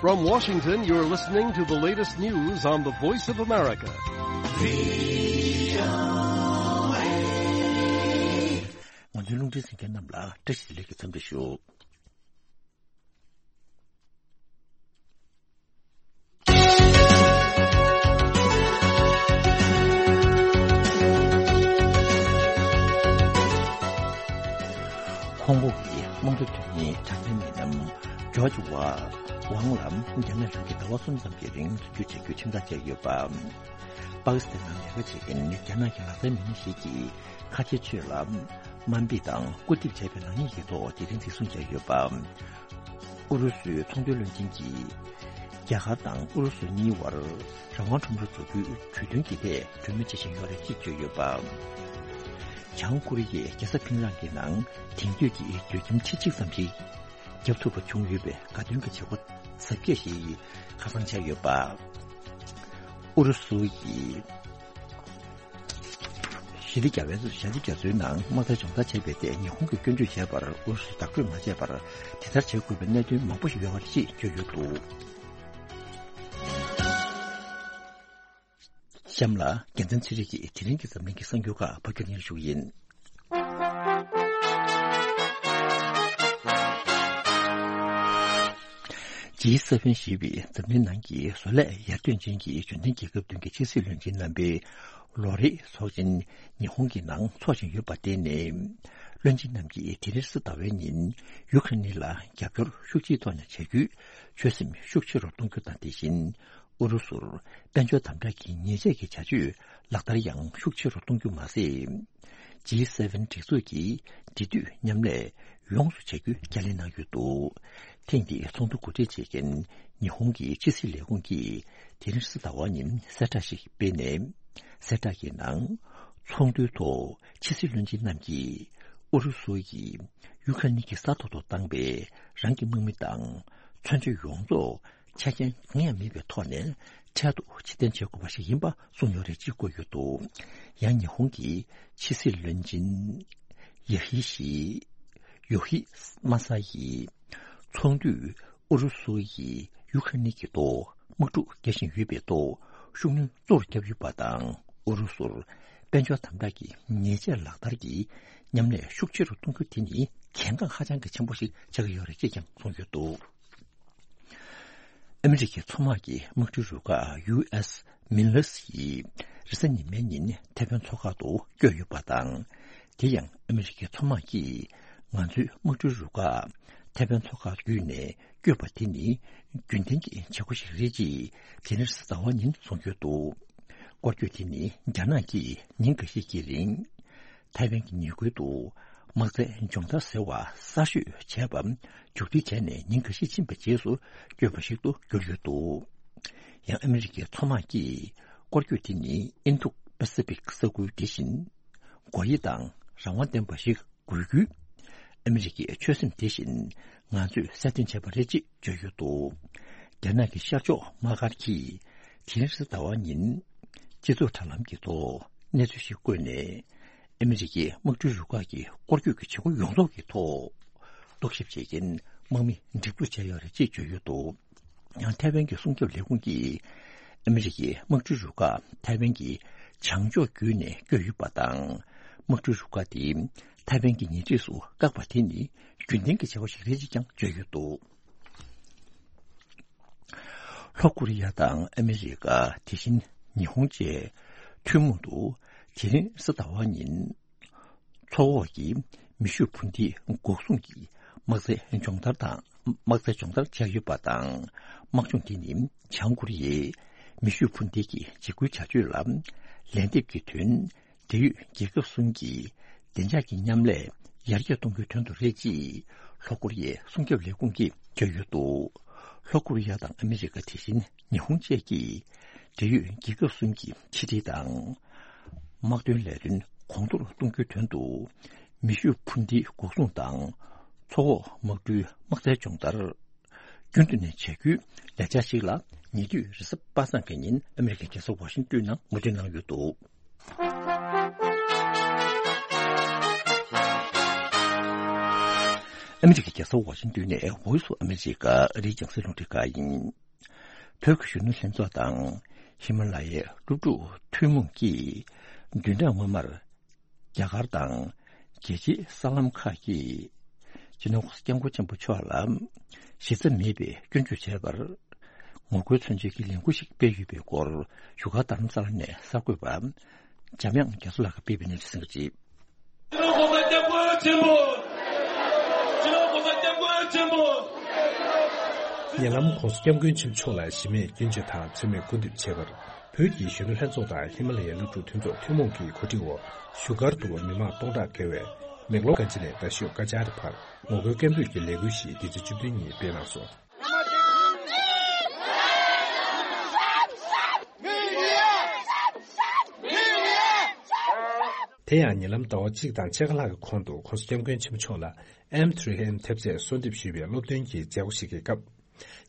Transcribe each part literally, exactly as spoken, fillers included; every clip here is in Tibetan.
From Washington, you're listening to the latest news on the Voice of America. ང་ཚོའི་རླུང་འཕྲིན་གསན་མཁན་རྣམས་ལ་བཀྲ་ཤིས་བདེ་ལེགས་ཀྱི་འཚམས་འདྲི་ཞུ། ཧོང་ཀོང་གི་དམངས་གཙོ་དོན་གཉེར་དྲ་བརྙན་མི་སྣ་ཇོརྗ་ཝ་ཝང་ལ་རྒྱ་ནག་གཞུང་གིས་ཟླ་བ་གསུམ་ཙམ་གྱི་རིང་འཛིན་སྐྱོང་བྱ་རྒྱུའི་ཁྲིམས་ཐག་བཅད་ཡོད་པ། པ་ཀི་སི་ཐན་ནང་ལས་ཀ་བྱེད་མཁན་རྒྱ་ནག་གི་ལག་རྩལ་མི་སྣ་ཞིག་གིས་ཁ་ཆེ་ཚོས་ལ་དམའ་འབེབས་དང་སྐུར་འདེབས་བྱས་པའི་ནག་ཉེས་ཀྱི་ཐོག་དེ་རིང་འཛིན་བཟུང་བྱས་ཡོད་པ། ཨུ་རུ་སུའི་ཚོང་དོན་བློན་ཆེན་གྱིས་རྒྱ་གར་དང་ཨུ་རུ་སུ་གཉིས་བར་རང་དབང་ཁྲོམ་ར་འཛུགས་རྒྱུའི་གྲོས་མཐུན་གྱི་ཐད་གྲོས་མོལ་བྱེད་བཞིན་ཡོད་རེད་ཅེས་བརྗོད་ཡོད་པ། བྱང་ཀོ་རི་ཡས་རྒྱལ་ས་ཕིང་རང་གི་ནང་དེང་དུས་ཀྱི་མདོ་ཁྱིམ་ཁྲི་གཅིག་ཙམ་ཞིག་བརྒྱབ་ཐུབ་པ་བྱུང་ཡོད་པའི་དགའ་སྟོན་གྱི་བྱེད་སྒོ་གཟབ་རྒྱས་ཤིག་ཁ་སང་བྱས་ཡོད་པ། ཨུ་རུ་སུ་ཡིས་ཞི་བདེ་རྒྱ་བལ་ཞི་བདེ་རྒྱ་མཚོའི་ནང་དམག་དོན་སྦྱོང་བརྡར་བྱས་པའི་ཐད་ཉི་ཧོང་གིས་སྐྱོན་བརྗོད་བྱས་པར་ཨུ་རུ་སུས་དག་སྤྲོད་མ་བྱས་པར་དེ་ལྟར་བྱེད་དགོས་པའི་གནད་དོན་མང་པོ་ཞིག་ཡོད་པ་རེད་ཅེས་བརྗོད་ཡོད་འདུག་གཤམ་ལ་རྒྱལ་མཚན་ཚེ་རིང་གིས་དེ་རིང་གི་འཛམ་གླིང་གི་གསར་འགྱུར་ཁག་ཕབ་སྒྱུར་སྙན་ཞུ་ཡིན། ཇི་སེ་ཝེན་ཞེས་པའི་འཛམ་གླིང་ནང་གི་བཟོ་ལས་ཡར་ཐོན་ཅན་གྱི་འབྱོར་ལྡན་རྒྱལ་ཁབ་བདུན་གྱི་ཕྱི་སྲིད་བློན་ཆེན་རྣམ་པའི་ལོ་རེའི་ཚོགས་ཆེན་ཉི་ཧོང་གི་ནང་འཚོགས་བཞིན་ཡོད་པར་བརྟེན་ནས། བློན་ཆེན་རྣམས་ཀྱིས་དེ་རིང་གཟའ་ཟླ་བའི་ཉིན་ཡུ་ཁ་རེན་ལ་རྒྱབ་སྐྱོར་ཤུགས་ཆེའི་ཐོག་ནས་བྱ་རྒྱུའི་ཆོད་སེམས་ཤུགས་ཆེ་རུ་གཏོང་རྒྱུ་དང་། དེ་བཞིན་ཨུ་རུ་སུར་དཔལ་འབྱོར་དམ་དྲག་གི་ཉེས་ཆད་ཀྱི་བྱ་སྤྱོད་ལག་བསྟར་ཡང་ཤུགས་ཆེ་རུ་གཏོང་རྒྱུ་མ་ཟད། ཇི་སེ་ཝེན་སྒྲིག་འཛུགས་ཀྱིས་འབྲེལ་མཐུད་མཉམ་ལས་ཡོངས་སུ་བྱ་རྒྱུའི་བརྒྱ་ལན་གནང་ཡོད་འདུག་ཐེངས་འདིའི་ཚོགས་འདུ་གོ་སྒྲིག་བྱེད་མཁན་ཉི་ཧོང་གི་ཕྱི་སྲིད་ལས་ཁུངས་ཀྱིས་དེ་རིང་གཟའ་ཟླ་བ་ཉིན་གསལ་བསྒྲགས་ཤིག་སྤེལ་ནས། གསལ་བསྒྲགས་ཀྱི་ནང་ཚོགས་འདུའི་ཐོག་ཕྱི་སྲིད་བློན་ཆེན་རྣམས་ཀྱིས་ཨུ་རུ་སུ་ཡིས་ཡུ་ཁ་རེན་གྱི་ས་ཐོག་ཏུ་བཏང་པའི་རང་གི་དམག་མི་དང་མཚོན་ཆ་ཡོངས་རྫོགས་ཆ་རྐྱེན་གང་ཡང་མེད་པའི་ཐོག་ནས་འཕྲལ་དུ་ཕྱིར་འཐེན་བྱེད་དགོས་པ་ཞིག་ཡིན་པ་གསུངས་ཡོད་རེད་ཅེས་བཀོད་ཡོད་འདུག་ཡང་ཉི་ཧོང་གི་ཕྱི་སྲིད་བློན་ཆེན་ཡ་ཧི་ཤི་ཡོ་ཧི་མ་ས་ཡིས་ཚོགས་འདུས་ཨུ་རུ་སུ་ཡིས་ཡུ་ཁ་རེན་གྱི་ཐོག་དམག་འཁྲུག་རྒྱག་བཞིན་ཡོད་པའི་ཐོག་ཤུགས་སྣོན་གཙོ་བོར་བརྒྱབ་ཡོད་པ་དང་། ཨུ་རུ་སུར་དཔལ་འབྱོར་དམ་དྲག་གི་ཉེས་ཆད་ལག་བསྟར་གྱིས་མཉམ་ལས་ཤུགས་ཆེ་རུ་གཏོང་རྒྱུ་དེ་ནི་གལ་འགངས་ཧ་ཅང་གི་ཆེན་པོ་ཞིག་ཆགས་ཀྱི་ཡོད་རེད་ཅེས་ཀྱང་གསུངས་ཡོད་འདུག་ཨ་མི་རི་ཀའི་མཚོ་དམག་གི་དམག་གྲུའི་རུ་ཁག་ཡུ་ཨེས་མིན་ལེས་ཡིས་རེས་གཟའ་ཉི་མའི་ཉིན་ཐེ་ཝན་མཚོ་ཁག་ཏུ་བསྐྱོད་ཡོད་པ་དང་། དེ་ཡང་ཨ་མི་རི་ཀའི་མཚོ་དམག་གིས་ང་ཚོའི་དམག་གྲུའི་རུ་ཁག་ཐེ་ཝན་མཚོ་ཁག་བརྒྱུད་ནས་བསྐྱོད་པ་དེ་ནི་རྒྱུན་ལྡན་གྱི་བྱེད་སྒོ་ཞིག་རེད་ཅེས་དེ་རིང་གཟའ་ཟླ་བ་ཉིན་གསུངས་ཡོད་འདུག་སྐོར་སྐྱོད་དེ་ནི་རྒྱ་ནག་གིས་ཉིན་འགའ་ཤས་ཀྱི་རིང་ཐའེ་ཝན་གྱི་ཉེ་ཁུལ་དུ་དམག་རྩལ་སྦྱོང་བརྡར་ཟེར་བ་གསར་ཤོས་བྱས་པ་མཇུག་སྒྲིལ་བྱས་ནས་ཉིན་འགའ་ཤས་ཕྱིན་པའི་རྗེས་སུ་བསྐྱོད་པ་ཞིག་ཏུ་གྱུར་ཡོད་འདུག་ཡང་ཨ་མི་རི་ཀའི་མཚོ་དམག་གིས་སྐོར་སྐྱོད་དེ་ནི་ཨིན་རྡུ་པ་སི་ཕིག་ས་ཁུལ་དེ་བཞིན་སྒོ་དབྱེ་དང་རང་དབང་ལྡན་པ་ཞིག་དགོས་རྒྱུའི་ཨ་མི་རི་ཀའི་ཆོད་སེམས་དེ་བཞིན་ང་ཚོས་གསལ་སྟོན་བྱས་པ་རེད་ཅེས་བརྗོད་ཡོད་འདུག་རྒྱ་ནག་གི་ཤར་ཕྱོགས་དམག་སྒར་གྱིས་དེ་རིང་གཟའ་ཟླ་བ་ཉིན་སྤྱི་ཚོགས་དྲ་ལམ་གྱི་ཐོག་གནས་ཚུལ་ཞིག་བཀོད་ནས། ཨ་མི་རི་ཀའི་དམག་གྲུའི་རུ་ཁག་གི་སྐོར་སྐྱོད་ཀྱི་བྱེད་སྒོ་ཡོངས་རྫོགས་ཀྱི་ཐོག་རྟོག་ཞིབ་བྱེད་མཁན་དམག་མི་འགྲིག་འཛུགས་བྱས་ཡོད་རེད་ཅེས་བརྗོད་ཡོད་འདུག་ཡང་ཐའེ་ཝན་གྱི་སྲུང་སྐྱོབ་ལས་ཁུངས་ཀྱིས་ཨ་མི་རི་ཀའི་དམག་གྲུའི་རུ་ཁག་ཐའེ་ཝན་གྱི་བྱང་ཕྱོགས་བརྒྱུད་ནས་བསྐྱོད་ཡོད་པ་དང་། དམག་གྲུའི་རུ་ཁག་དེ་ཐའེ་ཝན་གྱི་ཉེ་འཁྲིས་སུ་བཀག་པ་དེ་ནི་རྒྱུན་ལྡན་གྱི་བྱ་བ་ཞིག་རེད་ཅེས་ཀྱང་བརྗོད་ཡོད་འདུག་ལྷོ་ཀོ་རི་ཡ་དང་ཨ་མི་རི་ཀ། དེ་བཞིན་ཉི་ཧོང་བཅས་ཐུན་མོང་དུ་དེ་རིང་གཟའ་ཟླ་བ་ཉིན་མཚོ་འོག་གི་མེ་ཤུགས་འཕུར་མདེལ་འགོག་སྲུང་གི་དམག་རྩལ་སྦྱོང་བརྡར་དང་། དམག་རྩལ་སྦྱོང་བརྡར་བྱས་ཡོད་པ་དང་། དམག་སྦྱོང་འདི་ནི་བྱང་ཀོ་རི་ཡའི་མེ་ཤུགས་འཕུར་མདེལ་གྱི་འཇིགས་སྐུལ་བྱ་སྤྱོད་ལ་ལན་འདེབས་ཀྱི་དོན། འབྲེལ་ཡོད་རྒྱལ་ཁབ་གསུམ་གྱི་བདེ་འཇགས་ཀྱི་མཉམ་ལས་ཡར་རྒྱས་གཏོང་རྒྱུའི་དོན་དུ་རེད་ཅེས་ལྷོ་ཀོ་རི་ཡའི་སྲུང་སྐྱོབ་ལས་ཁུངས་ཀྱིས་བརྗོད་ཡོད་འདུག་ལྷོ་ཀོ་རི་ཡ་དང་ཨ་མི་རི་ཀ། དེ་བཞིན་ཉི་ཧོང་བཅས་ཀྱིས་འབྲེལ་ཡོད་རྒྱལ་ཁབ་གསུམ་གྱི་ཕྱི་འབྲེལ་དང་། དམག་དོན་ལས་དོན་གོང་མཐོར་གཏོང་རྒྱུའི་དོན་དུ། མེ་ཤུགས་འཕུར་མདེལ་འགོག་སྲུང་དང་། མཚོ་འོག་དམག་གྲུའི་དམག་རྩལ་སྦྱོང་བརྡར། རྒྱུན་དུ་ནས་བྱ་རྒྱུའི་ལས་འཆར་ཞིག་ལ། ཉེ་དུས་རེས་གཟའ་པ་སངས་ཀྱི་ཉིན་ཨ་མི་རི་ཀའི་རྒྱལ་ས་ཝ་ཤིང་ཏོན་ནང་ངོས་འཛིན་གནང་ཡོད་འདུག་ཨ་མི་རི་ཀའི་རྒྱལ་ས་ཝ་ཤིང་ཏོན་ནས་Voice of America ཨ་རིའི་རྒྱང་སྲིང་རླུང་འཕྲིན་ཁང་ཡིན། བོད་ཀྱི་གཞོན་ནུ་ལྷན་ཚོགས་དང་ཧི་མ་ལ་ཡའི་སློབ་ཕྲུག་ཐུན་མོང་གིས་བདུན་ཕྲག་སྔོན་མར་རྒྱ་གར་དང་རྒྱལ་སྤྱིའི་གསར་ལམ་ཁག་གིས་སྤྱི་ནོར་༧གོང་ས་༧སྐྱབས་མགོན་ཆེན་པོ་མཆོག་ལ་གཞི་རྩ་མེད་པའི་སྐྱོན་བརྗོད་བྱས་པར། ངོ་རྒོལ་མཚོན་ཆེད་ཀྱི་ལས་འགུལ་ཞིག་སྤེལ་ཡོད་པའི་སྐོར་བཞུགས་སྒར་རྡ་རམ་ས་ལ་ནས་གསར་འགོད་པ་འཇམ་དབྱངས་རྒྱ་མཚོ་ལགས་ཀྱིས་སྤེལ་བའི་གནས་ཚུལ་གསན་གྱི་རེད། སྤྱི་ནོར་༧གོང་ས་༧སྐྱབས་མགོན་ཆེན་པོ། སྤྱི་ནོར་༧གོང་ས་༧སྐྱབས་མགོན་ཆེན་པོ། ཉེ་ལམ་༧གོང་ས་༧སྐྱབས་མགོན་ཆེན་པོ་མཆོག་ལ་གཞི་མེད་སྐྱོན་བརྗོད་དང་མཚན་སྨད་སྐུར་འདེབས་བྱས་པར། བོད་ཀྱི་གཞོན་ནུ་ལྷན་ཚོགས་དང་ཧི་མ་ལ་ཡའི་སློབ་ཕྲུག་མཐུན་ཚོགས་ཐུན་མོང་གི་གོ་སྒྲིག་འོག་བཞུགས་སྒར་དུ་མི་མང་སྟོང་ཕྲག་བརྒལ་བས། མེག་ལོར་གྷན་ཇི་ནས་རྡ་ཤོད་ཀ་ཅཱ་རི་བར་ངོ་རྒོལ་སྐད་འབོད་ཀྱི་ལས་འགུལ་ཞིག་འདི་ཚེས་བཅུ་བདུན་ཉིན་སྤེལ་གནང་སོང་། དེ་ཡང་ཉེ་ལམ་ཟླ་བ་གཅིག་དང་ཕྱེད་ཀ་ལྷག་གི་གོང་དུ་༧གོང་ས་༧སྐྱབས་མགོན་ཆེན་པོ་མཆོག་ལ་ཨེམ་ཐི་རི་ཨེམ་ཐེབས་རྩས་གསོལ་འདེབས་ཞུས་པའི་སློབ་སྟོན་གྱི་མཛད་སྒོ་ཞིག་གི་སྐབས།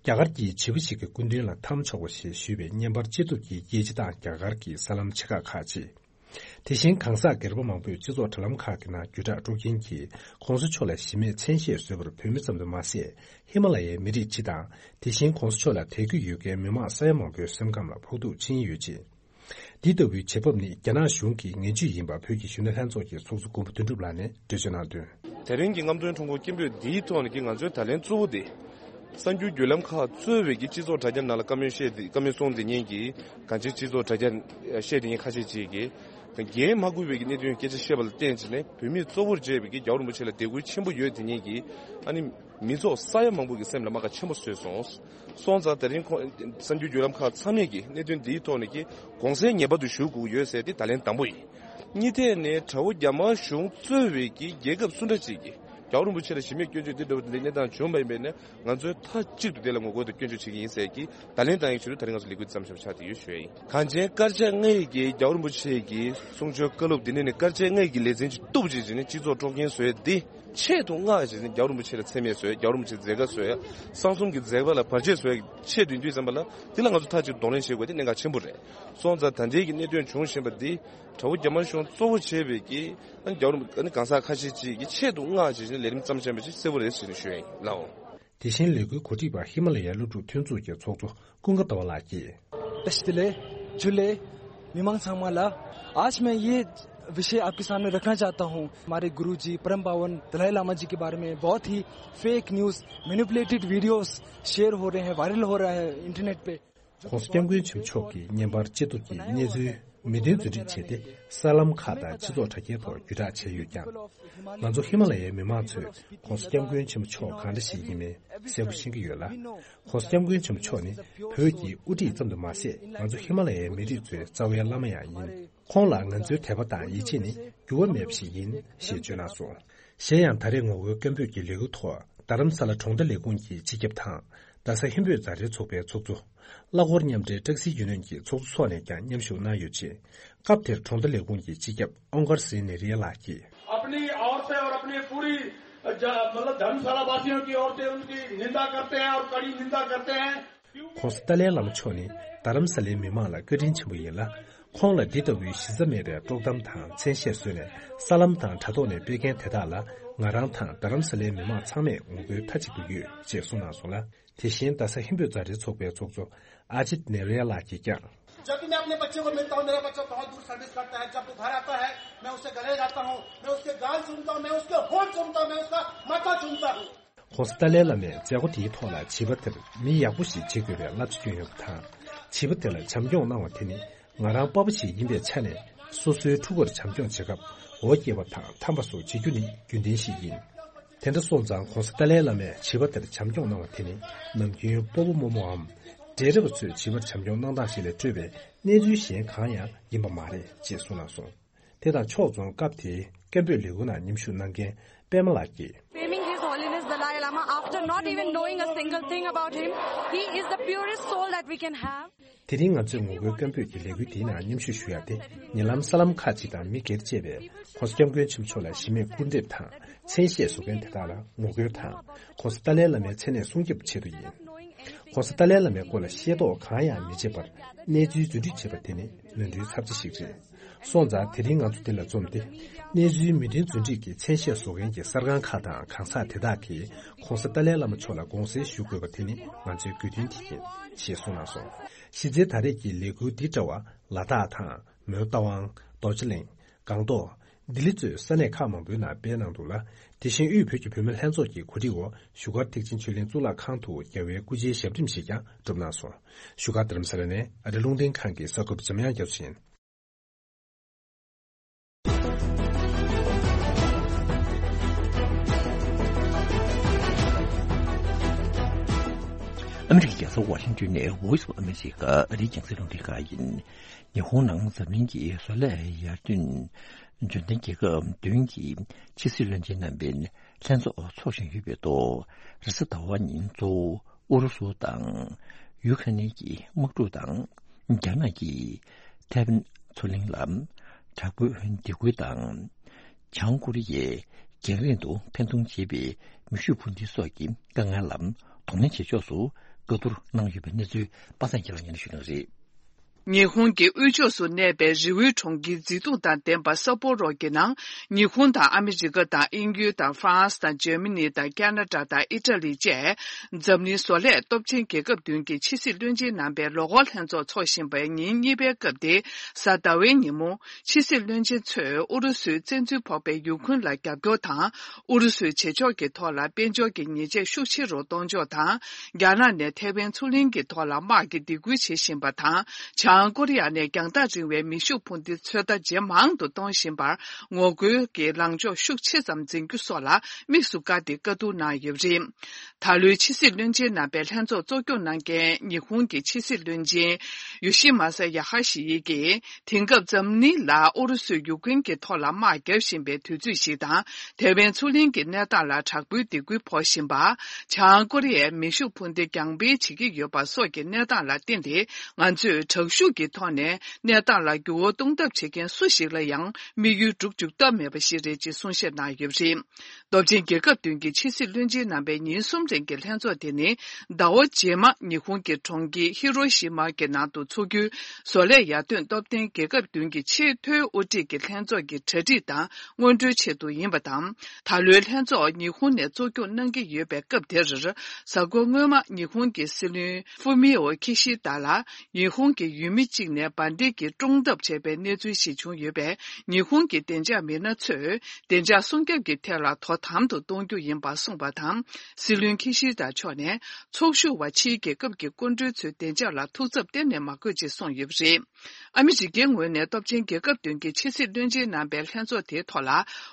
རྒྱ་གར་གྱི་བྱིས་པ་ཞིག་གི་སྐུ་མདུན་ལ་འཐམ་ཆོག་པ་ཞེས་ཞུས་པའི་བརྙན་པར་ཅི་ཐུབ་ཀྱིས་རྒྱལ་སྤྱི་དང་རྒྱ་གར་གྱི་གསར་ལམ་ཆེ་ཁག་ཁག་ཅིག་དེ་བཞིན་གང་ཟག་སྒེར་པ་མང་པོས་སྤྱི་ཚོགས་དྲ་ལམ་ཁག་གི་ནང་བརྒྱུད་བསྒྲགས་དཀྲུག་མཁན་གྱིས་༧གོང་ས་མཆོག་ལ་གཞི་མེད་མཚན་ཤས་བཟོས་པར་བོད་མི་ཙམ་དུ་མ་ཟད། ཧི་མ་ལ་ཡའི་མི་རིགས་སྤྱི་དང་དེ་བཞིན་༧གོང་ས་མཆོག་ལ་དད་གུས་ཡོད་མཁན་མི་མང་ས་ཡ་མང་པོའི་སེམས་ཁམས་ལ་ཕོག་ཐུག་ཕྱིན་ཡོད་ཅིང་། འདི་ལྟ་བུའི་བྱེད་བབ་ནི་རྒྱ་ནག་གཞུང་གི་ངན་ཇུས་ཡིན་པ་བོད་ཀྱི་གཞོན་ནུ་ལྷན་ཚོགས་ཀྱི་ཚོགས་གཙོ་མགོན་པོ་དོན་གྲུབ་ལགས་ནས་འགྲེལ་བརྗོད་གནང་དོན། དེ་རིང་གི་རྔམ་སྟོན་ཁྲོམ་སྐོར་སྐད་འབོད་འདིའི་ཐོག་ནས་ཀྱི་ང་ཚོའི་ད་ལན་གཙོ་བོ་དེ། གསར་འགྱུར་བརྒྱུད་ལམ་ཁག་གཙོས་པའི་གི་སྤྱི་ཚོགས་དྲ་རྒྱ་ནང་ལ་བཀའ་མོལ་བཤད་དེ་བཀའ་མོལ་གསུངས་དེ་ཉིན་གྱི་གང་ཅིའི་སྤྱི་ཚོགས་དྲ་རྒྱ་བཤད་དེ་ཉིན་ཁ་ཤས་ཅིག་གི་འགན་མ་འཁུར་བའི་གི་གནད་དོན་སྐད་ཆ་བཤད་པ་ལ་བརྟེན་བྱས་ནས་བོད་མིས་གཙོ་བོར་བྱས་པའི་གི་རྒྱལ་བ་རིན་པོ་ཆེ་ལ་དད་གུས་ཆེན་པོ་ཡོད་དེ་ཉིན་གྱི་ཨ་ནི་མི་ཚོགས་ས་ཡ་མང་པོ་གི་སེམས་ལ་རྨ་ཁ་ཆེན་པོ་བཟོས་སོང་། སོང་ཙང་དེ་རིང་ཁོང་གསར་འགྱུར་བརྒྱུད་ལམ་ཁག་ཚང་མས་ཀྱི་གནད་དོན་འདིའི་ཐོག་ནས་ཀྱི་དགོངས་སེལ་ངེས་པར་དུ་ཞུ་དགོས་ཀྱི་ཡོད་ཟེར་ཏེ་ད་ལན་དང་པོ་ཡིན། གཉིས་ཐད་ནས་དགྲ་བོ་རྒྱ་དམར་གཞུང་གཙོས་པའི་ཀྱི་རྒྱལ་ཁབ་སུ་འདྲ་ཅིག་གིས་རྒྱལ་བ་རིན་པོ་ཆེ་ལ་གཞི་མེད་སྐྱོན་བརྗོད་འདི་འདྲ་བ་འདི་གནས་སྟངས་བྱུང་བ་ཡིན་པས་ན་ང་ཚོས་མཐའ་གཅིག་ཏུ་དེ་ལ་ངོ་རྒོལ་དང་སྐྱོན་བརྗོད་བྱེད་ཀྱི་ཡིན་ཟེར་གྱི་ད་ལན་བཏང་ཡག་ཆེད་དུ་ད་རིང་ང་ཚོ་ལས་འགུལ་འདི་བརྩམས་བཞག་པ་ཆགས་བསྡད་ཡོད་ཞུ་ཡ་ཡིན། གངས་ཅན་དཀར་ཆག་ལྔ་ཡི་གི་རྒྱལ་བ་རིན་པོ་ཆེ་གི་གསུང་ཆོས་བཀའ་སློབ་འདི་ནས་ནི་དཀར་ཆག་ལྔ་ཡི་གི་ལེ་ཚན་གཅིག་གཏུབ་བྱས་བྱས་ནས་སྤྱི་ཚོགས་དཀྲུག་རྐྱེན་བཟོ་ཡ་འདི། ཆེད་དུ་མངགས་བྱས་ནས་རྒྱལ་བ་རིན་པོ་ཆེ་ལ་མཚན་སྨད་བཟོས། རྒྱལ་བ་རིན་པོ་ཆེའི་མཛད་དཀའ་བཟོས། གསང་གསུམ་གྱི་མཛད་པ་ལ་བར་ཆད་བཟོས་ཆེད་དུ་ཡིན་དུས་ཙམ་པ་ལ་འདི་ལ་ང་ཚོ་མཐའ་གཅིག་གདོང་ལེན་བྱེད་དགོས་དེ་གནད་འགག་ཆེན་པོ་རེད། སོང་ཙང་ད་ལྟའི་གི་གནད་དོན་བྱུང་བཞིན་པ་འདི་དགྲ་བོ་རྒྱ་དམར་གཞུང་གཙོ་བོ་བྱས་པའི་གི་ཨ་ནི་རྒྱལ་བ་རིན་པོ་ཨ་ནི་གང་ཟག་ཁ་ཤས་ཅིག་གིས་ཆེད་དུ་མངགས་བྱས་ནས་ལས་རིམ་བརྩམས་བཞིན་པ་ཅིག་གསལ་པོ་རེད་ཟེར་ནས་ཞུ་ཡ་ཡིན་ལགས། དེ་བཞིན་ལས་འགུལ་གོ་སྒྲིག་པ་ཧི་མ་ལ་ཡའི་སློབ་ཕྲུག་མཐུན་ཚོགས་ཀྱི་ཚོགས་གཙོ་ཀུན་དགའ་ཟླ་བ་ལགས་ཀྱིས། ཏེ་ལེ་ཇུ་ལེ། མི་མང་ཚང་མ་ལ། आज मैं ये विषय आपके सामने रखना चाहता हूँ। हमारे गुरु जी परम पावन दलाई लामा जी के बारे में बहुत ही fake news, manipulated videos share हो रहे हैं, वायरल हो रहा है इंटरनेट पे। ༸གོང་ས་༸སྐྱབས་མགོན་ཆེན་པོ་མཆོག་གིས་བརྙན་པར་ཅི་ཐུབ་ཀྱིས་གནས་ཚུལ་མི་བདེན་རྫུན་སྒྲིག་བྱས་ཏེ་གསར་ལམ་ཁག་དང་སྤྱི་ཚོགས་དྲ་རྒྱའི་ཐོག་བརྒྱུད་བསྒྲགས་བྱས་ཡོད་ཀྱང་། ང་ཚོ་ཧི་མ་ལ་ཡའི་མི་མང་ཚོས་༸གོང་ས་༸སྐྱབས་མགོན་ཆེན་པོ་མཆོག་གང་འདྲ་ཞིག་ཡིན་མིན་གསལ་པོ་ཤེས་ཀྱི་ཡོད་ལ། ༸གོང་ས་༸སྐྱབས་མགོན་ཆེན་པོ་མཆོག་ནི་བོད་ཀྱི་དབུ་ཁྲིད་ཙམ་དུ་མ་ཟད་ང་ཚོ་ཧི་མ་ལ་ཡའི་མི་རིགས་ཚོའི་རྩ་བའི་བླ་མ་ཡང་ཡིན། ཁོང་ལ་ང་ཚོའི་དད་པ་དང་ཡིད་ཆེས་ནི་འགྱུར་བ་མེད་པ་ཞིག་ཡིན་ཞེས་བརྗོད་གནང་སོང་། གཞན་ཡང་ད་རེས་ངོ་རྒོལ་སྐད་འབོད་ཀྱི་ལས་འགུལ་ཐོག་རྡ་རམ་ས་ལ་གྲོང་རྡལ་ལས་ཁུངས་ཀྱི་སྤྱི་ཁྱབ་དང་རྡ་ས་ཧིན་བོད་མཛའ་འབྲེལ་ཚོགས་པའི་ཚོགས་གཙོ། གླ་འཁོར་མཉམ་འབྲེལ་ཊེག་སི་ཡུ་ནི་ཡན་གྱི་ཚོགས་གཙོ་སོགས་ནས་ཀྱང་མཉམ་ཞུགས་གནང་ཡོད་ཅིང་། སྐབས་དེར་གྲོང་རྡལ་ལས་ཁུངས་ཀྱི་སྤྱི་ཁྱབ་ཨོང་ཀར་སིང་ནེ་རི་ཡ་ལགས་ཀྱིས། अपनी ओर से और अपनी पूरी ज- मतलब धर्मशाला वासियों की ओर से उनकी निंदा करते हैं और कड़ी निंदा करते हैं। ༸གོང་ས་ཏཱ་ལའི་བླ་མ་མཆོག་ནི་རྡ་རམ་ས་ལའི་མི་མང་ལ་བཀའ་དྲིན་ཆེན་པོ་ཡིན་ལ། ཁོང་ལ་འདི་ལྟ་བུའི་གཞི་རྩ་མེད་པའི་དཀྲོག་གཏམ་དང་མཚན་ཤས་བཟོས་ནས་གསར་ལམ་དང་དྲ་ཐོག་ནས་སྤེལ་མཁན་དེ་དག་ལ་ང་རང་དང་རྡ་རམ་ས་ལའི་མི་མང་ཚང་མས་ངོ་རྒོལ་མཐའ་གཅིག་ཏུ་ཡོད་ཅེས་གསུངས་གནང་སོང་ལ། དེ་བཞིན་རྡ་ས་ཧིན་བོད་མཛའ་འབྲེལ་ཚོགས་པའི་ཚོགས་གཙོ་ཨ་ཇིད་ནེ་རེ་ཡ་ལགས་ཀྱིས་ཀྱང་། जब भी मैं अपने बच्चे को मिलता हूँ, मेरा बच्चा बहुत दूर सर्विस करता है, जब वो घर आता है, मैं उससे गले लगाता हूँ, मैं उसके गाल चूमता हूँ, मैं उसके होंठ चूमता हूँ, मैं उसका माथा चूमता हूँ। ༸གོང་ས་ཏཱ་ལའི་བླ་མས་མཛད་སྒོ་དེའི་ཐོག་ལ་བྱིས་པ་དེར་མི་ཡག་པོ་ཞིག་བྱེད་དགོས་པའི་བསླབ་བྱ་བསྐྱོན་ཡོད་པ་དང་། བྱིས་པ་དེ་ལ་བྱམས་སྐྱོང་གནང་བ་དེ་ནི་ང་རང་པ་ཕ་ཞིག་ཡིན་པའི་ཆ་ནས་སོ་སོའི་ཕྲུ་གུར་བྱམས་སྐྱོང་བྱེད་སྐབས་འོ་བརྒྱལ་བ་དང་འཐམ་པ་སོགས་བྱེད་རྒྱུ་ནི་རྒྱུན་ལྡན་ཞིག་ཡིན། དེ་འདྲ་སོང་ཙང་༸གོང་ས་ཏཱ་ལའི་བླ་མས་བྱིས་པ་དེར་བྱམས་སྐྱོང་གནང་བ་དེ་ནི་ནམ་རྒྱུན་སྤོ་བོ་རྨོ་མོའམ་འབྲེལ་རེས་པ་ཚོས་བྱིས་པར་བྱམས་སྐྱོང་གནང་སྟངས་ཤིག་ལས་སྤྲོས་པའི་གནས་ཚུལ་གཞན་གང་ཡང་ཡིན་པ་མ་རེད་ཅེས་གསུངས་གནང་སོང་། དེ་དང་ཕྱོགས་མཚུངས་སྐབས་དེའི་སྐད་འབོད་ལས་འགུལ་ནང་མཉམ་ཞུགས་གནང་མཁན་པད་མ་ལགས་ཀྱིས། Blaming His Holiness Dalai Lama after not even knowing a single thing about him. He is the purest soul that we can have. དེ་རིང་ང་ཚོས་ངོ་རྒོལ་སྐད་འབོད་ཀྱི་ལས་འགུལ་འདིའི་ནང་མཉམ་ཞུགས་ཞུ་ཡ་དེ་ཉེ་ལམ་གསར་ལམ་ཁག་ཅིག་དང་མི་སྒེར་བཅས་པས་༸གོང་ས་༸སྐྱབས་མགོན་ཆེན་པོ་མཆོག་ལ་གཞི་མེད་སྐུར་འདེབས་དང་མཚན་ཤས་བཟོ་མཁན་དེ་དག་ལ་ངོ་རྒོལ་དང་༸གོང་ས་ཏཱ་ལའི་བླ་མའི་མཚན་གནས་སྲུང་སྐྱོབ་ཆེད་དུ་ཡིན། ༸གོང་ས་ཏཱ་ལའི་བླ་མའི་སྐོར་ལ་ཤེས་རྟོགས་གང་ཡང་མི་བྱེད་པར་གནས་ཚུལ་རྫུན་སྒྲིག་བྱེད་པ་དེ་ནི་ནོར་འཁྲུལ་ཚབས་ཆེ་ཞིག་རེད། སོང་ཙང་དེ་རིང་ང་ཚོ་འདི་ལ་འཛོམས་ཏེ། གནས་ཚུལ་མུ་མཐུད་རྫུན་སྒྲིག་གི་མཚན་ཤས་བཟོ་མཁན་གྱི་གསར་ཁང་ཁག་དང་གང་ཟག་དེ་དག་གིས་ྋགོང་ས་ཏཱ་ལའི་བླ་མ་མཆོག་ལ་དགོངས་སེལ་ཞུ་དགོས་པ་དེ་ནི་ང་ཚོའི་དགོས་འདུན་དེ་ཡིན། ཞེས་གསུངས་གནང་སོང་། གཞི་རྩའི་ད་རེས་ཀྱི་ལས་འགུལ་འདི་འདྲ་བ་ལ་དྭགས་དང་མོན་རྟ་དབང་། རྡོ་རྗེ་གླིང་། སྒང་ཏོག་ལྡི་ལི་གཙོས་ས་གནས་ཁག་མང་པོའི་ནང་སྤེལ་གནང་འདུག་ལ། དེ་བཞིན་དབུས་བོད་ཀྱི་བུད་མེད་ལྷན་ཚོགས་ཀྱི་གོ་སྒྲིག་འོག་བཞུགས་སྒར་ཐེག་ཆེན་ཆོས་གླིང་གཙུག་ལག་ཁང་དུ་རྒྱལ་བའི་སྐུ་ཕྱྭའི་ཞབས་རིམ་ཞིག་ཀྱང་གྲུབ་གནང་སོང་། བཞུགས་སྒར་རྡ་རམ་ས་ལ་ནས་ཨ་རི་རླུང་འཕྲིན་ཁང་གི་གསར་འགོད་པ་འཇམ་དབྱངས་རྒྱ་མཚོ་ཡིན། ཨ་མི་རི་ཀའི་རྒྱལ་ས་ཝ་ཤིང་ཏོན་ནས་Voice of America ཨ་རིའི་རྒྱང་སྲིང་རླུང་འཕྲིན་ཁང་ཡིན། ཉི་ཧོང་ནང་འཛམ་གླིང་གི་བཟོ་ལས་ཡར་ཐོན་འབྱོར་ལྡན་རྒྱལ་ཁབ་བདུན་གྱི་ཕྱི་སྲིད་བློན་ཆེན་རྣམ་པའི་ལྷན་ཚོགས་འཚོགས་བཞིན་ཡོད་པའི་ཐོག་རེས་གཟའ་ཟླ་བ་ཉིན་གཙོ་བོ་ཨུ་རུ་སུ་དང་ཡུ་ཁ་ནི་གི་དམག་འཁྲུག་དང་། རྒྱ་ནག་གིས་ཐའེ་ཝན་མཚོ་གླིང་ལ་དྲག་པོའི་སྡིགས་སྐུལ་དང་། བྱང་ཀོ་རི་ཡས་རྒྱང་རིང་དུ་འཕེན་གཏོང་བྱེད་པའི་མེ་ཤུགས་འཕུར་མདེལ་སོགས་ཀྱི་དཀའ་ངལ་ལ་གདོང་ལེན་བྱེད་ཕྱོགས་སུ་བཀའ་བསྡུར་གནང་ཡོད་པའི་གནས་ཚུལ་པ་སངས་སྐྱིད་ལགས་སྙན་ཞུ་གནང་རེད། ཉི་ཧོང་གི་དབུས་ཕྱོགས་སུ་གནས་པའི་རི་བོའི་གྲོང་ཁྱེར་མཛེས་སྡུག་དང་ལྡན་པ་སཱ་པོ་རོ་གྱི་ནང་། ཉི་ཧོང་དང་ཨ་མི་རི་ཀ་དང་དབྱིན་ཡུལ་དང་ཧྥ་རན་སི་དང་འཇར་མ་ནི་དང་ཁ་ན་ཌ་དང་ཨི་ཊ་ལི་བཅས་འཛམ་གླིང་བཟོ་ལས་སྟོབས་ཆེན་རྒྱལ་ཁབ་བདུན་གྱི་ཕྱི་སྲིད་བློན་ཆེན་རྣམ་པའི་ལོ་འཁོར་ལྷན་ཚོགས་འཚོགས་བཞིན་པའི་ཉིན་གཉིས་པའི་སྐབས་ཏེ། གཟའ་ཟླ་བའི་ཉིན་མོ། ཕྱི་སྲིད་བློན་ཆེན་ཚོས་ཨུ་རུ་སུའི་བཙན་འཛུལ་ཕོག་པའི་ཡུ་ཁུན་ལ་རྒྱབ་སྐྱོར་དང་། ཨུ་རུ་སུའི་བྱེད་ཕྱོགས་ཀྱི་ཐོག་ལ་དཔལ་འབྱོར་གྱི་ཉེས་ཆད་ཤུགས་ཆེ་རུ་གཏོང་ཕྱོགས་དང་། རྒྱ་ནག་ནས་ཐའེ་ཝན་མཚོ་གླིང་གི་ཐོག་ལ་དམག་གི་སྡིགས་སྐུལ་བྱེད་བཞིན་པ་དང་། བྱང་ཀོ་རི་ཡ་ནས་རྒྱང་ཐག་རིང་བའི་མེ་ཤུགས་འཕུར་མདེལ་ཚོད་ལྟ་ཇེ་མང་དུ་གཏོང་བཞིན་པར། ངོ་རྒོལ་གྱི་ལངས་ཕྱོགས་ཤུགས་ཆེ་ཙམ་འཛིན་རྒྱུ་སོགས་ལ་དམིགས་སུ་བཀར་ཏེ་བཀའ་བསྡུར་གནང་ཡོད་པ་རེད། ད་ལོའི་ཕྱི་སྲིད་བློན་ཆེན་རྣམ་པའི་ལྷན་ཚོགས་གཙོ་སྐྱོང་གནང་མཁན་ཉི་ཧོང་གི་ཕྱི་སྲིད་བློན་ཆེན་ཡོ་ཤི་མ་ས་ཡ་ཧ་ཤི་ཡི་གིས། དེང་སྐབས་འཛམ་གླིང་ལ་ཨུ་རུ་སུས་ཡུ་ཀེན་གྱི་ཐོག་ལ་དམག་བརྒྱབ་བཞིན་པའི་དུས་ཚོད་ཞིག་དང་། ཐའེ་ཝན་མཚོ་གླིང་གི་གནས་སྟངས་ལ་དྲག་པོའི་སྡིགས་སྐུལ་ཕོག་བཞིན་པ། བྱང་ཀོ་རི་ཡས་མེ་ཤུགས་འཕུར་མདེལ་རྒྱང་འཕེན་བྱེད་ཀྱི་ཡོད་པ་སོགས་ཀྱི་གནས་སྟངས་ལ་བརྟེན་ཏེ། ང་ཚོས་དྲག་ཤུགས་ཀྱི་ཐོག་ནས་གནས་སྟངས་ལ་འགྱུར་བ་གཏོང་ཐབས་བྱེད་མཁན་སུ་ཞིག་ལ་ཡང་དམིགས་ཡུལ་སྒྲུབ་བཅུག་ཐབས་མེད་པ་ཞིག་རེད་ཅེས་གསུང་བཤད་གནང་ཡོད་པ་རེད། སྟོབས་ཆེན་རྒྱལ་ཁབ་བདུན་གྱི་ཕྱི་སྲིད་བློན་ཆེན་རྣམ་པའི་ཉིན་གསུམ་རིང་གི་ལྷན་ཚོགས་དེ་ནི། ཟླ་བ་རྗེས་མ་ཉི་ཧོང་གི་གྲོང་ཁྱེར་ཧི་རོ་ཤི་མ་གི་ནང་དུ་འཚོགས་རྒྱུའི་བཟོ་ལས་ཡར་ཐོན་སྟོབས་ལྡན་རྒྱལ་ཁབ་བདུན་གྱི་ཆེས་མཐོའི་དབུ་ཁྲིད་ཀྱི་ལྷན་ཚོགས་ཀྱི་གྲ་སྒྲིག་དང་སྔོན་འགྲོའི་ཆེད་དུ་ཡིན་པ་དང་། ད་ལོའི་ལྷན་ཚོགས་ཉི་ཧོང་ནས་གཙོ་སྐྱོང་གནང་གི་ཡོད་པའི་སྐབས་དེར། གཟའ་འཁོར་སྔོན་མ་ཉི་ཧོང་གི་སྲིད་བློན་ཧྥུ་མི་འོ་ཁི་ཤི་ད་ལ། ཉི་ཧོང་གི་ཡུལ་མི་གཅིག་ནས་འབར་མདེལ་གྱིས་བཀྲོངས་ཐབས་བྱས་པའི་གནས་ཚུལ་ཞིག་བྱུང་ཡོད་པས། ཉི་ཧོང་གི་བདེ་འཇགས་མི་སྣ་ཚོས་བདེ་འཇགས་སྲུང་སྐྱོབ་ཀྱི་ཐད་ལ་དོ་དམ་དུ་གཏོང་རྒྱུ་ཡིན་པ་གསུངས་པ་དང་། སྲིད་བློན་ཁི་ཤི་ད་མཆོག་ནས་ཚོགས་ཞུགས་པ་ཕྱིའི་རྒྱལ་ཁབ་ཀྱི་སྐུ་མགྲོན་ཚོའི་བདེ་འཇགས་ལ་ཐུགས་འཚབ་གཏན་ནས་མ་དགོས་ཅེས་གསུངས་ཡོད་པ་རེད། ཨ་མི་རི་ཀའི་ངོས་ནས་སྟོབས་ཆེན་རྒྱལ་ཁབ་བདུན་གྱི་ཕྱི་སྲིད་བློན་ཆེན་རྣམ་པའི་ལྷན་ཚོགས་དེའི་ཐོག་ལ།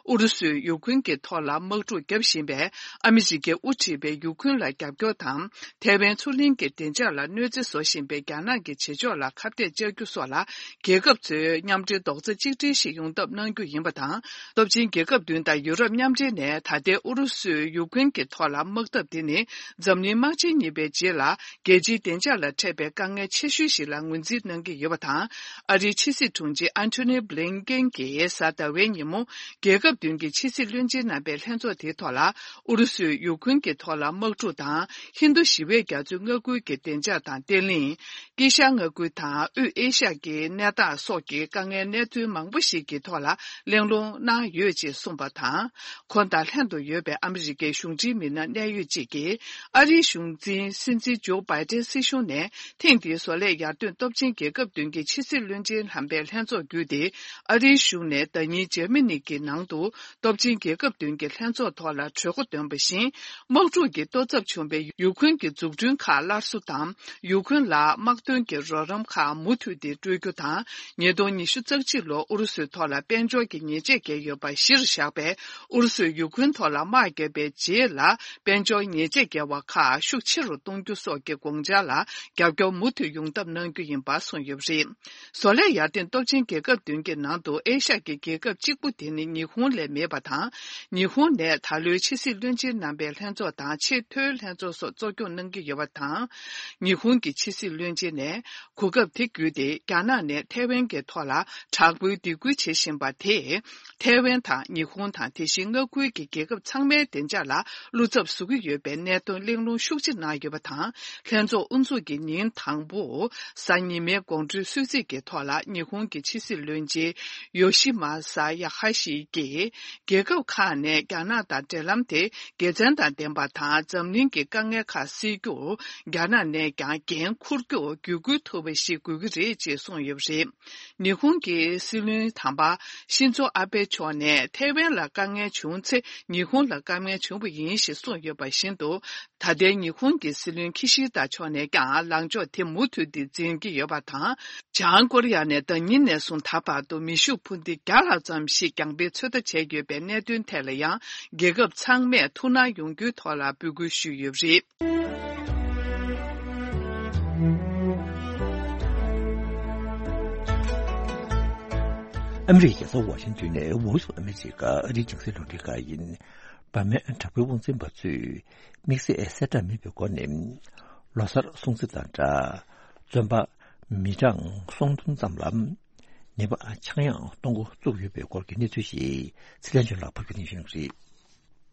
ཨུ་རུ་སུས་ཡུ་ཁུན་གྱི་ཐོག་ལ་དམག་འཁྲུག་བརྒྱབ་བཞིན་པའི་ཨ་མི་རི་ཀས་དབུ་ཁྲིད་པའི་ཡུ་ཁུན་ལ་རྒྱབ་སྐྱོར་དང་། ཐའེ་ཝན་མཚོ་གླིང་གི་བདེ་འཇགས་ལ་གནོད་འཚེ་བཟོ་བཞིན་པའི་རྒྱ་ནག་གི་བྱེད་ཕྱོགས་ལ་ཁ་གཏད་གཅོག་རྒྱུ་སོགས་ལ། རྒྱལ་ཁབ་ཚོས་མཉམ་འབྲེལ་རྡོག་རྩ་གཅིག་སྒྲིལ་ཞིག་ཡོང་ཐབས་གནང་རྒྱུ་ཡིན་པ་དང་། སྟོབས་ཆེན་རྒྱལ་ཁབ་བདུན་དང་ཡུ་རོབ་མཉམ་འབྲེལ་ནས་ད་ལྟའི་ཨུ་རུ་སུས་ཡུ་ཀེན་གྱི་ཐོག་ལ་དམག་འཐབ་དེ་ནི། འཛམ་གླིང་དམག་ཆེན་གཉིས་པའི་རྗེས་ལ། རྒྱལ་སྤྱིའི་བདེ་འཇགས་ལ་འཕྲད་པའི་དཀའ་ངལ་ཆེ་ཤོས་ཤིག་ལ་ངོས་འཛིན་གནང་གི་ཡོད་པ་དང་། ཨ་རིའི་ཕྱི་སྲིད་དྲུང་ཆེ་ཨན་ཐོ་ནི་བྷི་ལིན་ཀེན་གྱིས་གཟའ་ཟླ་བའི་ཉིན་མོ། རྒྱལ་ཁབ་བདུན་གྱི་ཕྱི་སྲིད་བློན་ཆེན་རྣམ་པའི་ལྷན་ཚོགས་དེའི་ཐོག་ལ། ཨུ་རུ་སུས་ཡུ་ཁུན་གྱི་ཐོག་ལ་དམག་འཁྲུག་དང་། ཧིན་རྡུ་ཞི་བའི་རྒྱ་མཚོའི་མངའ་ཁུལ་གྱི་བདེ་འཇགས་དང་བརྟན་ལྷིང་། དཀྱིལ་ཤར་མངའ་ཁུལ་དང་དབུས་ཨེ་ཤ་ཡ་གི་གནས་སྟངས་སོགས་ཀྱི་དཀའ་ངལ་གནས་ཚུལ་མང་པོ་ཞིག་གི་ཐོག་ལ་གླེང་སློང་གནང་ཡོད་ཅེས་གསུངས་པ་དང་། ཁོང་དང་ལྷན་དུ་ཡོད་པའི་ཨ་མི་རི་ཀའི་གཞུང་འབྲེལ་མི་སྣ་གནད་ཡོད་ཅིག་གིས། ཨ་རིའི་གཞུང་འཛིན་སྲིད་འཛིན་ཇོ་བྷའི་ཏན་སྲིད་གཞུང་ནས། ཐེངས་འདིའི་བཟོ་ལས་ཡར་ཐོན་སྟོབས་ཆེན་རྒྱལ་ཁབ་བདུན་གྱི་ཕྱི་སྲིད་བློན་ཆེན་རྣམ་པའི་ལྷན་ཚོགས་བརྒྱུད་དེ། ཨ་རིའི་གཞུང་ནས་ཟླ་ཉིན་འཇར་མ་ནི་གི་ནང་དུ། སྟོབས་ཆེན་རྒྱལ་ཁབ་བདུན་གྱི་ལྷན་ཚོགས་ཐོག་ལ་གྲོས་འགོ་འདོན་པ་བཞིན། དམག་འཁྲུག་གི་གཏོར་ཚབ་བྱུང་བའི་ཡུ་ཁུན་གྱི་འཛུགས་སྐྲུན་ཁག་སླར་གསོ་དང་། ཡུ་ཁུན་ལ་དམག་དོན་གྱི་རོགས་རམ་ཁག་མུ་མཐུད་དེ་སྤྲོད་རྒྱུ་དང་། ཉིས་སྟོང་ཉི་ཤུ་རྩ་གཅིག་ལོར་ཨུ་རུ་སུའི་ཐོག་ལ་དཔལ་འབྱོར་གྱི་ཉེས་ཆད་བཀལ་ཡོད་པ་གཞིར་བཞག་པའི་ཨུ་རུ་སུས་ཡུ་ཁུན་ཐོག་ལ་དམག་བརྒྱབ་པའི་རྗེས་ལ། དཔལ་འབྱོར་ཉེས་ཆད་བཀལ་བ་ཁག་ཤུགས་ཆེ་རུ་གཏོང་རྒྱུ་སོགས་ཀྱི་དགོངས་འཆར་ལ་རྒྱབ་སྐྱོར་མུ་མཐུད་ཡོང་ཐབས་གནང་རྒྱུ་ཡིན་པ་གསུངས་ཡོད་པ་རེད། བཟོ་ལས་ཡར་ཐོན་སྟོབས་ཆེན་རྒྱལ་ཁབ་བདུན་གྱི་ནང་དུ་ཨེ་ཤ་ཡའི་རྒྱལ་ཁབ་གཅིག་པུ་དེ་ནི་ཉི་ཧོང་ལས་མེད་པ་དང་། ཉི་ཧོང་ནས་ད་ལོའི་ཕྱི་སྲིད་བློན་ཆེན་རྣམ་པའི་ལྷན་ཚོགས་དང་ཆེས་མཐོའི་ལྷན་ཚོགས་སོགས་གཙོ་སྐྱོང་གནང་གི་ཡོད་པ་དང་། ཉི་ཧོང་གི་ཕྱི་སྲིད་བློན་ཆེན་ནས་གོ་སྐབས་ དེ་བརྒྱུད་དེ། རྒྱ་ནག་ནས་ཐའེ་ཝན་གྱི་ཐོག་ལ་དྲག་པོའི་སྡིགས་སྐུལ་བྱེད་བཞིན་པ་དེས། ཐའེ་ཝན་དང་ཉི་ཧོང་དང་དེ་བཞིན་མངའ་ཁུལ་གྱི་རྒྱལ་ཁབ་ཚང་མའི་བདེ་འཇགས་ལ་བློ་འཚབ་བཟོ་གི་ཡོད་པའི་གནད་དོན་གླེང་སློང་ཤུགས་ཆེ་གནང་ཡོད་པ་དང་། ལྷན་ཚོགས་དབུ་འཛུགས་ཀྱི་ཉིན་དང་པོ་གཟའ་ཉི་མའི་དགོང་དྲོའི་གསོལ་ཚིགས་ཀྱི་ཐོག་ལ། ཉི་ཧོང་གི་ཕྱི་སྲིད་བློན་ཆེན་ཡོ་ཤི་མ་ས་ཡ་ཧ་ཤི་གྱིས། རྒྱལ་ཁབ་ཁག་ནས་རྒྱ་ནག་དང་འབྲེལ་ལམ་དེ་དགེ་མཚན་དང་ལྡན་པ་དང་། འཛམ་གླིང་གི་དཀའ་ངལ་ཁག་སེལ་རྒྱུར་རྒྱ་ནག་ནས་ཀྱང་འགན་འཁུར་རྒྱུར་བརྒྱུད་སྐུལ་ཐུབ་པ་ཞིག་དགོས་ཀྱི་རེད་ཅེས་གསུངས་ཡོད་པ་རེད། ཉི་ཧོང་གི་སྲིད་བློན་དམ་པ་ཤིན་ཛོ་ཨ་བྷེ་མཆོག་ནས་ཐའེ་ཝན་ལ་དཀའ་ངལ་བྱུང་ཚེ། ཉི་ཧོང་ལ་དཀའ་ངལ་བྱུང་བ་ཡིན་ཞེས་གསུངས་ཡོད་པ་བཞིན་དུ། ད་ལྟའི་ཉི་ཧོང་གི་སྲིད་བློན་ཁི་ཤི་ད་མཆོག་ནས་ཀྱང་ལངས་ཕྱོགས་དེ་མུ་མཐུད་དེ་འཛིན་གྱི་ཡོད་པ་དང་། བྱང་ཀོ་རི་ཡ་ནས་ཟླ་ཉིན་ནས་བཟུང་ད་བར་དུ་མེ་ཤུགས་འཕུར་མདེལ་བརྒྱ་ལྷག་ཙམ་ཞིག་བརྒྱངས་པའི་ཚོད་ལྟ་བྱས་ཡོད་པའི་གནད་དོན་ཐད་ལ་ཡང་། རྒྱལ་ཁབ་ཚང་མས་ཐུགས་སྣང་ཡོང་རྒྱུའི་ཐོག་ལ་འབོད་སྐུལ་ཞུས་ཡོད་པ་རེད། ཨ་མི་རི་ཀའི་རྒྱལ་ས་ཝ་ཤིང་ཏོན་ནས་Voice of America ཨ་རིའི་རྒྱང་སྲིང་རླུང་འཕྲིན་ཁང་ཡིན། འབར་མའི་དྲག་པོའི་དབང་འཛིན་པ་ཚོས་དམིགས་བསལ་གསལ་བསྒྲགས་མེད་པའི་སྒོ་ནས། ལོ་གསར་སྲུང་བརྩི་དང་སྦྲགས། བཙོན་པ་མི་གྲངས་སུམ་སྟོང་ཙམ་ལ་ནད་པ་ཆག་ཡང་གཏོང་འགོ་བཙུགས་ཡོད་པའི་སྐོར་གྱི་གནས་ཚུལ་ཞིག་ཚེ་ལྷན་ཆོས་ལགས་ཕབ་སྒྱུར་གནང་ཞུ་གནང་གི་རེད།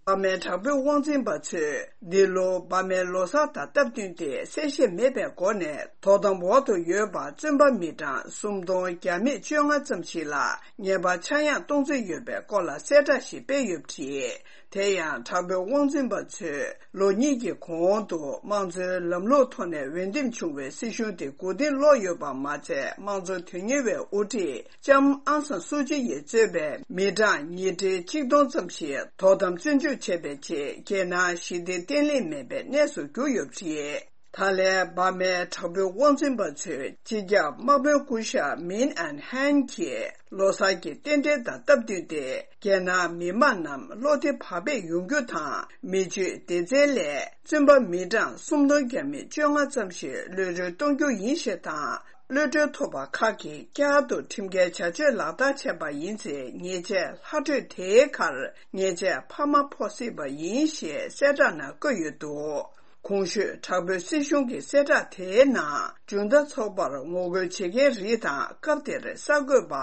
འབར་མའི་དྲག་པོའི་དབང་འཛིན་པ་ཚོས་འདི་ལོ་འབར་མའི་ལོ་གསར་དང་སྟབས་བསྟུན་ཏེ་གསལ་བཤད་མེད་པའི་སྒོ་ནས་དོ་དམ་འོག་ཏུ་ཡོད་པ་བཙོན་པ་མི་གྲངས་སུམ་སྟོང་བརྒྱ་མེད་བཅོ་ལྔ་ཙམ་ཞིག་ལ་ནད་པ་ཆག་ཡང་གཏོང་རྩིས་ཡོད་པའི་སྐོར་ལ་གསལ་བསྒྲགས་ཤིག་སྤེལ་ཡོད་པ་རེད། དེ་ཡང་དྲག་པོའི་དབང་འཛིན་པ་ཚོས་ལོ་གཉིས་ཀྱི་གོང་དུ་དམངས་གཙོའི་ལམ་ལུགས་ཐོག་ནས་འོས་འདེམས་བྱུང་བའི་སྲིད་གཞུང་དེ་མགོ་རྟིང་སློག་ཡོད་པ་མ་ཚད། དམངས་གཙོ་དོན་གཉེར་བའི་དབུ་ཁྲིད་ལྕམ་ཨང་སན་སུའུ་ཅི་ཡིས་གཙོས་པའི་མི་གྲངས་ཉིས་ཁྲི་གཅིག་སྟོང་ཙམ་ཞིག་དོ་དམ་བཙོན་འཇུག་བྱས་པའི་རྗེས། རྒྱལ་ནང་ཞི་བདེ་བརྟན་ལྷིང་མེད་པའི་གནས་སུ་གྱུར་ཡོད་པ་རེད། ད་ལན་འབར་མའི་དྲག་པོའི་དབང་འཛིན་པ་ཚོས་སྤྱི་ཁྱབ་དམག་དཔོན་སྐུ་ཞབས་མིན་ཨན་ཧན་གྱིས་ལོ་གསར་གྱི་རྟེན་འབྲེལ་དང་སྟབས་བསྟུན་ཏེ། རྒྱལ་ནང་མི་མང་རྣམས་བློ་བདེ་བག་ཕེབས་ཡོང་རྒྱུ་དང་། མི་སྤྱོད་སྡེ་ཚན་ལས་བཙོན་པ་མི་གྲངས་སུམ་སྟོང་བརྒྱ་མེད་བཅོ་ལྔ་ཙམ་ཞིག་གློད་གྲོལ་གཏོང་རྒྱུ་ཡིན་ཞེས་དང་། གློད་གྲོལ་ཐོབ་པ་ཁག་གིས་བསྐྱར་དུ་ཁྲིམས་འགལ་བྱ་སྤྱོད་ལག་བསྟར་བྱས་པ་ཡིན་ཚེ། ཉེས་ཆད་ལྷག་འཕྲོས་དེའི་ཁར་ཉེས་ཆད་འཕར་མ་ཕོག་སྲིད་པ་ཡིན་ཞེས་གསལ་བསྒྲགས་ནང་བཀོད་ཡོད་འདུག་གོང་ཞུས་དྲག་པོའི་སྲིད་གཞུང་གི་གསལ་བསྒྲགས་དེའི་ནང་། ཇུན་ཏ་ཚོགས་པར་ངོ་རྒོལ་བྱེད་མཁན་རིགས་དང་། སྐབས་དེར་གསར་འགོད་པ་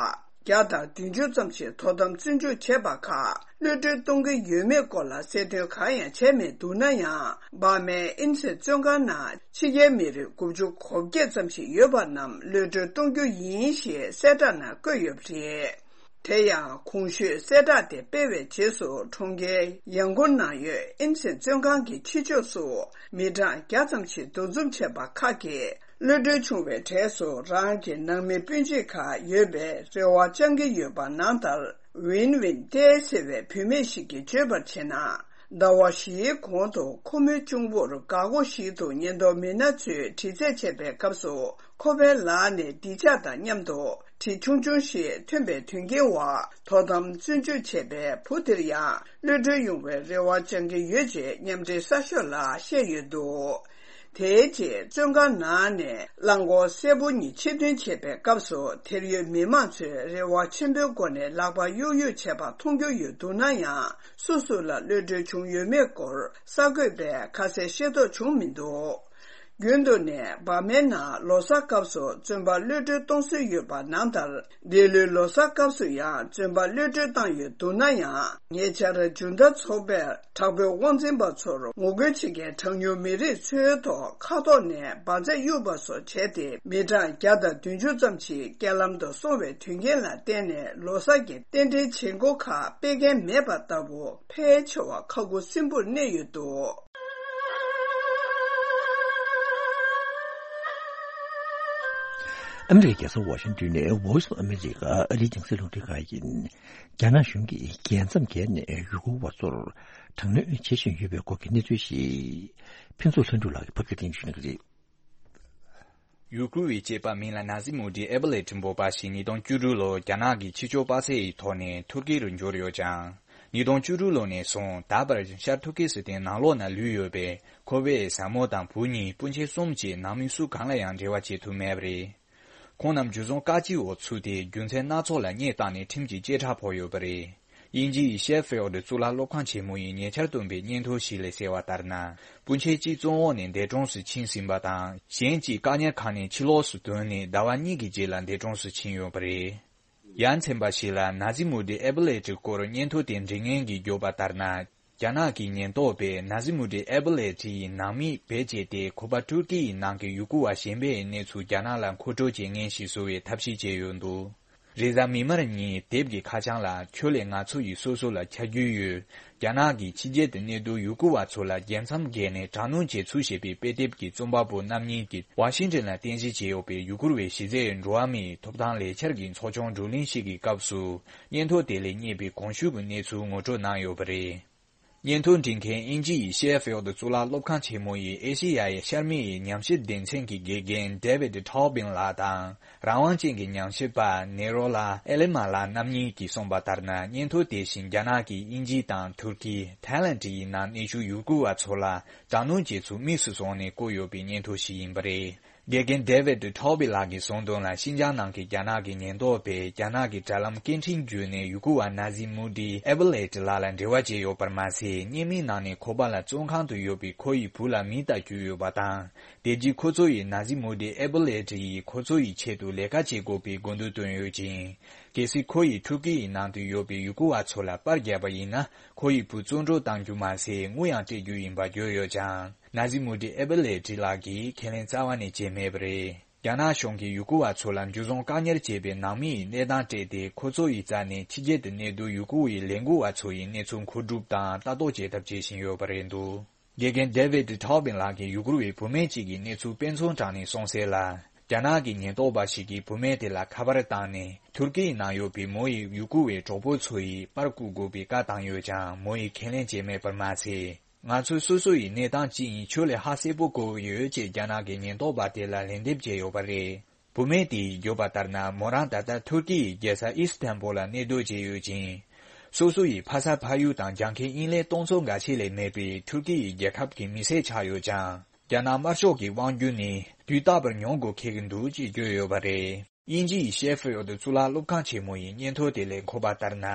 བརྒྱ་དང་བདུན་ཅུ་ཙམ་ཞིག་དོ་དམ་བཙོན་འཇུག་བྱས་པ་ཁག་གློད་གྲོལ་གཏོང་གི་ཡོད་མེད་སྐོར་ལ་གསལ་སྟོན་གང་ཡང་བྱས་མེད་འདུག་ན་ཡང་། འབར་མའི་ཨིན་སན་བཙོན་ཁང་ནང་ཕྱི་རྒྱལ་མི་རིགས་དགུ་བཅུ་གོ་བརྒྱད་ཙམ་ཞིག་ཡོད་པ་རྣམས་གློད་གྲོལ་གཏོང་རྒྱུ་ཡིན་ཞེས་གསལ་བསྒྲགས་ནང་བཀོད་ཡོད་པ་རེད། དེ་ཡང་གོང་ཞུས་གསལ་བསྒྲགས་དེ་སྤེལ་བའི་རྗེས་སུ། གྲོང་ཁྱེར་ཡང་གོན་ནང་ཡོད་ཨིན་སན་བཙོན་ཁང་གི་ཕྱི་ཕྱོགས་སུ་མི་གྲངས་བརྒྱ་ཙམ་ཞིག་འདུ་འཛོམས་བྱས་པ་ཁག་གིས། གློད་གྲོལ་བྱུང་བའི་གྲས་སུ་རང་གི་ནང་མི་སྤུན་མཆེད་ཁག་ཡོད་པའི་རེ་བ་བཅང་གི་ཡོད་པ་ནང་ལྟར། ཝིན་ཝིན་ཏེ་ཟེར་བའི་བུད་མེད་ཞིག་གིས་བརྗོད་པར་བྱས་ན། ཟླ་བ་བཞིའི་གོང་དུ་ཁོ་མོའི་གཅུང་པོར་འགག་སྒོ་ཞིག་ཏུ་ཉེན་རྟོག་མི་སྣ་ཚོས་དྲི་རྩད་བྱས་པའི་སྐབས་སུ། ཁོ་པའི་ལག་ནས་སྡིག་ཆ་དང་མཉམ་དུ་གྲི་ཆུང་ཆུང་ཞིག་ཐོན་པའི་དོན་རྐྱེན་འོག་དོ་དམ་བཙོན་འཇུག་བྱས་པའི་བུ་དེར་ཡང་གློད་གྲོལ་ཡོང་བའི་རེ་བ་བཅང་གི་ཡོད་ཅེས་མཉམ་འབྲེལ་གསར་ཤོག་ལ་བཤད་ཡོད་འདུག་དེའི་རྗེས་བཙོན་ཁང་ནང་ནས་རླངས་འཁོར་སེར་པོ་གཉིས་ཕྱིར་འཐེན་བྱེད་པའི་སྐབས་སུ། དེར་ཡོད་མི་མང་ཚོས་རེ་བ་ཆེན་པོའི་སྒོ་ནས་ལག་པ་གཡུག་གཡུག་བྱས་པ་མཐོང་རྒྱུ་ཡོད་འདུག་ན་ཡང་། སུ་སུ་ལ་གློད་གྲོལ་བྱུང་ཡོད་མེད་སྐོར་གསར་འགོད་པས་ཁ་གསལ་ཤེས་རྟོགས་བྱུང་མི་འདུག་རྒྱུན་དུ་ནས་འབར་མའི་ནང་ལོ་གསར་སྐབས་སུ་བཙོན་པ་གློད་གྲོལ་གཏོང་སྲོལ་ཡོད་པ་ནང་ལྟར། འདི་ལོའི་ལོ་གསར་སྐབས་སུ་ཡང་བཙོན་པ་གློད་གྲོལ་བཏང་ཡོད་འདུག་ན་ཡང་། ཉེ་ཆར་ཇུན་ཏ་ཚོགས་པས་དྲག་པོའི་དབང་འཛིན་པ་ཚོར་ངོ་རྒོལ་བྱེད་མཁན་གྲངས་ཉུང་མི་རིགས་ཚོའི་ཐོག་མཁའ་ཐོག་ནས་འབར་རྫས་གཡུགས་པ་སོགས་བྱས་ཏེ། མི་གྲངས་བརྒྱ་དང་བདུན་ཅུ་ཙམ་ཞིག་རྐྱེན་ལམ་དུ་སོང་བའི་དོན་རྐྱེན་ལ་བརྟེན་ནས། ལོ་གསར་གྱི་རྟེན་འབྲེལ་བྱེད་སྒོ་ཁག་སྤེལ་མཁན་མེད་པ་ལྟ་བུ། ཕལ་ཆེ་བ་ཁ་ཁུ་སིམ་པོར་གནས་ཡོད་འདུག་ཨ་མི་རི་ཀའི་རྒྱལ་ས་ཝ་ཤིང་ཏོན་ནས་Voice of America ཨ་རིའི་རྒྱང་སྲིང་རླུང་འཕྲིན་ཁང་ཡིན། རྒྱ་ནག་གཞུང་གིས་རྒྱལ་མཚམས་བརྒལ་ནས་ཡུལ་སྐོར་བ་ཚོར་དྲག་གནོན་བྱེད་བཞིན་ཡོད་པའི་སྐོར་གྱི་གནས་ཚུལ་ཞིག་ཕུན་ཚོགས་ལྷུན་གྲུབ་ལགས་ཀྱིས་ཕབ་སྒྱུར་གནང་ཞུ་གནང་གི་རེད། ཡུ་གུར་བའི་སྐྱེས་པ་མིང་ལ་ན་ཟི་མུ་ཏི་ཨེ་བྷ་ལེ་ཏི་འབོད་པ་ཞིག་ཉིས་སྟོང་བཅུ་དྲུག་ལོར་རྒྱ་ནག་གི་ཕྱི་ཕྱོགས་པ་སེ་ཡི་ཐོག་ནས་ཐུར་ཀི་རུ་འབྱོར་ཡོད་ཅིང་། ཉིས་སྟོང་བཅུ་དྲུག་ལོ་ནས་བཟུང་ད་བར་ཤར་ཐུར་ཀི་སི་ཐན་ནང་ལོགས་ན་ལུས་ཡོད་པའི་ཁོ་པའི་བཟའ་མོ་དང་བུ་གཉིས། སྤུན་མཆེད་གསུམ་བཅས་ནང་མི་སུ་གང་ལ་ཡང་འབྲེལ་བ་བྱེད་ཐུབ་མེད་པ་རེད། ཁོང་རྣམས་འཇུ་བཟུང་བཀག་སྐྱིལ་འོག་ཚུད་དེ། རྒྱུ་མཚན་སྣ་ཚོགས་ལ་སྙད་བཏགས་ནས་ཁྲིམས་ཀྱི་བཅད་ཁྲ་ཕོག་ཡོད་པ་རེད། དབྱིན་ཇི་ཡི་ཤེ་ཕིལ་ཌི་གཙུག་ལག་སློབ་ཁང་ཆེན་མོ་ཡིས་ཉེ་ཆར་བཏོན་པའི་སྙན་ཐོ་ཞིག་ལས་གསལ་བ་ལྟར་ན། སྤུན་མཆེད་གཅིག་བཙོན་འོག་ནས་འདས་གྲོངས་སུ་ཕྱིན་ཟིན་པ་དང་། གཞན་གཅིག་བཀག་ཉར་ཁང་ནས་ཕྱི་ལོགས་སུ་ཐོན་ནས་ཟླ་བ་གཉིས་ཀྱི་རྗེས་ལ་འདས་གྲོངས་སུ་ཕྱིན་ཡོད་པ་རེད། ཡ་མཚན་པ་ཞིག་ལ་ན་ཟི་མུ་ཏི་ཨེ་བྷི་ལེ་ཏི་སྐོར་སྙན་ཐོ་དེ་འབྲི་མཁན་གྱིས་བརྗོད་པ་ལྟར་ན། རྒྱ་ནག་གི་ཉེན་རྟོག་པས་ན་ཟི་མུ་ཏི་ཨེ་བྷི་ལེ་ཏི་ཡི་ནང་མི་བེད་སྤྱད་དེ། ཁོ་པ་ཐུར་ཀི་ཡི་ནང་གི་ཡུ་གུར་བ་གཞན་པའི་གནས་ཚུལ་རྒྱ་ནག་ལ་མཁོ་སྤྲོད་བྱེད་མཁན་ཞིག་བཟོ་བའི་ཐབས་ཤེས་བྱས་ཡོད་འདུག་རེས་གཟའ་མིག་དམར་ཉིན་དེབ་ཀྱི་ཁ་བྱང་ལ། ཁྱོད་ལས་ང་ཚོ་ཡིས་སོ་སོ་ལ་ཆ་རྒྱུས་ཡོད། རྒྱ་ནག་གིས་ཕྱི་རྒྱལ་དུ་གནས་སྡོད་ཡུ་གུར་བ་ཚོ་ལ་རྒྱལ་མཚམས་བརྒལ་ནས་དྲག་གནོན་བྱེད་ཚུལ་ཞེས་པའི་དཔེ་དེབ་ཀྱི་རྩོམ་པ་པོ་རྣམ་གཉིས་ཀྱིས་ཝ་ཤིང་ཊོན་ལ་རྟེན་གཞི་བྱས་ཡོད་པའི་ཡུ་གུར་བའི་གཞི་རྩའི་འགྲོ་བ་མིའི་ཐོབ་ཐང་ལས་འཆར་གྱི་ཚོགས་ཆུང་བགྲོ་གླེང་ཞིག་གི་སྐབས་སུ། སྙན་ཐོ་དེ་ལས་རྙེད་པའི་གོང་ཞུས་ཀྱི་གནས་ཚུལ་ངོ་སྤྲོད་གནང་ཡོད་པ་རེད། སྙན་ཐོ་འབྲི་མཁན་དབྱིན་ཇི་ཡི་ཤེ་ཕིལ་ཌི་གཙུག་ལག་སློབ་ཁང་ཆེན་མོ་ཡི་ཨེ་ཤེ་ཡ་ཡི་ཤར་མི་ཡི་ཉམས་ཞིབ་སྡེ་ཚན་གྱི་དགེ་རྒན་David Tobin ལགས་དང་། རང་དབང་ཅན་གྱི་ཉམས་ཞིབ་པ་ནེ་རོ་ལ་ཨེ་ལི་མ་ལགས་རྣམ་གཉིས་ཀྱིས་གསུངས་པ་ལྟར་ན། སྙན་ཐོ་དེ་བཞིན་རྒྱ་ནག་གིས་དབྱིན་ཇི་དང་ཐུར་ཀི། ཐའི་ལན་ཌི་ཡི་ནང་གནས་བཞུགས་ཡུ་གུར་བ་ཚོ་ལ་དྲག་གནོན་བྱེད་ཚུལ་དམིགས་སུ་བཟུང་ནས་བཀོད་ཡོད་པའི་སྙན་ཐོ་ཞིག་ཡིན་པ་རེད། དགེ་རྒན་David Tobin ལགས་ཀྱིས་གསུངས་དོན་ལ། ཤིན་ཅང་ནང་གི་རྒྱ་ནག་གི་ཉེན་རྟོག་པས་རྒྱ་ནག་གི་དྲ་ལམ་སྐད་འཕྲིན་བརྒྱུད་ནས་ཡུ་གུར་བ་ན་ཟི་མུ་ཏི་ཨེ་བྷི་ལེ་ཏི་ལགས་ལ་འབྲེལ་བ་བྱས་ཡོད་པར་མ་ཟད། བརྙན་མིག་ནང་ནས་ཁོ་པ་ལ་བཙོན་ཁང་དུ་ཡོད་པའི་ཁོ་ཡི་བུ་ལ་མིང་བཏགས་བཅུག་ཡོད་པ་དང་། དེ་རྗེས་ཁོ་ཚོ་ཡིས་ན་ཟི་མུ་ཏི་ཨེ་བྷི་ལེ་ཏི་ཡིས་ཁོ་ཚོ་ཡི་ཆེད་དུ་ལས་ཀ་བྱེད་དགོས་པའི་དགོས་འདུན་བཏོན་ཡོད་ཅིང་། གལ་སྲིད་ཁོ་ཡིས་ཐུར་ཀི་ཡི་ནང་དུ་ཡོད་པའི་ཡུ་གུར་བ་ཚོ་ལ་པར་བརྒྱབ་པ་ཡིན་ན། ཁོ་ཡི་བུ་བཙོན་གྲོལ་གཏང་རྒྱུ་མ་ཟད། དངུལ་ཡང་སྤྲད་རྒྱུ་ཡིན་པ་བརྗོད་ཡོད་ཀྱང་། ན་ཟི་མུ་ཏི་ཨེ་བྷི་ལེ་ཏི་ལགས་ཀྱིས་ཁས་ལེན་རྩ་བ་ནས་བྱས་མེད་པ་རེད། རྒྱ་ནག་གཞུང་གིས་ཡུ་གུར་བ་ཚོ་ལ་འཇུ་བཟུང་བཀག་ཉར་བྱས་པའི་ནང་མི་ཡི་གནས་སྟངས་སྤྲད་དེ། ཁོ་ཚོ་ཡི་རྩ་ནས་ཕྱི་རྒྱལ་དུ་གནས་སྡོད་ཡུ་གུར་བའི་ལས་འགུལ་བ་ཚོ་ཡི་གནས་ཚུལ་མཁོ་སྒྲུབ་དང་ལྟ་རྟོག་བྱེད་ཐབས་བྱེད་བཞིན་ཡོད་པ་རེད་འདུག་དགེ་རྒན་David Tobin ལགས་ཀྱིས་ཡུ་གུར་བའི་བུད་མེད་ཅིག་གི་གནས་ཚུལ་དཔེ་མཚོན་དྲངས་ནས་གསུངས་གསལ་ལ། རྒྱ་ནག་གི་ཉེན་རྟོག་པ་ཞིག་གིས་བུད་མེད་དེ་ལ་ཁ་པར་བཏང་ནས། ཐུར་ཀི་ཡི་ནང་ཡོད་པའི་མོ་ཡི་ཡུ་གུར་བའི་གྲོགས་པོ་ཚོ་ཡིས་པར་བརྐུ་དགོས་པའི་བཀའ་བཏང་ཡོད་ཀྱང་། མོ་ཡིས་ཁས་ལེན་བྱས་མེད་པར་མ་ཟད། ང་ཚོས་སོ་སོ་ཡི་གནས་སྟངས་ཅི་ཡིན་ཁྱོད་ལས་ཧ་གསལ་པོ་གོ་གི་ཡོད་ཅེས་རྒྱ་ནག་གི་ཉེན་རྟོག་པ་དེ་ལ་ལན་འདེབས་བྱས་ཡོད་པ་རེད། བུད་མེད་དེས་བརྗོད་པ་ལྟར་ན། མོ་རང་ད་ལྟ་ཐུར་ཀི་ཡི་རྒྱལ་ས་ཨིས་ཐན་བུལ་ལ་གནས་སྡོད་བྱས་ཡོད་ཅིང་། སོ་སོ་ཡི་ཕ་ས་ཕ་ཡུལ་དང་རྒྱལ་ཁབ་དབྱིན་ལན་གཏོང་ཚོར་འགའ་ཤས་ལས་མེད་པའི་ཐུར་ཀི་ཡི་རྒྱལ་ཁབ་ཀྱི་མི་སེར་ཆགས་ཡོད་ཀྱང་། རྒྱ་ནག་དམར་ཤོག་གི་དབང་སྒྱུར་ནི་དུས་རྟག་པར་མྱོང་དགོས་འཁེལ་གྱི་འདུག་ཅེས་བརྗོད་ཡོད་པ་རེད། དབྱིན་ཇི་ཡི་ཤེ་ཕིལ་ཌི་གཙུག་ལག་སློབ་ཁང་ཆེན་མོ་ཡི་སྙན་ཐོ་དེ་ལས་འཁོད་པ་ལྟར་ན།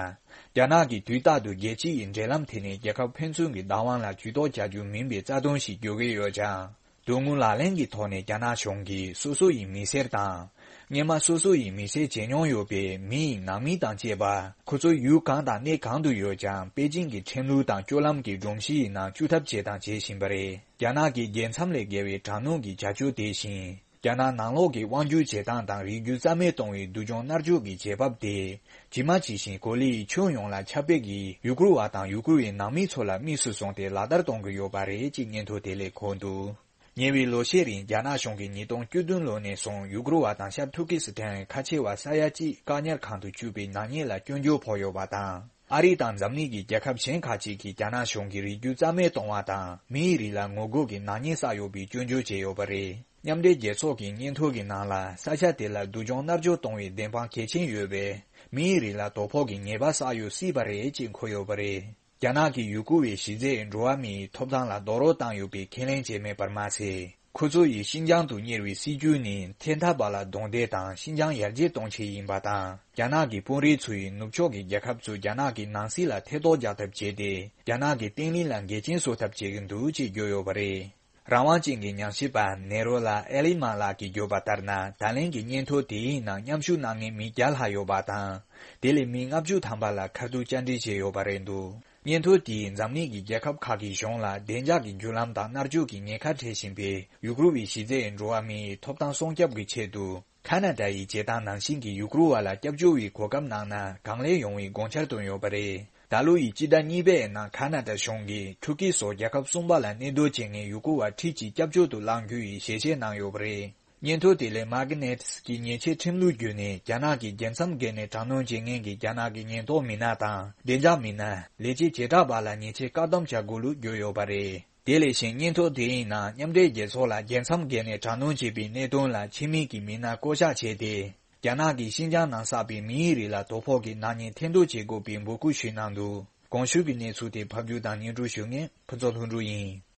རྒྱ་ནག་གིས་དུས་རྟག་ཏུ་རྒྱལ་སྤྱི་ཡི་འབྲེལ་ལམ་དེ་ནི་རྒྱལ་ཁབ་ཕན་ཚུན་གྱི་བདག་དབང་ལ་ཇུས་གཏོགས་བྱ་རྒྱུ་མིན་པའི་རྩ་དོན་ཞིག་བརྗོད་ཀྱི་ཡོད་ཀྱང་། དོན་དངོས་ལག་ལེན་གྱི་ཐོག་ནས་རྒྱ་ནག་གཞུང་གིས་སོ་སོ་ཡི་མི་སེར་དང་། སྔོན་མ་སོ་སོ་ཡི་མི་སེར་བྱེད་མྱོང་ཡོད་པའི་མི་ཡི་ནང་མི་དང་བཅས་པ། ཁོ་ཚོ་ཡུལ་གང་དང་གནས་གང་དུ་ཡོད་ཀྱང་། པེ་ཅིང་གི་ཁྲིམས་ལུགས་དང་སྤྱོད་ལམ་གྱི་སྒྲོམ་གཞི་ཡི་ནང་བཅུག་ཐབས་བྱས་དང་བྱེད་བཞིན་པ་རེད། རྒྱ་ནག་གི་རྒྱལ་མཚམས་ལས་བརྒལ་བའི་དྲག་གནོན་གྱི་བྱ་སྤྱོད་དེ་བཞིན། རྒྱ་ནག་ནང་ལོགས་ཀྱི་དབང་སྒྱུར་བྱེད་སྟངས་དང་། རིགས་རྒྱུད་རྩ་མེད་གཏོང་བའི་སྡུག་སྦྱོང་མནར་གཅོད་ཀྱི་བྱེད་བབ་དེ། ཇི་མ་ཇི་བཞིན་གོ་ལའི་ཁྱོན་ཡོངས་ལ་ཁྱབ་སྤེལ་གྱིས། ཡུ་གུར་བ་དང་ཡུ་གུར་བའི་ནང་མི་ཚོ་ལ་དམིགས་སུ་བཟུང་སྟེ་ལག་བསྟར་གཏོང་གི་ཡོད་པ་རེད་ཅེས་སྙན་ཐོ་དེ་ལས་འཁོད་འདུག་ཉེ་བའི་ལོ་ཤས་རིང་རྒྱ་ནག་གཞུང་གིས་ཉིས་སྟོང་བཅུ་བདུན་ལོ་ནས་བཟུང་ཡུ་གུར་བ་དང་ཤར་ཐུར་ཀི་སི་ཐན་ཁ་ཆེ་བ་ས་ཡ་གཅིག་བཀག་ཉར་ཁང་དུ་བཅུག་པའི་ནག་ཉེས་ལ་སྐྱོན་བརྗོད་ཕོག་ཡོད་པ་དང་། ཨ་རི་དང་འཛམ་གླིང་གི་རྒྱལ་ཁབ་གཞན་ཁག་ཅིག་གིས་རྒྱ་ནག་གཞུང་གིས་རིགས་རྒྱུད་རྩ་མེད་གཏོང་བ་དང་། མིའི་རིགས་ལ་ངོ་རྒོལ་གྱི་ནག་ཉེས་བསགས་ཡོད་པའི་སྐྱོན་བརྗོད་བྱས་ཡོད་པ་རེད། མཉམ་འབྲེལ་རྒྱལ་ཚོགས་ཀྱི་སྙན་ཐོ་གི་ནང་ལ། ས་ཆ་དེ་ལ་སྡུག་སྦྱོང་མནར་གཅོད་གཏོང་བའི་བདེན་དཔང་གལ་ཆེན་ཡོད་པས། མིའི་རིགས་ལ་དོ་ཕོག་གི་ཉེས་པ་བསགས་ཡོད་སྲིད་པ་རེད་ཅེས་འཁོད་ཡོད་པ་རེད། རྒྱ་ནག་གིས་ཡུ་གུར་བའི་གཞི་རྩའི་འགྲོ་བ་མིའི་ཐོབ་ཐང་ལ་རྡོག་རོལ་བཏང་ཡོད་པའི་ཁས་ལེན་བྱས་མེད་པར་མ་ཟད། ཁོ་ཚོ་ཡིས་ཤིན་ཅང་དུ་གཉེར་བའི་སྲིད་ཇུས་ནི། ཐེན་ཐ་བ་ལ་རྡུང་རྡེག་དང་ཤིན་ཅང་ཡར་རྒྱས་གཏོང་ཆེད་ཡིན་པ་དང་། རྒྱ་ནག་གི་དཔོན་རིགས་ཚོ་ཡིས་ནུབ་ཕྱོགས་ཀྱི་རྒྱལ་ཁབ་ཚོས་རྒྱ་ནག་གི་ནང་སྲིད་ལ་ཐེ་གཏོགས་རྒྱག་ཐབས་བྱས་ཏེ། རྒྱ་ནག་གི་བརྟན་ལྷིང་ལ་འགལ་རྐྱེན་བཟོ་ཐབས་བྱེད་ཀྱི་འདུག་ཅེས་བརྗོད་ཡོད་པ་རེད། རང་དབང་ཅན་གྱི་ཉམས་ཞིབ་པ་ནེ་རོ་ལ་ཨེ་ལི་མ་ལགས་ཀྱིས་བརྗོད་པ་ལྟར་ན། ད་ལན་གྱི་སྙན་ཐོ་དེའི་ནང་མཉམ་ཞུགས་གནང་མཁན་མི་བརྒྱ་ལྷག་ཡོད་པ་དང་། དེ་ལས་མི་ལྔ་བཅུ་ཐམ་པ་ལ་ཁ་ཐུག་བཅར་འདྲི་བྱས་ཡོད་པ་རེད་འདུག་སྙན་ཐོ་དེས་འཛམ་གླིང་གི་རྒྱལ་ཁབ་ཁག་གི་གཞུང་ལ་བདེ་འཇགས་ཀྱི་བརྒྱུད་ལམ་དང་མནར་གཅོད་ཀྱི་ཉེན་ཁ་འཕྲད་བཞིན་པའི་ཡུ་གུར་བའི་གཞི་རྩའི་འགྲོ་བ་མིའི་ཐོབ་ཐང་སྲུང་སྐྱོབ་ཀྱི་ཆེད་དུ། ཁ་ན་ཌ་ཡི་བྱེད་སྟངས་ནང་བཞིན་གྱི་ཡུ་གུར་བ་ལ་སྐྱབས་བཅོལ་བའི་གོ་སྐབས་གནང་ན་གང་ལེགས་ཡོང་བའི་དགོངས་འཆར་བཏོན་ཡོད་པ་རེད། ད་ལོ་ཡི་སྤྱི་ཟླ་གཉིས་པའི་ནང་ཁ་ན་ཌ་གཞུང་གིས་ཐུར་ཀི་སོགས་རྒྱལ་ཁབ་གསུམ་པ་ལ་གནས་སྡོད་བྱེད་མཁན་ཡུ་གུར་བ་ཁྲི་གཅིག་སྐྱབས་བཅོལ་དུ་བླང་རྒྱུ་ཡི་ཞལ་བཞེས་གནང་ཡོད་པ་རེད། སྙན་ཐོ་དེ་ལས་མཱ་གྷི་ནེ་ཏི་གི་ཉེས་ཆད་ཁྲིམས་ལུགས་བརྒྱུད་ནས་རྒྱ་ནག་གི་རྒྱལ་མཚམས་བརྒལ་ནས་དྲག་གནོན་བྱེད་མཁན་གྱི་རྒྱ་ནག་གི་ཉེན་རྟོག་མི་སྣ་དང་བདེ་འཇགས་མི་སྣ། ལས་བྱེད་བྱེ་བྲག་པ་ལ་ཉེས་ཆད་བཀག་སྡོམ་བྱ་དགོས་ལུགས་བརྗོད་ཡོད་པ་རེད། དེ་ལས་གཞན་སྙན་ཐོ་དེའི་ནང་མཉམ་འབྲེལ་རྒྱལ་ཚོགས་ལ་རྒྱལ་མཚམས་བརྒལ་ནས་དྲག་གནོན་བྱས་པའི་གནད་དོན་ལ་ཕྱི་མིག་གི་མི་སྣ་བསྐོ་གཞག་བྱས་ཏེ། རྒྱ་ནག་གིས་ཤིན་ཅང་ནང་བསགས་པའི་མིའི་རིགས་ལ་དོ་ཕོག་གི་ནག་ཉེས་ཐེར་འདོན་བྱེད་དགོས་པའི་འབོད་སྐུལ་ཞུས་གནང་འདུག་གོང་ཞུས་ཀྱི་གནས་ཚུལ་དེ་ཕབ་སྒྱུར་དང་སྙན་སྒྲོན་ཞུ་མཁན་ཕུན་ཚོགས་ལྷུན་གྲུབ་ཡིན།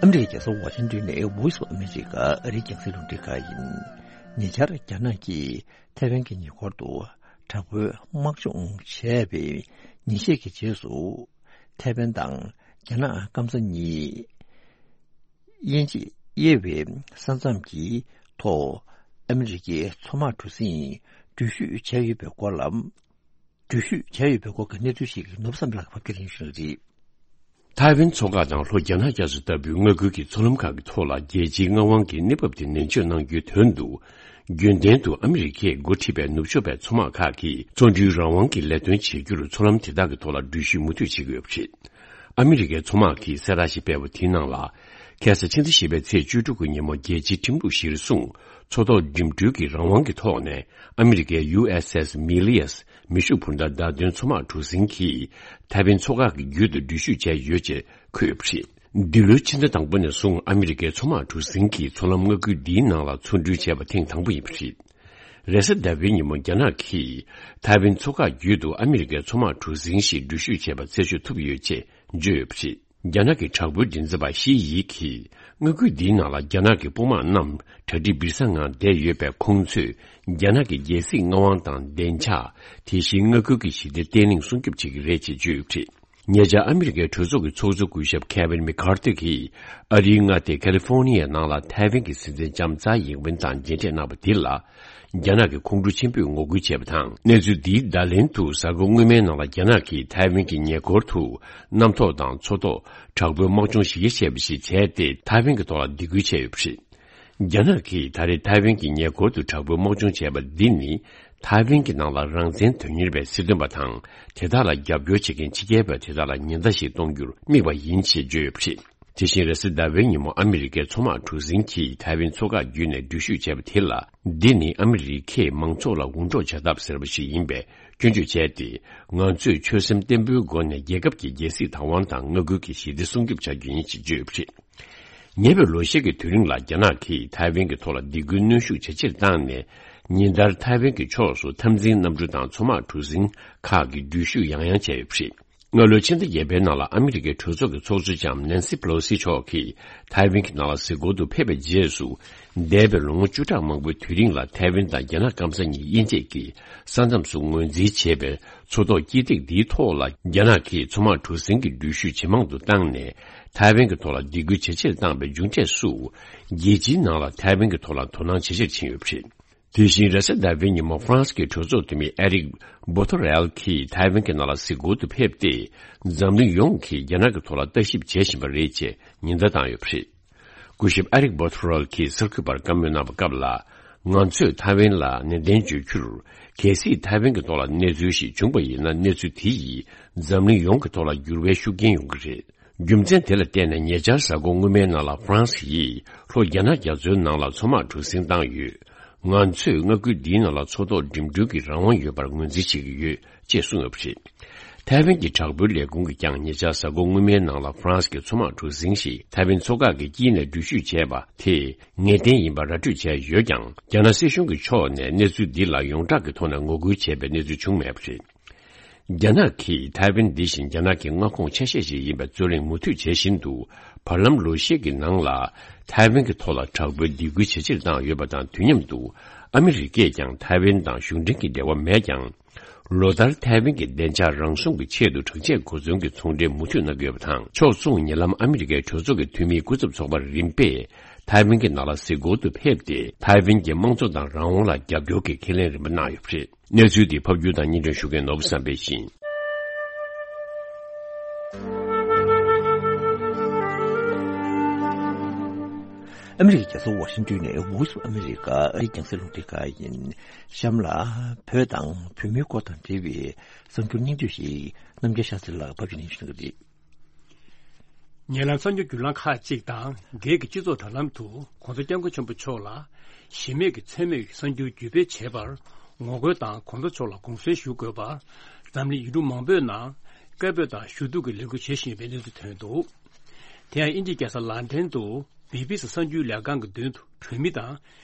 ཨ་མི་རི་ཀའི་རྒྱལ་ས་ཝ་ཤིང་ཏོན་ནས་Voice of America ཨ་རིའི་རྒྱང་སྲིང་རླུང་འཕྲིན་ཁང་ཡིན། ཉེ་ཆར་རྒྱ་ནག་གིས་ཐའེ་ཝན་གྱི་ཉེ་འཁོར་དུ་དྲག་པོའི་དམག་སྦྱོང་བྱས་པའི་ཉིན་ཤས་ཀྱི་རྗེས་སུ། ཐའེ་ཝན་དང་རྒྱ་ནག་སྐམ་ས་གཉིས་དབྱེ་འབྱེད་དབྱེ་བའི་ས་མཚམས་ཀྱི་ཐོག་ཨ་མི་རི་ཀའི་མཚོ་དམག་གྲུ་གཟིངས་འགྲུལ་བཞུད་བྱས་ཡོད་པའི་སྐོར་ལ། འགྲུལ་བཞུད་བྱས་ཡོད་པའི་སྐོར་གྱི་གནས་ཚུལ་ཞིག་ནོར་བུ་བསམ་འཕེལ་ལགས་ཕབ་སྒྱུར་ཞུ་གི་རེད། ཐའེ་ཝན་མཚོ་འགག་དང་ལྷོ་རྒྱ་ནག་རྒྱ་མཚོ་ལྟ་བུའི་མངའ་ཁུལ་གྱི་མཚོ་ལམ་ཁག་གི་ཐོག་ལ་རྒྱལ་སྤྱིའི་མངའ་དབང་གི་གནས་བབ་དེ་ནན་བརྗོད་གནང་རྒྱུའི་དོན་དུ། རྒྱུན་ལྡན་དུ་ཨ་མི་རི་ཀས་འགོ་ཁྲིད་པའི་ནུབ་ཕྱོགས་པའི་མཚོ་དམག་ཁག་གིས་མཚོ་འགྲུལ་རང་དབང་གི་ལས་དོན་བྱེད་རྒྱུར་མཚོ་ལམ་དེ་དག་གི་ཐོག་ལ་འགྲུལ་བཞུད་མུ་མཐུད་བྱེད་ཀྱི་ཡོད་པ་རེད། ཨ་མི་རི་ཀའི་མཚོ་དམག་གིས་གསལ་བསྒྲགས་ཤིག་སྤེལ་བ་དེའི་ནང་ལ། ཁ་སང་ཕྱི་ཟླ་བཞི་པའི་ཚེས་བཅུ་དྲུག་གི་ཉིན་མོ་རྒྱལ་སྤྱིའི་ཁྲིམས་ལུགས་གཞིར་བཟུང་མཚོ་ཐོག་འགྲིམ་འགྲུལ་གྱི་རང་དབང་གི་ཐོག་ནས་ཨ་མི་རི་ཀའི་ཡུ་ཨེས་ཨེས་མི་ལི་ཡས་མེ་ཤུགས་འཕུར་མདའ་བརྡ་སྟོན་མཚོ་དམག་གྲུ་གཟིངས་ཀྱིས་ཐའེ་ཝན་མཚོ་འགག་གི་རྒྱུད་དུ་འགྲུལ་བཞུད་བྱས་ཡོད་ཅེས་འཁོད་ཡོད་པ་རེད། འདི་ལོའི་ཕྱི་ཟླ་དང་པོ་ནས་བཟུང་ཨ་མི་རི་ཀའི་མཚོ་དམག་གྲུ་གཟིངས་ཀྱིས་མཚོ་ལམ་མངའ་ཁུལ་འདིའི་ནང་ལ་མཚོ་འགྲུལ་བྱས་པ་ཐེངས་དང་པོ་ཡིན་པ་རེད། རེས་གཟའ་ཟླ་བའི་ཉིན་མོ་རྒྱ་ནག་གིས་ཐའེ་ཝན་མཚོ་འགག་རྒྱུད་དུ་ཨ་མི་རི་ཀའི་མཚོ་དམག་གྲུ་གཟིངས་ཤིག་འགྲུལ་བཞུད་བྱས་པ་རྩད་གཅོད་ཐུབ་ཡོད་ཅེས་བརྗོད་ཡོད་པ་རེད། རྒྱ་ནག་གི་དྲག་པོའི་མགྲིན་ཚབ་པ་ཞི་ཡི་གིས་མངའ་ཁུལ་འདིའི་ནང་ལ་རྒྱ་ནག་གི་དཔུང་དམག་རྣམས་གྲ་སྒྲིག་སྦིར་ས་ངང་བསྡད་ཡོད་པས། ཁོང་ཚོས་རྒྱ་ནག་གི་རྒྱལ་སྲིད་མངའ་དབང་དང་བདེ་འཇགས། དེ་བཞིན་མངའ་ཁུལ་གྱི་ཞི་བདེ་བརྟན་ལྷིང་སྲུང་སྐྱོབ་བྱེད་ཀྱི་རེད་ཅེས་བརྗོད་ཡོད་པ་རེད། ཉེ་ཆར་ཨ་མི་རི་ཀའི་གྲོས་ཚོགས་ཀྱི་ཚོགས་གཙོ་སྐུ་ཞབས་ཁེ་ཝིན་མེ་ཁར་ཐི་གིས་ཨ་རིའི་མངའ་སྡེ་ཁ་ལི་ཧྥོ་ནི་ཡའི་ནང་ལ་ཐའེ་ཝན་གྱི་སྲིད་འཛིན་ལྕམ་ཙའེ་ཡིང་ཝེན་དང་མཇལ་འཕྲད་གནང་བ་འདི་ལ། རྒྱ་ནག་གི་ཁོང་ཁྲོ་ཆེན་པོས་ངོ་རྒོལ་བྱས་པ་དང་། གནས་ཚུལ་འདིའི་བརྡ་ལན་དུ་གཟའ་འཁོར་སྔོན་མའི་ནང་ལ་རྒྱ་ནག་གིས་ཐའེ་ཝན་གྱི་ཉེ་འཁོར་དུ་གནམ་ཐོག་དང་མཚོ་ཐོག་དྲག་པོའི་དམག་སྦྱོང་ཞིག་བྱས་པ་ཞིག་བྱས་ཏེ། ཐའེ་ཝན་གྱི་ཐོག་ལ་སྡིགས་སྐུལ་བྱས་ཡོད་པ་རེད། རྒྱ་ནག་གིས་ད་རེས་ཐའེ་ཝན་གྱི་ཉེ་འཁོར་དུ་དྲག་པོའི་དམག་སྦྱོང་བྱས་པ་འདི་ནི། ཐའེ་ཝན་གྱི་ནང་ལ་རང་བཙན་དོན་གཉེར་བའི་སྲིད་དོན་པ་དང་། དེ་དག་ལ་རྒྱབ་སྐྱོར་བྱེད་མཁན་ཕྱི་རྒྱལ་བ་དེ་དག་ལ་ཉེན་བརྡ་ཞིག་གཏོང་རྒྱུར་དམིགས་པ་ཡིན་ཞེས་བརྗོད་ཡོད་པ་རེད། དེ་བཞིན་རེས་གཟའ་ཟླ་བའི་ཉིན་མོ་ཨ་མི་རི་ཀའི་མཚོ་དམག་གྲུ་གཟིངས་ཀྱིས་ཐའེ་ཝན་མཚོ་འགག་བརྒྱུད་ནས་འགྲུལ་བཞུད་བྱས་པ་དེ་ལ། འདི་ནི་ཨ་མི་རི་ཀས་མང་ཚོགས་ལ་འུར་སྒྲོག་བྱ་ཐབས་ཟེར་བ་ཞིག་ཡིན་པས་སྐྱོན་བརྗོད་བྱས་ཏེ། ང་ཚོས་ཆོད་སེམས་བརྟན་པོའི་སྒོ་ནས་རྒྱལ་ཁབ་ཀྱི་རྒྱལ་སྲིད་བདག་དབང་དང་མངའ་ཁུལ་གྱི་ཞི་བདེ་སྲུང་སྐྱོབ་བྱ་རྒྱུ་ཡིན་ཞེས་བརྗོད་ཡོད་པ་རེད། ཉེ་བའི་ལོ་ཤས་ཀྱི་དུས་རིང་ལ་རྒྱ་ནག་གིས་ཐའེ་ཝན་གྱི་ཐོག་ལ་སྡིགས་སྐུལ་གནོན་ཤུགས་ཇེ་ཆེར་བཏང་ནས། ཉིན་ལྟར་ཐའེ་ཝན་གྱི་ཕྱོགས་སུ་འཐབ་འཛིང་གནམ་གྲུ་དང་མཚོ་དམག་གྲུ་གཟིངས་ཁག་གི་འགྲུལ་བཞུད་ཡང་ཡང་བྱས་ཡོད་པ་རེད། སྔ་ལོའི་ཕྱི་ཟླ་བརྒྱད་པའི་ནང་ལ་ཨ་མི་རི་ཀའི་གྲོས་ཚོགས་ཀྱི་ཚོགས་གཙོ་ལྕམ་ནན་སི་པེ་ལོ་སི་མཆོག་གིས་ཐའེ་ཝན་གྱི་ནང་ལ་གཟིགས་སྐོར་དུ་ཕེབས་པའི་རྗེས་སུ། འདས་པའི་ལོ་ངོ་བཅུ་ཕྲག་མང་པོའི་དུས་རིང་ལ་ཐའེ་ཝན་དང་རྒྱ་ནག་སྐམ་ས་གཉིས་དབྱེ་འབྱེད་ཀྱི་ས་མཚམས་སུ་ངོས་འཛིན་བྱས་པའི་མཚོ་ཐོག་དཀྱིལ་ཐིག་འདིའི་ཐོག་ལ་རྒྱ་ནག་གིས་མཚོ་དམག་གྲུ་གཟིངས་ཀྱི་འགྲུལ་བཞུད་ཇེ་མང་དུ་བཏང་ནས། ཐའེ་ཝན་གྱི་ཐོག་ལ་སྡིགས་སྐུལ་ཇེ་ཆེར་བཏང་བའི་མཇུག་འབྲས་སུ། རྒྱལ་སྤྱིའི་ནང་ལ་ཐའེ་ཝན་གྱི་ཐོག་ལ་དོ་སྣང་ཇེ་ཆེར་ཕྱིན་ཡོད་པ་རེད། དེ་བཞིན་རེས་གཟའ་ཟླ་བའི་ཉིན་མོ་ཧྥ་རན་སི་གི་གྲོས་ཚོགས་འཐུས་མི་ཨེ་རིག་བོ་ཐོ་རེལ་གྱིས་ཐའེ་ཝན་གྱི་ནང་ལ་གཟིགས་སྐོར་དུ་ཕེབས་ཏེ། འཛམ་གླིང་ཡོངས་ཀྱིས་རྒྱ་ནག་གི་ཐོག་ལ་ལྟ་ཞིབ་བྱེད་བཞིན་པ་རེད་ཅེས་ཉེན་བརྡ་བཏང་ཡོད་པ་རེད། སྐུ་ཞབས་ཨེ་རིག་བོ་ཐོ་རེལ་གྱིས་གསར་འགོད་པར་བཀའ་མོལ་གནང་བའི་སྐབས་ལ། ང་ཚོས་ཐའེ་ཝན་ལ་ནན་ཏན་བརྗོད་རྒྱུར། གལ་སྲིད་ཐའེ་ཝན་གྱི་ཐོག་ལ་གནས་ཚུལ་ཞིག་བྱུང་བ་ཡིན་ན། གནས་ཚུལ་དེ་ཡིས་འཛམ་གླིང་ཡོངས་ཀྱི་ཐོག་ལ་འགྱུར་བའི་ཤུགས་རྐྱེན་ཡོང་གི་རེད། རྒྱུ་མཚན་དེ་ལ་བརྟེན་ནས་ཉེ་ཆར་གཟའ་འཁོར་སྔོན་མའི་ནང་ལ་ཧྥ་རན་སི་ཡིས་ལྷོ་རྒྱ་ནག་རྒྱ་མཚོའི་ནང་ལ་མཚོ་དམག་གྲུ་གཟིངས་བཏང་ཡོད། ང་ཚོས་མངའ་ཁུལ་འདིའི་ནང་ལ་མཚོ་ཐོག་འགྲིམ་འགྲུལ་གྱི་རང་དབང་ཡོད་པར་ངོས་འཛིན་བྱེད་ཀྱི་ཡོད་ཅེས་གསུངས་ཡོད་པ་རེད། ཐའེ་ཝན་གྱི་དྲག་པོའི་ལས་ཁུངས་ཀྱིས་ཀྱང་ཉེ་ཆར་གཟའ་འཁོར་སྔོན་མའི་ནང་ལ་ཧྥ་རན་སི་གི་མཚོ་དམག་གྲུ་གཟིངས་ཤིག་ཐའེ་ཝན་མཚོ་འགག་གི་དཀྱིལ་ནས་འགྲུལ་བཞུད་བྱས་པ་དེ་ངེས་གཏན་ཡིན་པ་ར་སྤྲོད་བྱས་ཡོད་ཀྱང་། རྒྱ་ནག་སྲིད་གཞུང་གི་ཕྱོགས་ནས་གནས་ཚུལ་འདི་ལ་ཡོངས་གྲགས་ཀྱི་ཐོག་ནས་ངོ་རྒོལ་བྱས་པའི་གནས་ཚུལ་བྱུང་མེད་པ་རེད། རྒྱ་ནག་གིས་ཐའེ་ཝན་འདི་བཞིན་རྒྱ་ནག་གི་མངའ་ཁོངས་ཆ་ཤས་ཤིག་ཡིན་པའི་རྩོད་གླེང་མུ་མཐུད་བྱེད་བཞིན་དུ། བར་ལམ་ལོ་ཤས་ཀྱི་ནང་ལ་ཐའེ་ཝན་གྱི་ཐོག་ལ་དྲག་པོའི་སྡིགས་སྐུལ་ཇེ་ཆེར་བཏང་ཡོད་པ་དང་། དུས་མཉམ་དུ་ཨ་མི་རི་ཀས་ཀྱང་ཐའེ་ཝན་དང་གཞུང་འབྲེལ་གྱི་འབྲེལ་བ་མེད་ཀྱང་། ལོ་ལྟར་ཐའེ་ཝན་གྱི་བདེ་འཇགས་རང་སྲུང་གི་ཆེད་དུ་དྲག་ཆས་གོ་མཚོན་གྱི་ཚོང་འབྲེལ་མུ་མཐུད་གནང་གི་ཡོད་པ་དང་། ཕྱོགས་མཚུངས་ཉེ་ལམ་ཨ་མི་རི་ཀའི་གྲོས་ཚོགས་ཀྱི་འཐུས་མིའི་སྐུ་ཚབ་ཚོགས་པ་རིམ་པས་ཐའེ་ཝན་གྱི་ནང་ལ་གཟིགས་སྐོར་དུ་ཕེབས་ཏེ། ཐའེ་ཝན་གྱི་དམངས་གཙོ་དང་རང་དབང་ལ་རྒྱབ་སྐྱོར་གྱི་ཁས་ལེན་རིམ་པ་གནང་ཡོད་པ་རེད། གནས་ཚུལ་འདི་ཕབ་སྒྱུར་དང་སྙན་སྒྲོན་ཞུ་མཁན་ནོར་བུ་བསམ་འཕེལ་ཡིན། ཨ་མི་རི་ཀའི་རྒྱལ་ས་ཝ་ཤིང་ཏོན་ནས་Voice of America ཨ་རིའི་རྒྱང་སྲིང་རླུང་འཕྲིན་ཁང་ཡིན། གཤམ་ལ་བོད་དང་བོད་མིའི་སྐོར་དང་འབྲེལ་བའི་གསར་འགྱུར་སྙིང་བསྡུས་ཤིག་རྣམ་རྒྱལ་ཤཱ་ཚེ་ལགས་ཕབ་སྒྱུར་གནང་ཞུ་གི་རེད། ཉེ་ལམ་གསར་འགྱུར་བརྒྱུད་ལམ་ཁག་ཅིག་དང་སྒེར་གྱི་སྤྱི་ཚོགས་དྲ་ལམ་དུ་༸གོང་ས་༸སྐྱབས་མགོན་ཆེན་པོ་མཆོག་ལ་གཞི་མེད་ཀྱི་མཚན་སྨད་ཀྱི་གསར་འགྱུར་བརྒྱུད་སྤེལ་བྱས་པར་ངོ་རྒོལ་དང་༸གོང་ས་མཆོག་ལ་དགོངས་སེལ་ཞུ་དགོས་པར་འཛམ་གླིང་ཡུལ་གྲུ་མང་པོའི་ནང་སྐད་འབོད་དང་ཞུ་གཏུག་གི་ལས་འགུལ་བྱེད་བཞིན་ཡོད་པའི་གནས་ཚུལ་ཐོན་འདུག་དེ་ཡང་དབྱིན་ཇིའི་རྒྱལ་ས་ལན་ཀྲན་དུ་བི་བི་སི་གསར་འགྱུར་ལས་ཁང་གི་མདུན་དུ་བོད་མི་དང་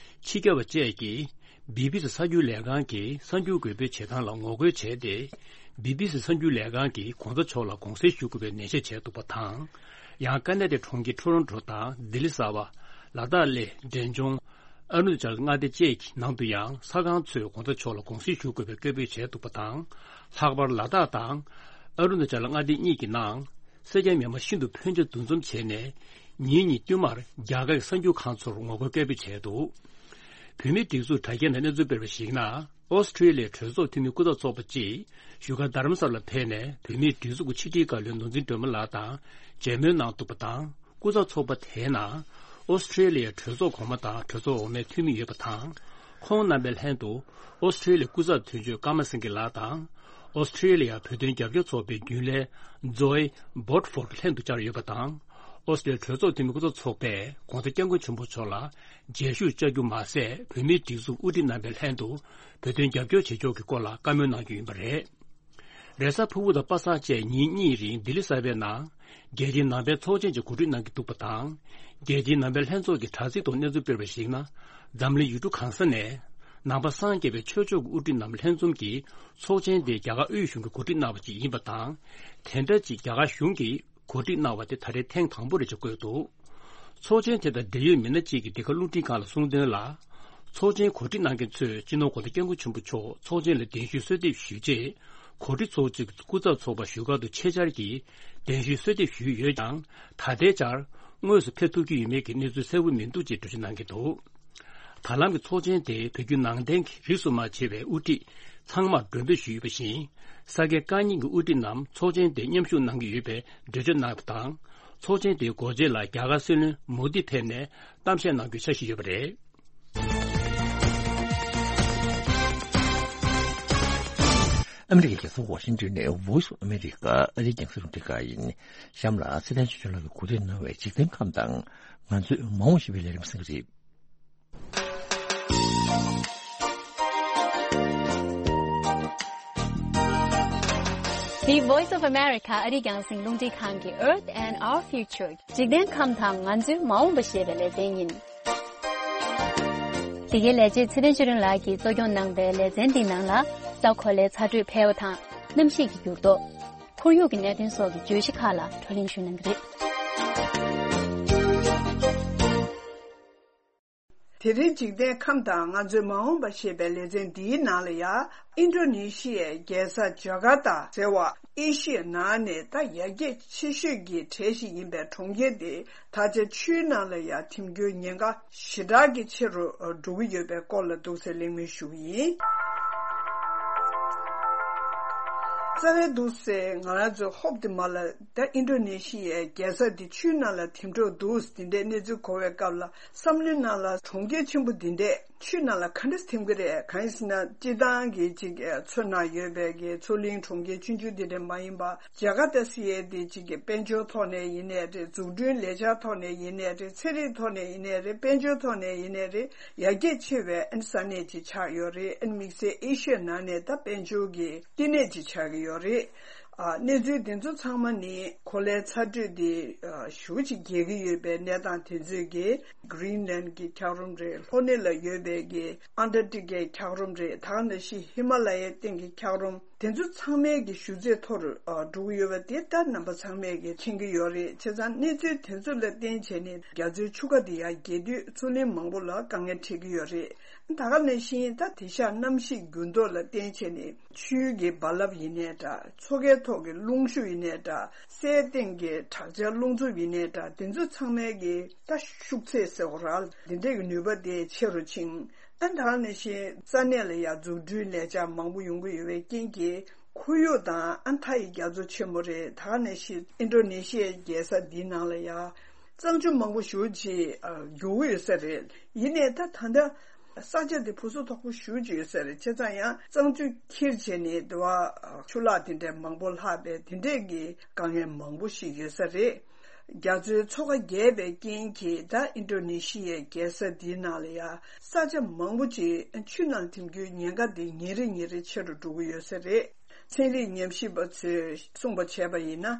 ཕྱི་རྒྱལ་བ་བཅས་ཀྱིས་བི་བི་སི་གསར་འགྱུར་ལས་ཁང་གི་གསར་འགྱུར་འགོད་སྤེལ་བྱེད་སྟངས་ལ་ངོ་རྒོལ་བྱས་ཏེ། བི་བི་སི་གསར་འགྱུར་ལས་ཁང་གིས་༸གོང་ས་མཆོག་ལ་དགོངས་སེལ་ཞུ་དགོས་པའི་ནན་བཤད་བྱས་འདུག་པ་དང་། ཡང་ཀ་ན་ཌའི་གྲོང་ཁྱེར་ཊོ་རོན་ཊོ་དང་ལྡི་ལི་གསར་པ། ལ་དྭགས་གླེ། འབྲས་ལྗོངས། ཨ་རུ་ན་ཅལ་མངའ་སྡེ་བཅས་ཀྱི་ནང་དུ་ཡང་ས་ཁང་ཚོས་དགོང་དག་ཕྱོགས་ལ་དགོང་ཟིན་ཞུ་དགོས་པའི་སྐད་འབོད་བྱས་འདུག་པ་དང་། ལྷག་པར་ལ་དྭགས་དང་ཨ་རུ་ན་ཅལ་མངའ་སྡེ་གཉིས་ཀྱི་ནང་སེར་སྐྱ་མི་མང་ཤིན་ཏུ་ཕོན་ཆེ་འདུ་འཛོམས་བྱས་ནས། ཉིན་གཉིས་བསྟུད་མར་རྒྱ་གར་གྱི་གསར་འགྱུར་ཁང་ཚོར་ངོ་རྒོལ་སྐད་འབོད་བྱས་འདུག་བོད་མིའི་སྒྲིག་འཛུགས་དྲ་རྒྱའི་ནང་གནས་ཚུལ་སྤེལ་བར་གཞིགས་ན། ཨོ་སི་ཁྲེ་ལི་ཡའི་གྲོས་ཚོགས་འཐུས་མི་སྐུ་ཚབ་ཚོགས་པ་གཅིག་བཞུགས་སྒར་རྡ་རམ་ས་ལར་ཕེབས་ནས། བོད་མིའི་སྒྲིག་འཛུགས་ཀྱི་ཕྱི་དྲིལ་བཀའ་བློན་ནོར་འཛིན་སྒྲོལ་མ་ལགས་དང་མཇལ་མོལ་གནང་འདུག་པ་དང་། སྐུ་ཚབ་ཚོགས་པ་དེའི་ནང་ཨོ་སི་ཁྲེ་ལི་ཡའི་གྲོས་ཚོགས་གོང་མ་དང་གྲོས་ཚོགས་འོག་མའི་འཐུས་མི་ཡོད་པ་དང་། ཁོང་རྣམ་པའི་ལྷན་དུ་ཨོ་སི་ཁྲེ་ལི་ཡའི་སྐུ་ཚབ་དོན་གཅོད་ཀརྨ་སེང་གེ་ལགས་དང་། ཨོ་སི་ཁྲེ་ལི་ཡ་བོད་དོན་རྒྱབ་སྐྱོར་ཚོགས་པའི་རྒྱུན་ལས་ཛོའི་བོད་ཕོར་ལྷན་དུ་བཅར་ཡོད་པ་དང་། ཨོ་སི་ཁྲེ་ལི་ཡ་གྲོས་ཚོགས་འཐུས་མི་སྐུ་ཚབ་ཚོགས་པས་དགོང་དག་སྐྱབས་མགོན་ཆེན་པོ་མཆོག་ལ་མཇལ་ཞུ་བཅར་རྒྱུ་མ་ཟད། བོད་མིའི་སྒྲིག་འཛུགས་དབུ་ཁྲིད་རྣམ་པའི་ལྷན་དུ་བོད་དོན་རྒྱབ་སྐྱོར་བྱེད་ཕྱོགས་ཀྱི་སྐོར་ལ་བཀའ་མོལ་གནང་རྒྱུ་ཡིན་པ་རེད། རེས་གཟའ་ཕུར་བུ་དང་པ་སངས་བཅས་ཉིན་གཉིས་རིང་ལྡི་ལི་གསར་པའི་ནང་རྒྱལ་སྤྱིའི་ནང་པའི་ཚོགས་ཆེན་ཞིག་གོ་སྒྲིག་གནང་གི་འདུག་པ་དང་། རྒྱལ་སྤྱིའི་ནང་པའི་ལྷན་ཚོགས་ཀྱི་དྲ་ཚིགས་ཐོག་གནས་ཚུལ་སྤེལ་བར་གཞིགས་ན། འཛམ་གླིང་ཡུལ་གྲུ་གང་ས་ནས་ནང་པ་སངས་རྒྱས་པའི་ཆོས་ཕྱོགས་ཀྱི་དབུ་ཁྲིད་རྣམས་ལྷན་འཛོམས་ཀྱིས་ཚོགས་ཆེན་དེ་རྒྱ་གར་དབུས་གཞུང་གིས་གོ་སྒྲིག་གནང་བ་ཞིག་ཡིན་པ་དང་། དེ་འདྲ་ཅིག་རྒྱ་གར་གཞུང་གིས་གོ་སྒྲིག་གནང་བ་དེ་ད་རེས་ཐེངས་དང་པོ་རེད་ཅེས་བཀོད་འདུག་ཚོགས་ཆེན་དེ་དང་འབྲེལ་ཡོད་མི་སྣ་གཅིག་གིས་འདི་ག་རླུང་འཕྲིན་ཁང་ལ་གསུངས་དོན་ལ། ཚོགས་ཆེན་གོ་སྒྲིག་གནང་མཁན་ཚོས་སྤྱི་ནོར་༧གོང་ས་༧སྐྱབས་མགོན་ཆེན་པོ་མཆོག་ཚོགས་ཆེན་ལ་གདན་ཞུའི་གསོལ་འདེབས་ཞུས་རྗེས། གོ་སྒྲིག་ཚོགས་གཙོས་ཀྱི་སྐུ་ཚབ་ཚོགས་པ་བཞུགས་སྒར་དུ་ཆེད་བཅར་གྱིས་གདན་ཞུའི་གསོལ་འདེབས་ཞུས་ཡོད་ཀྱང་། ད་ལྟའི་ཆར་དངོས་སུ་ཕེབས་ཐུབ་ཀྱི་ཡོད་མེད་ཀྱི་གནས་ཚུལ་གསལ་པོ་མི་འདུག་ཅེས་འགྲེལ་བརྗོད་གནང་གི་འདུག་ད་ལམ་གྱི་ཚོགས་ཆེན་དེ་བོད་བརྒྱུད་ནང་བསྟན་གྱི་རིས་སུ་མ་ཆད་པའི་དབུ་ཁྲིད་ཚང་མར་མགྲོན་འབོད་ཞུས་ཡོད་པ་བཞིན། ས་དགེ་བཀའ་རྙིང་གི་དབུ་ཁྲིད་རྣམས་ཚོགས་ཆེན་དེར་མཉམ་ཞུགས་གནང་གི་ཡོད་པའི་འགྲེལ་བརྗོད་གནང་བ་དང་། ཚོགས་ཆེན་དེའི་སྒོ་འབྱེད་ལ་རྒྱ་གར་སྲིད་བློན་མོ་དི་ཕེབས་ནས་གཏམ་བཤད་གནང་རྒྱུའི་འཆར་གཞི་ཡོད་པ་རེད། ཨ་མི་རི་ཀའི་རྒྱལ་ས་ཝ་ཤིང་ཏོན་ནས་Voice of America ཨ་རིའི་རྒྱང་སྲིང་རླུང་འཕྲིན་ཁང་ཡིན། གཤམ་ལ་ཚེ་བརྟན་ཆོས་སྐྱོང་ལགས་ཀྱིས་གོ་སྒྲིག་གནང་བའི་འཇིག་རྟེན་ཁམས་དང་། ང་ཚོའི་མ་འོངས་ཞེས་པའི་ལས་རིམ་གསན་གྱི་རེད། འདི་Voice of America ཨ་རིའི་རྒྱང་སྲིང་རླུང་འཕྲིན་ཁང་གི་Earth and Our Future འཇིག་རྟེན་ཁམས་དང་ང་ཚོའི་མ་འོངས་པ་ཞེས་པའི་ལེ་ཚན་ཡིན། འདི་གའི་ལས་བྱེད་ཚེ་བརྟན་ཆོས་སྒྲོན་ལགས་ཀྱིས་གཙོ་སྐྱོང་གནང་པའི་ལེ་ཚན་འདིའི་ནང་ལ། ས་གོ་ལའི་ཚ་དྲོད་འཕེལ་བ་དང་། གནམ་གཤིས་ཀྱི་འགྱུར་ལྡོག་ཁོར་ཡུག་གི་གནད་དོན་སོགས་ཀྱི་བརྗོད་གཞི་ཁག་ལ་བགྲོ་གླེང་ཞུ་གནང་གི་རེད། དེ་རིང་འཇིག་རྟེན་ཁམས་དང་ང་ཚོའི་མ་འོངས་པ་ཞེས་པའི་ལེ་ཚན་འདིའི་ནང་ལ་ཡང་། ཨིན་ཌོ་ནེ་ཤི་ཡའི་རྒྱལ་ས་ཇ་ཀར་ཏ་ཟེར་བ་ཨེ་ཤི་ཡའི་ནང་ནས་ད་ཡར་རྒྱས་ཆེ་ཤོས་ཀྱི་གྲས་ཤིག་ཡིན་པའི་གྲོང་ཁྱེར་དེ། ད་ཆ་ཆུའི་ནང་ལ་ཡང་འཐིམ་རྒྱུའི་ཉེན་ཁ་ཞེ་དྲག་གི་ཆེ་རུ་འགྲོ་གི་ཡོད་པའི་སྐོར་ལ་འདུག་སེ་གླེང་མོལ་ཞུ་གི་ཡིན། རྩ་བའི་འདུག་སེ་ང་རང་ཚོས་ཧོབ་དེ་མ་ལ་ད་ཨིན་ཌོ་ནེ་ཤི་ཡའི་རྒྱལ་ས་དེ་ཆུའི་ནང་ལ་འཐིམ་འགྲོ་འདུག་དེ་འདྲའི་གནས་ཚུལ་གོ་བའི་སྐབས་ལ། བསམ་བློའི་ནང་ལ་གྲོང་ཁྱེར་ཆེན་པོ་འདི་འདྲས་ཆུའི་ནང་ལ་ག་འདྲས་འཐིམ་གི་རེད། གང་ཡིན་ཟེར་ན་སྤྱིར་བཏང་གི་ཅིག་མཚོ་ནང་ཡོད་པའི་གི་མཚོ་གླིང་གྲོང་ཁྱེར་ཆུང་ཆུང་འདི་འདྲས་མ་ཡིན་པ། ཇ་ཀར་ཏ་ཟེར་ཡས་འདི་ཅིག་གི་དཔལ་འབྱོར་ཐོག་ནས་ཡིན་ནའི་རེད། འཛུགས་སྐྲུན་ལས་འཆར་ཐོག་ནས་ཡིན་ནའི་རེད། ཚན་རིག་ཐོག་ནས་ཡིན་ནའི་རེད། དཔལ་འབྱོར་ཐོག་ནས་ཡིན་ནའི་རེད། ཡར་རྒྱས་ཆེ་བའི་ཨན་ས་གནས་ཅིག་ཆགས་ཡོད་རེད། ཨན་དམིགས་བསལ་ཨེ་ཤི་ཡའི་ནང་ནས་ད་དཔལ་འབྱོར་གྱི་བསྟི་གནས་ཅིག་ཆགས་ཀྱི་ཡོད་རེད། ཨ། གནས་ཚུལ་འདི་ཚོ་ཚང་མ་ནི་གོ་ལའི་ཚ་དྲོད་འདི་ཨ། ཞེ་པོ་ཅིག་རྒྱས་ཀྱི་ཡོད་པའི་གནས་སྟངས་དེ་ཚོས་ཀྱི་Greenland གྱི་འཁྱགས་རོམ་རེད། ལྷོ་སྣེ་ལ་ཡོད་པའི་གི་Antarctic གི་འཁྱགས་རོམ་རེད། ད་ག་ནང་བཞིན་ཧི་མ་ལ་ཡའི་སྟེང་གི་འཁྱགས་རོམ་དེ་ཚོ་ཚང་མའི་གི་ཞུ་ཚད་མཐོ་རུ་ཨ། འགྲོ་གི་ཡོད་པ་དེ་ད་རྣམ་པ་ཚང་མས་ཀྱི་མཁྱེན་གྱི་ཡོད་རེད། བྱས་ཙང་གནས་ཚུལ་དེ་ཚོ་ལ་བརྟེན་བྱས་ནས་རྒྱ་མཚོའི་ཆུ་ཁ་དེ་ཡར་རྒྱས་དུས་མཚོ་གླིང་མང་པོ་ལ་དཀའ་ངལ་འཕྲད་ཀྱི་ཡོད་རེད། ད་ག་ནང་བཞིན་ད་དེང་སང་གནམ་གཤིས་འགྱུར་ལྡོག་ལ་བརྟེན་བྱས་ནས་ཆུའི་གི་རྦ་རླབས་ཡིན་ནའི་འདྲ། མཚོ་ཁའི་ཐོག་གི་རླུང་ཤུགས་ཡིན་ནའི་འདྲ། སའི་སྟེང་གི་དྲག་ཆར་རླུང་འཚུབ་ཡིན་ནའི་འདྲ། དེ་ཚོ་ཚང་མའི་གི་ད་ཤུགས་ཚད་ཟེར་བ་ར། འདི་འདྲའི་གི་ནུས་པ་དེ་ཆེ་རུ་ཕྱིན། ཨ། ད་ག་ནང་བཞིན་ས་གནས་ལ་ཡང་འཛུགས་སྐྲུན་ལས་འཆར་མང་པོ་ཡོང་གི་ཡོད་པའི་རྐྱེན་གྱིས་ཁོར་ཡུག་དང་ཨ་མཐའ་ཡི་རྒྱ་མཚོ་ཆེན་མོ་རེད། ད་ག་ནང་བཞིན་ཨིན་ཌོ་ནེ་ཤི་ཡའི་རྒྱལ་ས་འདིའི་ནང་ལ་ཡང་གཙང་ཆུ་མང་པོ་ཞེ་པོ་ཅིག་ཨ། རྒྱུག་གི་ཡོད་ས་རེད། ཡིན་ནའི་ད་ད་ལྟ་ས་ཆ་དེ་བུ་སྲོག་དོག་པོ་ཞེ་པོ་ཅིག་ཡོད་ས་རེད། བྱས་ཙང་ཡང་གཙང་ཆུ་འཁྱེར་བྱས་ནས་དེ་བ་ཆུ་ལག་དེ་འདྲའི་མང་པོ་ལྷག་པའི་དེ་འདྲའི་གི་དཀའ་ངལ་མང་པོ་ཞིག་ཡོད་ས་རེད། རྒྱ་མཚོའི་མཚོ་ཁ་རྒྱས་པའི་རྐྱེན་གྱིས་ད་ཨིན་ཌོ་ནེ་ཤི་ཡའི་རྒྱལ་ས་འདིའི་ནང་ལ་ཡང་ས་ཆ་མང་པོ་ཅིག་ཆུ་ནང་འཐིམ་རྒྱུའི་ཉེན་ཁ་དེ་ཉིན་རེ་ཉིན་རེ་ཆེ་རུ་འགྲོ་གི་ཡོད་ས་རེད། ཚན་རིག་ཉམས་ཞིབ་པ་ཚོས་གསུངས་པ་བྱས་པ་ཡིན་ན།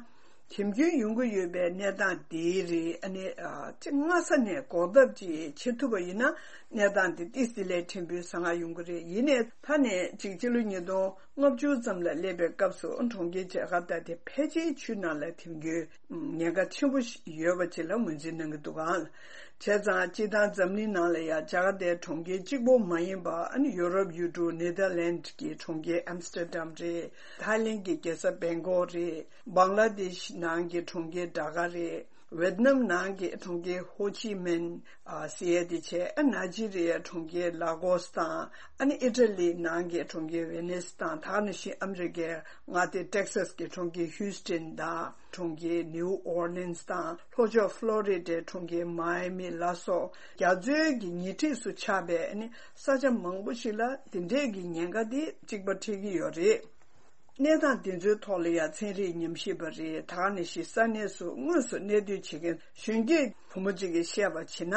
དེམ་རྒྱུན་ཡོང་གི་ཡོད་པའི་གནས་སྟངས་འདི་རེད། ཨ་ནི་ཨ་ཅིག་སྔ་ས་ནས་འགོག་ཐབས་ཅིག་བྱེད་ཐུབ་པ་ཡིན་ན། གནས་སྟངས་འདི་ཏིས་དེ་ལས་ཕྲན་བུ་བཟང་ང་ཡོང་གི་རེད། ཡིན་ནའི་ད་ནས་ཅིག་སྤྱི་ལོ་ཉིས་སྟོང་ལྔ་བཅུ་ཙམ་ལ་སླེབས་པའི་སྐབས་སུ་གྲོང་ཁྱེར་ཇ་ཀར་ཏ་དེ་ཕལ་ཆེར་ཆུའི་ནང་ལ་དེམ་རྒྱུན་ཉེན་ཁ་ཆེན་པོ་ཞིག་ཡོད་པ་ཅིག་ལ་ངོས་འཛིན་གནང་གི་འདུག་ག་བྱས་ཙང་སྤྱིར་བཏང་འཛམ་གླིང་ནང་ལ་ཡང་ཇ་ཀར་ཏའི་གྲོང་ཁྱེར་གཅིག་པོ་མ་ཡིན་པ། ཨ་ནི་ཡུ་རོབ་ཡུལ་གྲུ་ནེ་དར་ལན་གྱི་གྲོང་ཁྱེར་ཨམ་སི་ཏར་ཌམ་རེད། ཐའི་ལེན་གྱི་རྒྱལ་ས་བེང་ཀོག་རེད། བང་ལ་དེ་ཤི་ནང་གི་གྲོང་ཁྱེར་ཌ་ཀ་རེད། ཝེད་ནམ་ནང་གི་གྲོང་ཁྱེར་ཧོ་ཆི་མིན། ཨ་ཟེར་ཡས་དེ་བྱས། ཨ་ནའི་ཇི་རི་ཡའི་གྲོང་ཁྱེར་ལ་གོས་དང་། ཨ་ནི་ཨི་ཊ་ལི་ནང་གི་གྲོང་ཁྱེར་ཝེ་ནིས་དང་། ད་ག་ནང་བཞིན་ཨ་མི་རི་ཀའི་མངའ་སྡེ་ཊེག་སཱས་ཀྱི་གྲོང་ཁྱེར་ཧིའུ་སི་ཊོན་དང་། གྲོང་ཁྱེར་ནིའུ་ཨོར་ལིན་སི་དང་། ལྷོ་ཕྱོགས་ཕློ་རི་ཌའི་གྲོང་ཁྱེར་མ་ཡ་མི་ལ་སོགས། རྒྱ་མཚོའི་གི་ཉེ་འཁྲིས་སུ་ཆགས་པའི་ཨ་ནི་ས་ཆ་མང་པོ་ཞིག་ལ་དེ་འདྲའི་གི་ཉེན་ཁ་དེ་གཅིག་པ་འཕྲད་ཀྱི་ཡོད་རེད། གནས་སྟངས་དེ་ཚོའི་ཐོག་ལ་ཡང་ཚན་རིག་ཉམས་ཞིབ་པ་རེད། ད་ག་ནང་བཞིན་ས་གནས་སུ་དངོས་སུ་གནས་སྡོད་བྱེད་མཁན་གཞོན་སྐྱེས་བུ་མོ་གཅིག་གིས་བཤད་པར་བྱས་ན།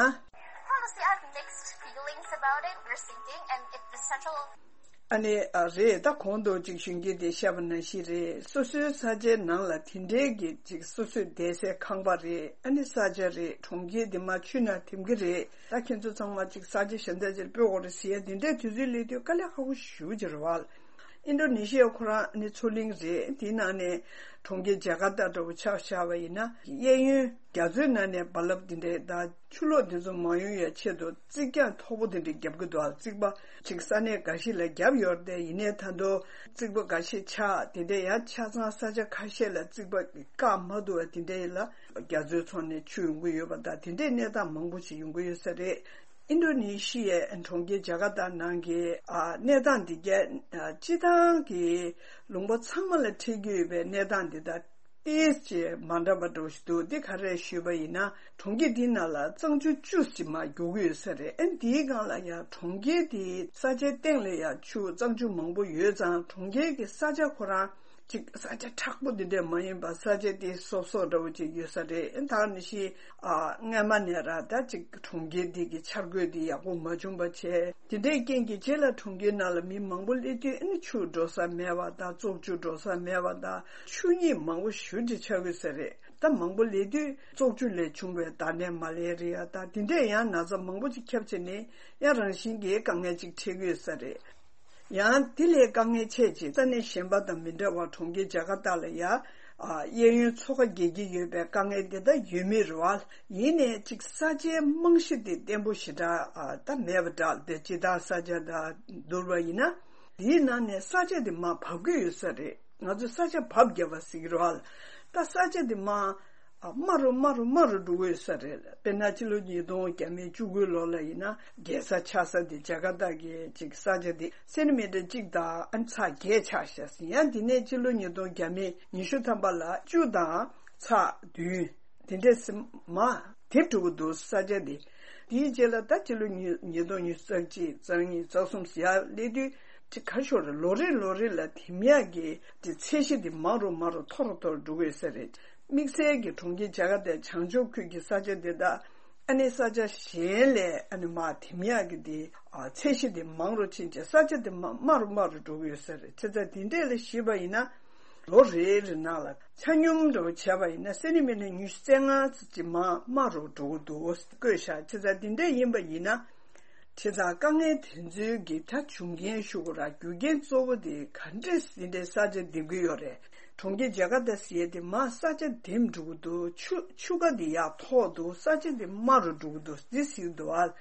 Honestly, I have mixed feelings about it. We're sinking, and if the central ཨ་ནི་ཨ་རེད། ད་གོང་དུ་ཅིག་གཞོན་སྐྱེས་དེས་བཤད་པ་ནང་བཞིན་རེད། སོ་སོའི་ས་ཆའི་ནང་ལ་དེ་འདྲའི་གི་ཅིག་སོ་སོས་བསྡད་སའི་ཁང་པ་རེད། ཨ་ནི་ས་ཆ་རེད། གྲོང་ཁྱེར་འདི་མར་ཆུ་ནང་ཐིམ་གྱི་རེད། ད་ཁྱེད་ཚོ་ཚང་མ་ཅིག་ས་ཆ་གཞན་དག་ཅིག་ལ་སྤོ་དགོས་རེད་ཟེར་ཡ་དེ་འདྲའི་དུས་ཚོད་སླེབས་དུས་དཀའ་ལས་ཁག་པོ་ཞེ་པོ་ཅིག་རེད་བ། ཨིན་ཌོ་ནེ་ཤི་ཡ་ཁོ་རང་ནི་མཚོ་གླིང་རེད། དེའི་ནང་ནས་གྲོང་ཁྱེར་ཇ་ཀར་ཏ་འདྲ་བོ་ཆ་བཞག་པ་ཡིན་ན། གཡས་གཡོན་རྒྱ་མཚོའི་ནང་ནས་རྦ་རླབས་འདི་འདྲས་དང་ཆུ་ལོག་འདི་ཚོ་མ་ཡོང་ཡའི་ཆེད་དུ་རྩིག་གྱང་མཐོ་པོ་འདི་འདྲས་བརྒྱབ་ཀྱི་འདུག་རྩིག་པ་ཅིག་ས་གནས་འགའ་ཞིག་ལ་བརྒྱབ་ཡོད་རེད་དེ། ཡིན་ནའི་ད་དུང་རྩིག་པ་འགའ་ཞིག་ཆག་དེ་འདྲས་ཡང་ཆ་ཚང་ས་ཆ་ཁ་ཤས་ལ་རྩིག་པ་བཀག་མ་ཐུབ་པ་དེ་འདྲས་ལ་རྒྱ་མཚོའི་ཕྱོགས་ནས་ཆུ་ཡོང་གི་ཡོད་པ་དང་། དེ་འདྲས་གནས་སྟངས་མང་པོ་ཞིག་ཡོང་གི་ཡོད་ས་རེད། ཨིན་ཌོ་ནེ་ཤི་ཡའི་གྲོང་ཁྱེར་ཇ་ཀར་ཏ་ནང་གི་ཨ་གནས་སྟངས་འདི་གའི་ཨ་སྤྱིར་བཏང་གི་ལུང་པ་ཚང་མ་ལ་འཕྲད་ཀྱི་ཡོད་པའི་གནས་སྟངས་འདི་དང་ཏོག་ཙམ་མ་འདྲ་བ་འདྲ་བོ་ཞིག་འདུག་འདི་ག་རེ་ཞུས་པ་ཡིན་ན། གྲོང་ཁྱེར་འདིའི་ནང་ལ་གཙང་ཆུ་བཅུ་ཙམ་མར་རྒྱུག་གི་ཡོད་ས་རེད། ཨ་འདིའི་སྒང་ལ་ཡང་གྲོང་ཁྱེར་འདིའི་ས་ཆའི་སྟེང་ལ་ཡང་ཆུ་གཙང་ཆུ་མང་པོ་ཡོད་ཙང་། གྲོང་ཁྱེར་གྱི་ས་ཆ་ཁོ་རང་ཅིག་ས་ཆ་མཁྲེགས་པོ་འདི་འདྲས་མ་ཡིན་པ། ས་ཆ་དེ་སོབ་སོབ་འདྲ་བོ་ཅིག་ཡོད་ས་རེད། ད་ག་ནང་བཞིན་ཨ་སྔས་མ་ནས་ར་ད་ཅིག་གྲོང་ཁྱེར་འདི་གི་འཆར་འགོད་འདི་ཡག་པོ་མ་བྱུང་བ་བྱས། དེ་འདྲའི་རྐྱེན་གྱིས་རྗེས་ལ་གྲོང་ཁྱེར་ནང་ལ་མི་མང་པོ་སླེབས་དུས། ཨ་ནི་ཆུ་འགྲོ་ས་མེད་པ་དང་། བཙོག་ཆུ་འགྲོ་ས་མེད་པ་དང་། ཆུ་རྙིད་མང་པོ་ཞེ་པོ་ཅིག་ཆགས་ཡོད་ས་རེད། ད་མང་པོ་སླེབས་དུས་བཙོག་ཆུ་ལས་བྱུང་བའི་བདག་ཉར་མ་ལེ་རི་ཡ་དང་། དེ་འདྲས་ཡང་ན་ཚ་མང་པོ་ཅིག་ཁྱབ་བྱས་ནས་ཡང་རང་བཞིན་གྱིས་དཀའ་ངལ་ཅིག་འཕྲད་ཀྱི་ཡོད་ས་རེད། ཡང་དེ་ལས་དཀའ་ངལ་ཆེ་ཅིག་ས་གནས་གཞན་པ་དང་མི་འདྲ་བར་གྲོང་ཁྱེར་ཇ་ཀར་ཏ་ལ་ཡ་ཨ་གཡས་གཡོན་མཚོ་ཁ་འགེལ་གྱི་ཡོད་པའི་དཀའ་ངལ་དེ་ད་ཡོད་མེད་རེད་བ། ཡིན་ནའི་ཅིག་ས་ཆའི་རྨང་གཞི་དེ་བརྟན་པོ་ཞེ་དྲག་ཨ་ད་མེད་པ་འདྲ། དེ་སྤྱིར་བཏང་ས་ཆ་དང་བསྡུར་བ་ཡིན་ན། དེའི་ནང་ནས་ས་ཆ་དེ་མར་བབས་ཀྱི་ཡོད་ས་རེད། ང་ཚོས་ས་ཆ་བབས་བརྒྱབ་པ་ཟེར་གྱི་རེད་བ། ད་ས་ཆ་དེ་མར་ཨ་དམའ་རུ་དམའ་རུ་དམའ་རུ་འགྲོ་གི་ཡོད་ས་རེད། དཔེར་ན་ཕྱི་ལོ་ཉིས་སྟོང་བརྒྱ་མེད་བཅུ་དགུ་ལོ་ལ་ཡིན་ན། རྒྱལ་ས་ཆགས་ས་དེ་ཇ་ཀར་ཏ་གི་ཅིག་ས་ཆ་དེ་སེན་ཊི་མི་ཊར་གཅིག་དང་ཨ་ཚེག་བརྒྱད་ཆགས་ཤག་ཟེར། ཡང་དེ་ནས་ཕྱི་ལོ་ཉིས་སྟོང་བརྒྱ་མེད་ཉི་ཤུ་ཐམ་པ་ལ་བཅུ་དང་ཚེག་བདུན། དེ་འདྲས་སེ་མར་དེབ་འགྲོ་གི་འདུག་ས་ཆ་དེ། དེའི་རྗེས་ལ་ད་ཕྱི་ལོ་ཉིས་ཉིས་སྟོང་ཉི་ཤུ་རྩ་གཅིག་རྩ་གཉིས་རྩ་གསུམ་ཟེར་ཡ་སླེབས་དུས་ཅིག་ག་ཤོར་རེད། ལོ་རེ་ལོ་རེ་ལ་དེ་མི་ཡག་གི་དེ་ཚད་གཞི་དེ་མང་རུ་མང་རུ་མཐོ་རུ་མཐོ་རུ་འགྲོ་གི་ཡོད་ས་རེད། དམིགས་བསལ་གྱི་གྲོང་ཁྱེར་ཇ་ཀར་ཏའི་བྱང་ཕྱོགས་ཁུལ་གྱི་ས་ཆ་དེ་དག་ཨ་ནི་ས་ཆ་གཞན་ལས་ཨ་ནི་མར་དེ་མི་ཡག་གི་དེ་ཨ་ཚད་གཞི་དེ་མང་རུ་ཕྱིན་བྱས་ས་ཆ་དེ་མར་དམའ་རུ་དམའ་རུ་འགྲོ་གི་ཡོད་ས་རེད། བྱས་ཙང་དེ་འདྲས་ལ་གཞིགས་པ་ཡིན་ན། ལོ་རེ་རེ་ནང་ལ་ཆ་སྙོམས་འདྲ་བོ་བྱས་པ་ཡིན་ན་སེན་ཊི་མི་ཊར་ཉི་ཤུ་རྩ་ལྔ་ཙམ་ཅིག་མར་དམའ་རུ་འགྲོ་གི་འདུག་བཀོད་བཞག་བྱས་ཙང་དེ་འདྲ་ཡིན་པ་ཡིན་ན། བྱས་ཙང་དཀའ་ངལ་དེ་ཚོའི་གི་ད་བྱུང་རྐྱེན་ཞུ་དགོས་ར། རྒྱུ་རྐྱེན་གཙོ་བོ་དེ་ག་འདྲས་དེ་འདྲའི་ས་ཆ་འདེབས་ཀྱི་ཡོད་རེད། གྲོང་ཁྱེར་ཇ་ཀར་ཏ་ཟེར་ཡས་དེ་མར་ས་ཆ་འདེབས་འགྲོ་གི་འདུག་ཆུ་ཆུ་ཁ་དེ་ཡར་མཐོ་འདུག་ས་ཆ་དེ་དམའ་རུ་འགྲོ་གི་འདུག་འདི་ཟེར་གྱི་འདུག་ཨ།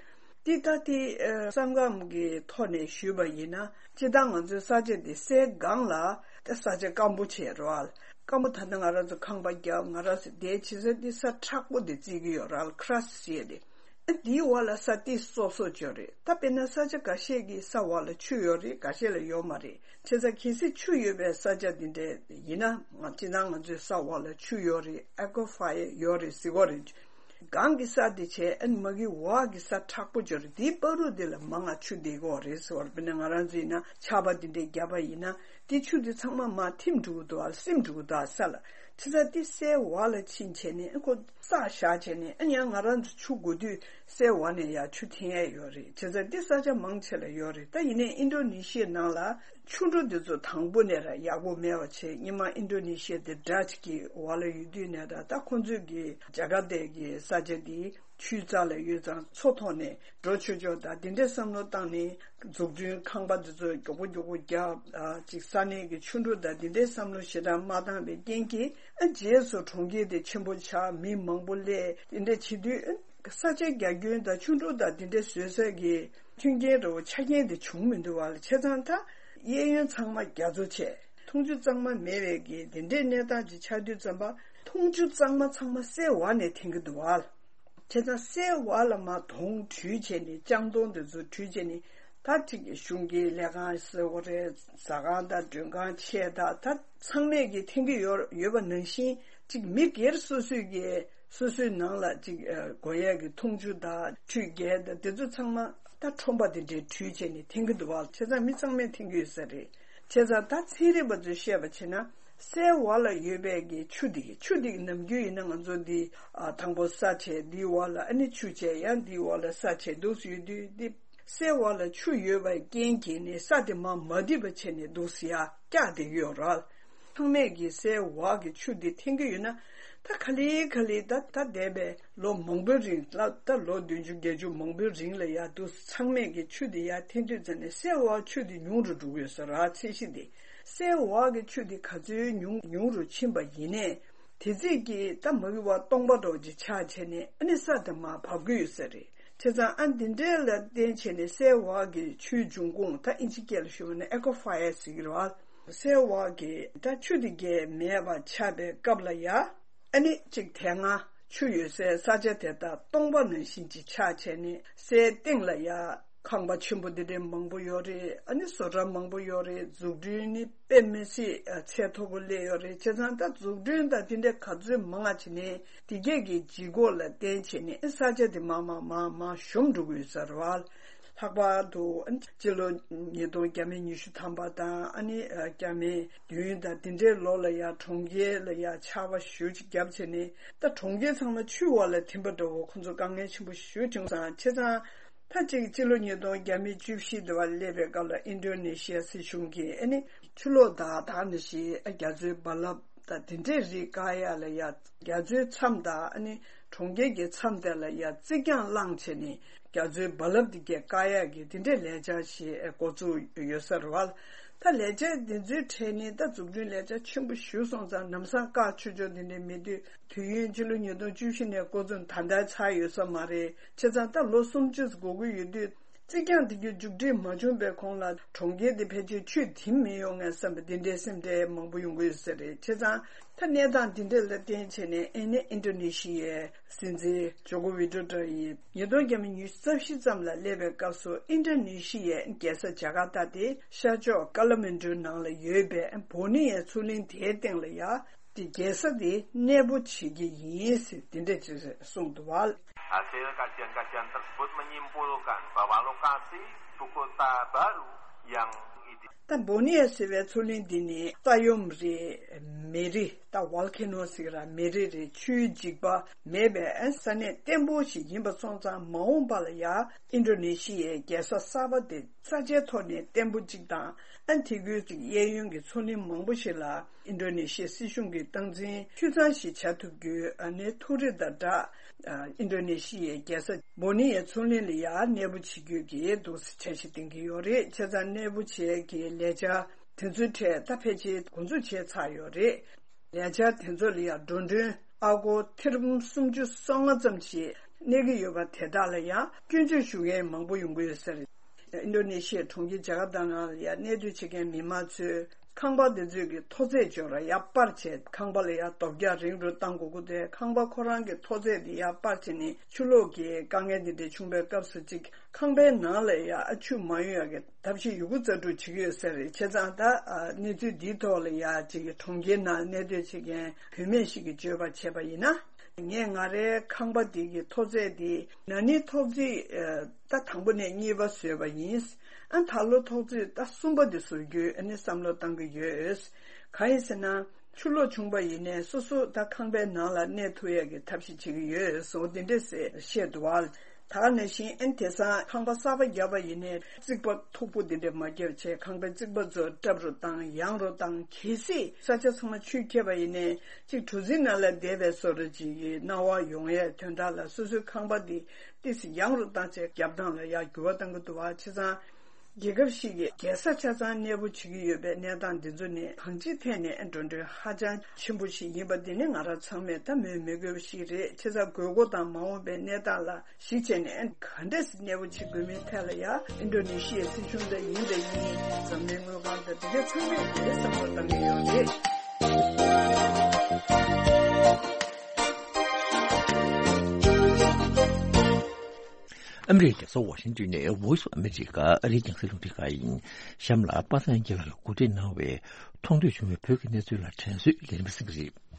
འདི་ལྟ་སྟེ་ཨ་ས་ཁམས་ཀྱི་ཐོག་ནས་ཞུས་པ་ཡིན་ན། སྤྱིར་བཏང་ང་ཚོའི་ས་ཆ་འདི་སའི་སྒང་ལ་ད་ས་ཆ་སྐམ་པོ་བྱས་རེད་བ། སྐམ་པོ་ད་ལྟ་ང་རང་ཚོ་ཁང་པ་བརྒྱབ། ང་རང་ཚོ་བསྡད་བྱེད་ས་འདི་ས་མཁྲེགས་པོ་འདི་བརྩི་གི་ཡོད་རེད། ཁི་ར་སི་ཊི་ཟེར་ཏེ། ཨ་འདིའི་འོག་ལ་ས་ཏོག་ཙམ་སོབ་སོབ་ཅིག་ཡོད་རེད། ད་དཔེར་ན་ས་ཆ་འགའ་ཤས་ཀྱི་ས་འོག་ལ་ཆུ་ཡོད་རེད། འགའ་ཤས་ལ་ཡོད་མ་རེད། བྱས་ཙང་གལ་སྲིད་ཆུ་ཡོད་པའི་ས་ཆ་འདི་འདྲ་ཡིན་ན། ང་སྤྱིར་བཏང་ང་ཚོའི་ས་འོག་ལ་ཆུ་ཡོད་རེད། ཨེ་ཀོ་ཕ་ཡར་ཡོད་རེད་ཟེར་གྱི་ཡོད་རེད། སྒང་གི་ས་དེ་བྱས། ཨ་ནི་མ་གི་འོག་གི་ས་མཁྲེགས་པོ་ཅིག་ཡོད་རེད། དེའི་བར་དུ་དེ་ལ་མང་ང་ཆུ་བསྡད་ཀྱི་ཡོད་རེད་ཟེར་བ་རེད། དཔེར་ན་ང་རང་ཚོ་ཡིན་ན་ཆར་པ་དེ་འདྲ་བརྒྱབ་པ་ཡིན་ན། དེ་ཆུ་དེ་ཚང་མ་མར་ཐིམ་འགྲོ་གི་འདུག་ཨ། སིམ་འགྲོ་གི་འདུག་ཨ་ས་ལ། བྱས་ཙང་དེ་སའི་འོག་ལ་ཕྱིན་བྱས་ནས་ཨ་ཁོ་བསགས་བཞག་བྱས་ནས། ཨ་ཡང་ང་རང་ཚོ་ཆུ་དགོས་དུས་སའི་འོག་ནས་ཡར་ཆུ་འཐེན་ཡས་ཡོད་རེད། བྱས་ཙང་དེ་ས་ཆ་མང་ཆེ་ལ་ཡོད་རེད། ད་ཡིན་ནའི་ཨིན་ཌོ་ནེ་ཤི་ཡའི་ནང་ལ་ ཆུ་འགྲོ་འདི་ཚོ་དང་པོ་ནས་ར་ཡག་པོ་མེད་པ་བྱས། སྔོན་མ་ཨིན་ཌོ་ནེ་ཤི་ཡ་དེ་ཌ་ཅི་གི་འོག་ལ་ཡོད་དུས་ནས་ར། ད་ཁོང་ཚོས་ཀྱི་ཇ་ཀར་ཏའི་གི་ས་ཆ་འདི་ཆུའི་རྩ་ལ་ཡོད་ཙང་མཚོ་ཐོག་ནས་འགྲོ་ཆོག་ཆོག་དང་དེ་འདྲའི་བསམ་བློ་བཏང་ནས། འཛུགས་སྐྲུན་ཁང་པ་འདི་ཚོ་མགྱོགས་པོ་མགྱོགས་པོ་རྒྱག་ཨ་ཅིག་ས་གནས་ཀྱི་ཆུ་འགྲོ་དང་དེ་འདྲའི་བསམ་བློ་ཞེ་དྲག་མ་བཏང་བའི་རྐྱེན་གྱིས། ཨ་རྗེས་སུ་གྲོང་ཁྱེར་དེ་ཆེན་པོ་ཆགས། མི་མང་པོ་སླེབས། དེ་འདྲ་བྱེད་དུས་ཨ་ས་ཆའི་རྒྱ་ཁྱོན་དང་ཆུ་འགྲོ་དང་དེ་འདྲའི་བཟོ་ས་གི་མཐུན་རྐྱེན་འདྲ་བོ་ཆ་རྐྱེན་དེ་བྱུང་མི་འདུག་བ་ལ། བྱས་ཙང་ད་གཡས་གཡོན་ཚང་མ་རྒྱ་མཚོ་བྱས། འཐུང་ཆུ་གཙང་མ་མེད་པའི་གི་དེ་འདྲའི་གནས་སྟངས་ཅིག་ཆགས་དུས་ཙམ་པ། འཐུང་ཆུ་གཙང་མ་ཚང་མ་སའི་འོག་ནས་འཐེན་གྱི་འདུག་བ་ལ། བྱས་ཙང་སའི་འོག་ལ་མར་དོང་བྲུས་བྱས་ནས། ལྕང་དོང་དེ་ཚོ་བྲུས་བྱས་ནས། ད་ཅིག་གཞུང་གི་ལས་ཁང་ཟེར་བ་རེད། ཟ་ཁང་དང་མགྲོན་ཁང་ཆེ་ད་ད་ཚང་མས་ཀྱི་འཐེན་གྱི་ཡོད་ཡོད་པ་ནང་བཞིན། ཅིག་མི་སྒེར་སོ་སོས་ཀྱི་སོ་སོའི་ནང་ལ་ཅིག་ཨ་དགོས་ཡས་ཀྱི་འཐུང་ཆུ་དང་ཁྲུས་གྱལ་དང་དེ་ཚོ་ཚང་མ་ད་ཁྲོམ་པ་དེ་འདྲའི་བྲུས་བྱས་ནས་འཐེན་གྱི་འདུག་བ། བྱས་ཙང་མི་ཚང་མས་འཐེན་གྱི་ཡོད་ས་རེད། བྱས་ཙང་ད་ཚན་རིག་པ་ཚོས་བཤད་པ་བྱས་ན། སའི་འོག་ལ་ཡོད་པའི་གི་ཆུ་དེ་གི་ཆུ་དེ་གི་ནམ་རྒྱུན་ཡིན་ན་ང་ཚོ་འདི་ཨ་དང་པོ་ས་བྱས། འདིའི་འོག་ལ་ཨ་ནི་ཆུ་བྱས། ཡང་འདིའི་འོག་ལ་ས་བྱས་འདུག་ཡོད་དུས། འདི་སའི་འོག་ལ་ཆུ་ཡོད་པའི་རྐྱེན་གྱིས་ནི་ས་དེ་མར་མ་རྡིབ་པ་བྱས་ནས་འདུག་ཡར་བཀྱགས་བསྡད་ཀྱི་ཡོད་རེད། ཚང་མས་ཀྱི་སའི་འོག་གི་ཆུ་དེ་འཐེན་གྱི་ཡོད་ན། ད་ག་ལེ་ག་ལེ་ད་ད་འདས་པའི་ལོ་མང་པོའི་རིང་ལ། ད་ལོ་བདུན་ཅུ་བརྒྱད་ཅུ་མང་པོའི་རིང་ལ་ཡར་འདུག་ཚང་མས་ཀྱི་ཆུ་དེ་ཡར་འཐེན་དུས་ཙམ་ནས་སའི་འོག་ཆུ་དེ་ཉུང་རུ་འགྲོ་གི་ཡོད་ས་རེད། ཚད་གཞི་དེ། སའི་འོག་གི་ཆུ་དེ་ག་ཚོད་ཉུང་ཉུང་རུ་ཕྱིན་པ་ཡིན་ནའི། དེ་ཚིག་གི་ད་མ་གི་བ་སྟོང་པ་འདྲ་བོ་ཅིག་ཆགས་བྱས་ནས། ཨ་ནི་ས་དེ་མར་བབས་ཀྱི་ཡོད་ས་རེད། བྱས་ཙང་ཨ་འདི་འདྲའི་ལ་བརྟེན་བྱས་ནས་སའི་འོག་གི་ཆུའི་འབྱུང་ཁུངས། ད་ཨིན་ཇི་སྐད་ལ་ཞུ་བ་ན་ཨེ་ཀོ་ཕ་ཡར་ཟེར་གྱི་རེད་བ། སའི་འོག་གི་ད་ཆུ་དེ་གས་མེད་པ་ཆགས་པའི་སྐབས་ལ་ཡ། ཨ་ནི་གཅིག་དེ་སྔ་ཆུ་ཡོད་སའི་ས་ཆ་དེ་དག་སྟོང་པ་ནང་བཞིན་ཅིག་ཆགས་བྱས་ནས། སའི་སྟེང་ལ་ཡ་ཁང་པ་ཆེན་པོ་འདི་འདྲའི་མང་པོ་ཡོད་རེད། ཨ་ནི་བཟོ་གྲྭ་མང་པོ་ཡོད་རེད། འཛུགས་སྐྲུན་ནི་དཔེ་མི་སྲིད་ཨ་ཚད་མཐོ་པོ་སླེབས་ཡོད་རེད། བྱས་ཙང་ད་འཛུགས་སྐྲུན་དང་དེ་འདྲའི་ག་ཚོད་མང་བ་བྱས་ནས། དེ་གས་ཀྱི་ལྗིད་ཁོག་ལ་བརྟེན་བྱས་ནས་ས་ཆ་དེ་མར་མར་མར་མར་ཞོམ་འགྲོ་གི་ཡོད་ས་རེད་བ། ལྷག་པར་དུ་སྤྱི་ལོ་ཉིས་སྟོང་བརྒྱ་མེད་ཉི་ཤུ་ཐམ་པ་དང་། ཨ་ནི་ཨ་བརྒྱ་མེད་བདུན་དང་དེ་འདྲའི་ལོ་ལ་ཡ་གྲོང་ཁྱེར་ལ་ཡ་ཆར་པ་ཞེ་པོ་ཅིག་བརྒྱབ་བྱས་ནས། ད་གྲོང་ཁྱེར་ཚང་མ་ཆུའི་འོག་ལ་ཐིམ་པ་འདྲ་བོ་ཁོང་ཚོ་དཀའ་ངལ་ཆེན་པོ་ཞེ་པོ་བྱུང་སོང་། བྱས་ཙང་ད་ཅིག་སྤྱི་ལོ་ཉིས་སྟོང་བརྒྱ་མེད་བཅུ་བཞི་དེ་བ་སླེབས་པའི་སྐབས་ལ་ཨིན་ཌོ་ནེ་ཤི་ཡ་སྲིད་གཞུང་གིས། ཨ་ནི་ཆུ་ལོག་དང་ད་ནི་ཞིག་རྒྱ་མཚོའི་རྦ་རླབས་དང་དེ་འདྲའི་རིགས་བཀག་ཡ་ལ་ཡ། རྒྱ་མཚོའི་མཚམས་དང་ཨ་ནི་གྲོང་ཁྱེར་གྱི་མཚམས་དེ་ལ་ཡ་རྩིག་གྱང་བསླངས་བྱས་ནས། རྒྱ་མཚོའི་རྦ་རླབས་འདི་གས་བཀག་ཡག་གི་དེ་འདྲའི་ལས་འཆར་ཞིག་འགོ་བཙུགས་ཡོད་ས་རེད་བ། ད་ལས་འཆར་འདི་ཚོའི་གྲས་ནི་ད་འཛུགས་སྐྲུན་ལས་འཆར་ཆེན་པོ་ཞིག་སོང་ཙང་། ལམ་སང་བཀག་ཆོག་ཆོག་འདི་འདྲ་མེད་དུས། དུས་ཡུན་སྤྱི་ལོ་ཉིས་སྟོང་བཅུ་བཞི་ནས་འགོ་བཙུགས་ད་ལྟ་ཚར་ཡོད་ས་མ་རེད། བྱས་ཙང་ད་ལོ་སུམ་ཅུ་འགོར་གྱི་ཡོད་དུས། རྩིག་གྱང་འདི་གའི་མཇུག་སྒྲིལ་མ་བྱུང་བའི་གོང་ལ་གྲོང་ཁྱེར་འདི་ཕལ་ཆེར་ཆུས་ཐིམ་མི་ཡོང་ངས་བསམ་པའི་འདི་འདྲའི་སེམས་ཁྲལ་མང་པོ་ཡོང་གི་ཡོད་ས་རེད། བྱས་ཙང་ད་གནས་སྟངས་འདི་འདྲ་ལ་བརྟེན་བྱས་ནས། ཨ་ནི་ཨིན་ཌོ་ནེ་ཤི་ཡའི་སྲིད་འཛིན་ཇོ་ཀོ་ཝི་ཌོ་ཌོ་ཡིས་ཉིས་སྟོང་བརྒྱ་མེད་ཉི་ཤུ་རྩ་བཞི་ཙམ་ལ་སླེབས་པའི་སྐབས་སུ། ཨིན་ཌོ་ནེ་ཤི་ཡའི་རྒྱལ་ས་ཇ་ཀར་ཏ་དེ་ཤར་ཕྱོགས་ཀ་ལ་མན་ཌུ་ནང་ལ་ཡོད་པའི་བོ་ནི་ཡའི་མཚོ་གླིང་དེའི་སྟེང་ལ་ཡ། དེ་རྒྱལ་ས་དེ་གནས་སྤོ་བྱེད་ཀྱི་ཡིན་ཟེར་དེ་འདྲ་ཅིག་གསུངས་འདུག་བ། Hasil kajian-kajian tersebut menyimpulkan bahwa lokasi ibu kota baru yang ide- ད་བོ་ནི་ཡ་ཟེར་བའི་མཚོ་གླིང་འདི་ནི་ས་ཡོམ་རེད། མེ་རི། ད་ཝོལ་ཁེ་ནོ་ཟེར་གྱི་ར། མེ་རི་རེད། ཆུའི་འཇིགས་པ་མེད་པའི་ས་གནས་བརྟན་པོ་ཞིག་ཡིན་པ་སོང་ཙང་། མ་འོངས་པ་ལ་ཡ་ཨིན་ཌོ་ནེ་ཤི་ཡའི་རྒྱལ་ས་གསར་པ་དེ་ས་ཆའི་ཐོག་ནས་བརྟན་པོ་གཅིག་དང་། ཨ་དེ་ཁུལ་གྱི་གཡས་གཡོན་གྱི་མཚོ་གླིང་མང་པོ་ཞིག་ལ་ཨིན་ཌོ་ནེ་ཤི་ཡའི་སྲིད་གཞུང་གིས་སྟངས་འཛིན་འཐུས་ཚང་ཞིག་བྱ་ཐུབ་རྒྱུའི། ཨ་ནི་ཐུགས་རེ་དང་སྦྲགས། ཨ་ཨིན་ཌོ་ནེ་ཤི་ཡའི་རྒྱལ་ས་བོ་ནི་ཡའི་མཚོ་གླིང་ལ་ཡ་གནས་སྤོ་བྱེད་རྒྱུ་གི་འདུག་སེ་འཆར་གཞི་འདིང་གི་ཡོད་རེད། བྱས་ཙང་གནས་སྤོ་བྱེད་ཀྱི་ལས་འཆར་དེ་ཚོའི་གྲས་ད་ཕལ་ཆེར་འགོ་འཛུགས་བྱས་ཚར་ཡོད་རེད། ལས་འཆར་དེ་ཚོ་ལ་ཡ་འགྲོ་གྲོན་ཨ་སྒོར་ཐེར་འབུམ་སུམ་ཅུ་སོ་ལྔ་ཙམ་ཞིག་གནས་ཀྱི་ཡོད་པ་དེ་དག་ལ་ཡང་སྐྱོན་བརྗོད་ཞུ་མཁན་མང་པོ་ཡོང་གི་ཡོད་ས་རེད། ཨིན་ཌོ་ནེ་ཤི་ཡའི་གྲོང་ཁྱེར་ཇ་ཀར་ཏ་ནང་ལ་ཡང་གནས་སྡོད་བྱེད་མཁན་མི་མང་ཚོས་ཁང་པ་དེ་ཚོའི་གི་མཐོ་ཚད་ཅིག་ཡོད་ར་ཡར་སྤར་བྱས། ཁང་པ་ལ་ཡང་རྡོ་བརྒྱབ་རིང་རུ་བཏང་དགོས་ཀྱི་འདུག་ཁང་པ་ཁོ་རང་གི་མཐོ་ཚད་དེ་ཡར་སྤར་བྱས་ནས་ཆུ་ལོག་གི་དཀའ་ངལ་དེ་འདྲ་བྱུང་བའི་སྐབས་སུ་ཅིག་ཁང་པའི་ནང་ལ་ཡང་ཆུ་མ་ཡོང་ཡག་གི་ཐབས་ཤེས་ཡོད་རྒུ་རྩལ་སྤྲུགས་བྱེད་ཀྱི་ཡོད་ས་རེད། བྱས་ཙང་ད་ཨ་གནས་ཚུལ་འདིའི་ཐོག་ལ་ཡ་ཅིག་གྲོང་ཁྱེར་ནང་གནས་སྡོད་བྱེད་མཁན་བུད་མེད་ཞིག་གིས་བརྗོད་པར་བྱས་པ་ཡིན་ན། ངས་ང་རའི་ཁང་པ་འདི་གི་མཐོ་ཚད་འདི་ན་ནིང་ཐོག་བརྩེགས་ཨ་ད་དང་པོ་ནས་གཉིས་པ་བཟོས་པ་ཡིན། ཨ་ད་ལོ་ཐོག་བརྩེགས་ད་གསུམ་པ་འདི་བཟོ་རྒྱུའི་ཨ་ནི་བསམ་བློ་བཏང་གི་ཡོད། གང་ཡིན་ཟེར་ན། ཆུ་ལོག་བྱུང་བ་ཡིན་ནའི་སོ་སོ་ད་ཁང་པའི་ནང་ལ་གནས་ཐུབ་ཡག་གི་ཐབས་ཤེས་བྱེད་ཀྱི་ཡོད་ཟེར་འོ་དེ་འདྲས་བཤད་འདུག་བ། ད་ག་ནང་བཞིན་ཨན་དེང་སང་ཁང་པ་གསར་པ་བརྒྱབ་པ་ཡིན་ནའི་རྩིག་པ་མཐུག་པོ་འདི་འདྲ་མ་བརྒྱབ་བྱས། ཁང་པའི་རྩིག་པ་ཚོ་ཀྲབ་རུ་བཏང་ཡང་རུ་བཏང་། གལ་སྲིད་ས་ཆ་ཚང་མ་ཆུས་ཁྱེར་བ་ཡིན་ནའི་གཅིག་གྲུ་གཟིངས་ནང་ལ་བསྡད་པའི་བཟོ་འདྲ་ཅིག་གི་སྣང་བ་ཡོང་ཡས་དོན་དག་ལ་སོ་སོའི་ཁང་པ་འདི་ཏོག་ཙམ་ཡང་རུ་བཏང་བྱས་རྒྱབ་ཐང་ལ་ཡར་འགྱུར་བ་གཏང་གི་འདུག་བ། བྱས་ཙང་རྒྱལ་ཁབ་ཞིག་གི་རྒྱལ་ས་ཆ་ཚང་གནས་སྤོ་བྱེད་ཀྱི་ཡོད་པའི་གནས་སྟངས་འདི་ཚོ་ནི་གང་ཅིའི་ཐད་ནས་འགྲོ་གྲོན་ཧ་ཅང་ཆེན་པོ་ཞིག་ཡིན་པ་འདི་ནི་ང་རང་ཚང་མས་ད་མོས་མི་དགོས་པ་ཞིག་རེད། བྱས་ཙང་དགོས་མཁོ་དང་མ་འོངས་པའི་གནས་སྟངས་ལ་གཞིགས་བྱས་ནས་ག་འདྲས་གནས་སྤོ་བྱེད་དགོས་མིན་ཐད་ལ་ཡང་ཨིན་ཌོ་ནེ་ཤི་ཡའི་སྲིད་གཞུང་འདྲ་ཡིན་འདྲ་ཡིན། འཛམ་གླིང་དངུལ་ཁང་དང་དེ་གའི་ཚང་མས་དེ་བསམ་བློ་བཏང་གི་ཡོད་རེད། ཨ་མི་རི་ཀའི་རྒྱལ་ས་ཝ་ཤིང་ཏོན་ནས་Voice of America ཨ་རིའི་རྒྱང་སྲིང་རླུང་འཕྲིན་ཁང་ཡིན། གཤམ་ལ་པ་སངས་སྐྱིད་ལགས་ལ་གོ་སྒྲིག་གནང་བའི་མཐོང་ཐོས་བྱུང་བའི་བོད་ཀྱི་གནས་ཚུལ་ལ་དྲན་གསོའི་ལས་རིམ་གསན་གྱི་རེད།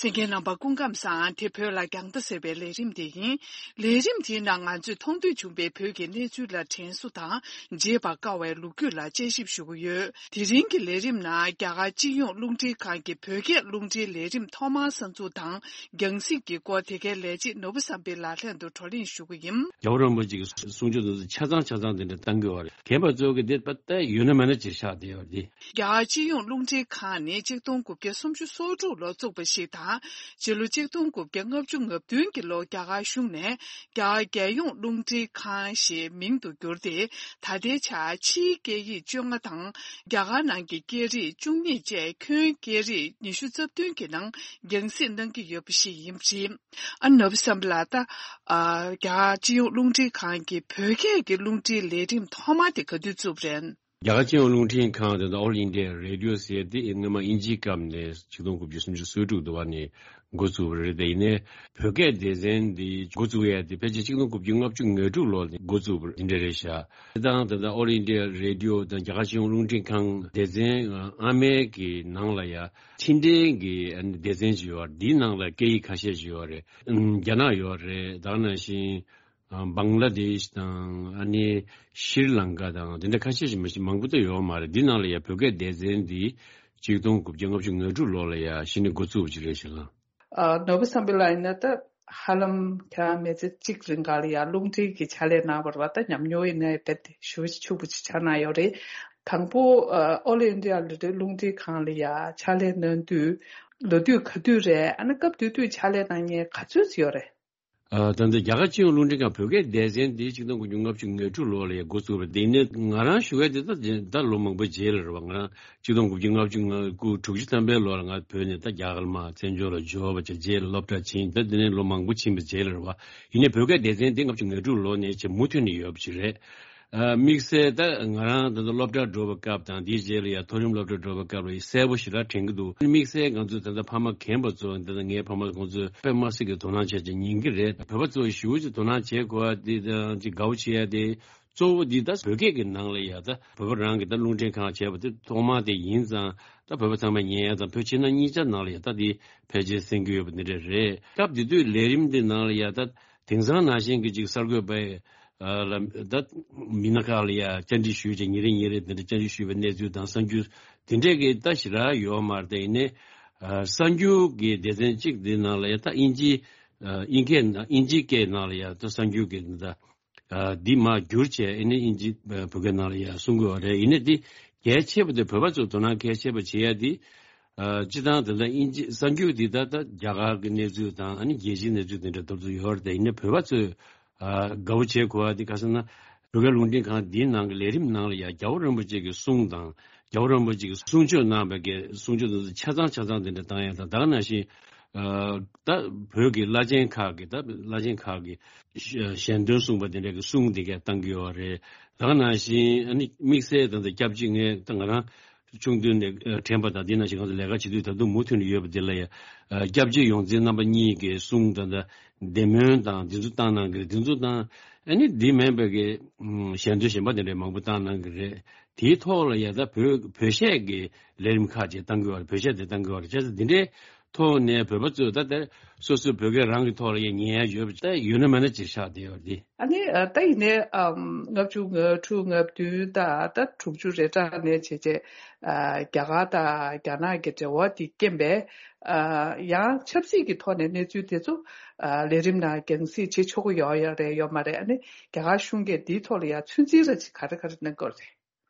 གསན་མཁན་རྣམ་པ་སྐུ་ཁམས་བཟང་། དེ་བོད་ལ་རྒྱང་ལྟ་ཟེར་བའི་ལས་རིམ་དེ་ཡིན། ལས་རིམ་དེའི་ནང་ང་ཚོས་མཐོང་ཐོས་བྱུང་བའི་བོད་ཀྱི་གནས་ཚུལ་ལ་དྲན་གསོ་དང་བརྗེད་པར་དཀའ་བའི་ལོ་རྒྱུས་ལ་དཔྱད་ཞིབ་ཞུ་གི་ཡོད། དེ་རིང་གི་ལས་རིམ་ནང་རྒྱ་གར་སྤྱི་ཡོངས་རླུང་འཕྲིན་ཁང་གི་བོད་སྐད་རླུང་འཕྲིན་ལས་རིམ་ཐོག་མར་གསར་འཛུགས་དང་རྒྱང་སྲིང་གི་སྐོར་དེ་གའི་ལས་བྱེད་ནོར་བུ་བསམ་འཕེལ་ལགས་ལྷན་དུ་བགྲོ་གླེང་ཞུ་གི་ཡིན། རྒྱལ་བ་རིན་པོ་ཆེ་གི་གསུང་ཆོས་དེ་ཚོ་ཆ་ཚང་ཆ་ཚང་དེ་འདྲ་བཏང་གི་ཡོད་རེད། རྒན་པ་ཚོ་གི་དེ་པ་ད་ཡོད་ན་མེད་ན་ཅིག་ཆགས་བསྡད་ཡོད་རེད། རྒྱ་གར་སྤྱི་ཡོངས་རླུང་འཕྲིན་ཁང་ནི་ཆིག་སྟོང་དགུ་བརྒྱ་སུམ་ཅུ་སོ་དྲུག་ལོར་བཙུགས་པ་ཞིག་དང་། སྤྱི་ལོ་ཆིག་སྟོང་དགུ་བརྒྱ་ལྔ་བཅུ་ང་བདུན་གྱི་ལོར་རྒྱ་གར་གཞུང་ནས་རྒྱ་གར་རྒྱལ་ཡོངས་རླུང་འཕྲིན་ཁང་ཞེས་མིང་དུ་བསྒྱུར་ཏེ། ད་ལྟའི་ཆར་ཕྱིའི་སྐད་ཡིག་བཅོ་ལྔ་དང་རྒྱ་གར་ནང་གི་སྐད་རིགས་བཅུ་གཉིས་བཅས་ཁྱོན་སྐད་རིགས་ཉི་ཤུ་རྩ་བདུན་གྱི་ནང་རྒྱང་སྲིང་གནང་གི་ཡོད་པ་ཞིག་ཡིན་པ་རེད། ཨ་ནོར་བུ་བསམ་འཕེལ་ལགས། ད་ཨ་རྒྱ་གར་སྤྱི་ཡོངས་རླུང་འཕྲིན་ཁང་གི་བོད་སྐད་ཀྱི་རླུང་འཕྲིན་ལས་རིམ་ཐོག་མ་དེ་ག་དུས་བཙུགས་པ་རེད། རྒྱ་གར་སྤྱི་ཡོངས་རླུང་འཕྲིན་ཁང་དེ་དང་All India Radio ཟེར་དེ་སྔོན་མ་དབྱིན་ཇིའི་སྐབས་ནས་ཆིག་སྟོང་དགུ་བརྒྱ་སུམ་ཅུ་སོ་དྲུག་དུ་བ་ནས་འགོ་བཙུགས་པ་རེད། དེ་ཡིན་ནའི་བོད་སྐད་སྡེ་ཚན་འདི་འགོ་བཙུགས་ཡ་དེ་ཕལ་ཆེར་ཆིག་སྟོང་དགུ་བརྒྱ་ལྔ་བཅུ་ང་དྲུག་ལོ་ནས་འགོ་བཙུགས་པ་འདི་འདྲ་རེད་ཤག་དེ་དང་དེ་དང་All India Radio དང་རྒྱ་གར་སྤྱི་ཡོངས་རླུང་འཕྲིན་ཁང་སྡེ་ཚན་ཨ་མའི་གི་ནང་ལ་ཡ་ཕྱི་འབྲེལ་གྱི་སྡེ་ཚན་ཅིག་ཡོད་རེད། འདིའི་ནང་ལ་སྐད་ཡིག་ཁ་ཤས་ཅིག་ཡོད་རེད། རྒྱ་ནག་ཡོད་རེད། ད་ག་ནང་བཞིན། ཨ་བང་ལ་དེཤ་དང་ཨ་ནི་ཤྲི་ལང་ཀ་དང་དེ་འདྲ་ཁ་ཤས་ཤིག་མ་གཞི་མང་པོ་ད་ཡོད་མ་རེད། འདི་ནང་ལ་ཡ་བོད་སྐད་སྡེ་ཚན་འདི་ཆིག་སྟོང་དགུ་བརྒྱ་ལྔ་བཅུ་ང་དྲུག་ལོ་ལ་ཡ་གཞི་ནས་འགོ་བཙུགས་པ་ཅིག་རེད་ཤག་ལ། ཨ་ནོར་བུ་བསམ་འཕེལ་ལགས་ཡིན་ན་ད་ཧ་ལམ་ཁྱེད་རང་མི་ཚེ་གཅིག་རིང་ག་ལ་ཡ་རླུང་འཕྲིན་གྱི་ཕྱག་ལས་གནང་བ་རེད་པ། ད་ཉམས་མྱོང་ཡིན་ན་ཡ་དཔེ་དེ་ཞེ་པོ་ཅིག་ཕྱུག་པོ་ཅིག་ཆགས་གནང་ཡོད་རེད། དང་པོ་ཨ་All India Radio རླུང་འཕྲིན་ཁང་ལ་ཡ་ཕྱག་ལས་གནང་དུས་ལོ་དུས་ག་དུས་རེད། ཨ་ནི་སྐབས་དེ་དུས་ཕྱག་ལས་གནང་མཁན་ག་ཚོད་ཡོད་རེད། ཨ་ད་ལྟ་རྒྱ་གར་སྤྱི་ཡོངས་རླུང་འཕྲིན་ཁང་བོད་སྐད་སྡེ་ཚན་འདི་ཆིག་སྟོང་དགུ་བརྒྱ་ལྔ་བཅུ་ང་དྲུག་ལོ་ལ་ཡང་འགོ་བཙུགས་པ་རེད། དེ་ནས་ང་རང་ཞུ་ཡ་དེ་ད་ད་ལོ་མང་པོ་རྗེས་ལ་རེད་བ། ང་རང་ཆིག་སྟོང་དགུ་བརྒྱ་ལྔ་བཅུ་ང་དགུ་དྲུག་ཅུ་ཐམ་པའི་ལོ་ལ་ང་བོད་ནས་ད་རྒྱ་གར་མར་བཙན་བྱོལ་ལ་འབྱོར་བ་བྱས། རྗེས་ལ་སློབ་གྲྭ་ཕྱིན། ད་དེ་ནས་ལོ་མང་པོ་ཕྱིན་པའི་རྗེས་ལ་རེད་བ། ཡིན་ནའི་བོད་སྐད་སྡེ་ཚན་འདི་ལྔ་བཅུ་ང་དྲུག་ལོ་ནས་བྱས་མུ་མཐུད་ནས་ཡོད་པ་ཅིག་རེད། ཨ་དམིགས་བསལ་ད་ང་རང་ད་ལྟ་སློབ་གྲྭར་འགྲོ་བའི་སྐབས་དང་དེའི་རྗེས་ལ་ཡང་མཐོ་རིམ་སློབ་གྲྭར་འགྲོ་བའི་སྐབས་ལ་གསལ་པོ་ཞེ་དྲག་དྲན་གྱི་འདུག་དམིགས་བསལ་ང་ཚོའི་ད་ལྟ་ཕ་མ་རྒན་པ་ཚོ་ད་ལྟ་ངའི་ཕ་མ་ཁོང་ཚོས་དཔེ་མ་སྲིད་ཀྱི་དོ་སྣང་བྱས་ཀྱི་ཉན་གྱི་རེད། བོད་པ་ཚོ་ཞེ་པོ་ཅིག་དོ་སྣང་བྱེད་དགོས་པ་དེ་དང་ཅིག་དགའ་པོ་བྱེད་ཡ་དེ་གཙོ་བོ་འདི་ད་བོད་སྐད་ཀྱི་ནང་ལ་ཡ་ད་བོད་པ་རང་གི་ད་རླུང་འཕྲིན་ཁང་བྱས་པ་དེ་ཐོག་མ་དེ་ཡིན་ཙང་། ད་བོད་པ་ཚང་མས་ཉན་ཡ་དང་བོད་ཕྱི་ནང་གཉིས་ཆ་ནང་ལ་ཡ་ད་དེ་ཕལ་ཆེར་གསན་གྱི་ཡོད་པ་འདི་འདྲ་རེད། སྐབས་དེ་དུས་ལས་རིམ་འདི་ནང་ལ་ཡ་ད་དེང་སང་ནང་བཞིན་གྱི་ཅིག་གསར་འགོད་པས། ཨ་ལ་ད་མི་སྣ་ཁག་ལ་ཡ་བཅར་འདྲི་ཞུས་བྱས་ཉིན་རེ་ཉིན་རེ་དེ་འདྲ་བཅར་འདྲི་ཞུས་པའི་གནས་ཚུལ་དང་གསར་འགྱུར་དེ་འདྲས་ཀྱི་ད་ཞེ་དྲག་ཡོད་མ་རེད། ད་ཡིན་ནའི་ཨ་གསར་འགྱུར་གྱི་སྡེ་ཚན་གཅིག་འདི་ནང་ལ་ཡ་ད་དབྱིན་ཇི་ཨ་དབྱིན་སྐད་ནང་དབྱིན་ཇིའི་སྐད་ནང་ལ་ཡ་ད་གསར་འགྱུར་གྱི་ད་ཨ་འདི་མར་བསྒྱུར་བྱས། ཨ་ནི་དབྱིན་ཇི་ཨ་བོད་སྐད་ནང་ལ་ཡ་གསུང་དགོས་པ་རེད། ཡིན་ནའི་འདི་གལ་ཆེ་བ་དེ་བོད་པ་ཚོས་དོ་སྣང་གལ་ཆེ་བ་བྱེད་ཡ་འདི། ཨ་སྤྱི་བཏང་དེ་འདྲ་དབྱིན་ཇི་གསར་འགྱུར་འདི་ད་ལྟ་རྒྱ་གར་གྱི་གནས་ཚུལ་དང་ཨ་ནི་རྒྱལ་སྤྱིའི་གནས་ཚུལ་དེ་འདྲ་ཏོག་ཙམ་ཡོད་རེད། དེ་ཡིན་ན་བོད་པ་ཚོས་ཨ་དགའ་པོ་བྱེད་དགོས་པ་འདི་ག་ཟེར་ན། བོད་སྐད་རླུང་འཕྲིན་ཁང་འདིའི་ནང་གི་ལས་རིམ་ནང་ལ་ཡང་རྒྱལ་བ་རིན་པོ་ཆེ་གི་གསུང་དང་རྒྱལ་བ་རིན་པོ་ཆེ་གི་གསུང་ཆོས་གནང་བའི་གི་གསུང་ཆོས་དེ་ཚོ་ཆ་ཚང་ཆ་ཚང་དེ་འདྲ་བཏང་ཡ་དང་། ད་ག་ནང་བཞིན་ཨ་ད་བོད་ཀྱི་བླ་ཆེན་ཁག་གི་ད་བླ་ཆེན་ཁག་གི་ཞལ་འདོན་གསུངས་པ་དེ་འདྲ་གི་གསུང་དེ་གས་བཏང་གི་ཡོད་རེད། ད་ག་ནང་བཞིན་ཨ་ནི་དམིགས་བསལ་ད་ལྟ་སྐྱབས་རྗེ་ངས་ད་ང་རང་ཆུང་དུས་ནས་ཨ་དྲན་པ་དང་། འདི་ནང་བཞིན་ང་ཚོ་ལས་ཀ་བྱེད་དུས་ད་དུང་མུ་མཐུད་ནས་ཡོད་པ་འདི་ལ་ཡ་ཨ་སྐྱབས་རྗེ་ཡོངས་འཛིན་རྣམ་པ་གཉིས་ཀྱི་གསུང་དང་། ད་བདེ་སྨོན་དང་འདི་ཚོ་བཏང་གནང་གི་རེད། འདི་ཚོ་དང་ཨ་ནི་འདི་མིན་པའི་གི་ཨམ་ཞལ་འདོན་གཞན་པ་དེ་འདྲ་མང་པོ་བཏང་གནང་གི་རེད། དེའི་ཐོག་ལ་ཡ་ད་བོད་བོད་གཞས་ཀྱི་ལས་རིམ་ཁག་ཅིག་བཏང་གི་ཡོད་རེད། བོད་གཞས་དེ་བཏང་གི་ཡོད་རེད། བྱས་ཙང་འདི་འདྲའི་ ཐོག་ནས་བོད་པ་ཚོས་ད་ལྟ་སོ་སོའི་བོད་སྐད་རང་གི་ཐོག་ལ་ཡང་ཉན་ཡ་ཡོད་པ་ད་ཡོད་ན་མེད་ན་ཅིག་ཆགས་བསྡད་ཡོད་རེད། ཨ་ནི་ཨ་ད་ཡིན་ནའི་ཨམ་ལྔ་བཅུ་ང་དྲུག་ང་བདུན་དང་ད་དྲུག་ཅུ་རེ་གྲངས་ནས་བྱས་བྱས་ཨ་རྒྱ་གར་དང་རྒྱ་ནག་གི་འབྲེལ་བ་དེ་རྐྱེན་པས་ཨ་ཡང་ཆབ་སྲིད་ཀྱི་ཐོག་ནས་གནས་ཚུལ་དེ་ཚོ་ཨ་ལས་རིམ་ནང་རྒྱང་སྲིང་བྱེད་ཆོག་གི་ཡོད་ཡོད་རེད་ཡོད་མ་རེད། ཨ་ནི་རྒྱ་གར་གཞུང་གིས་འདིའི་ཐོག་ལ་ཡང་ཚོད་འཛིན་ར་ཅིག་ག་རེ་ག་རེ་གནང་གི་ཡོད་རེད།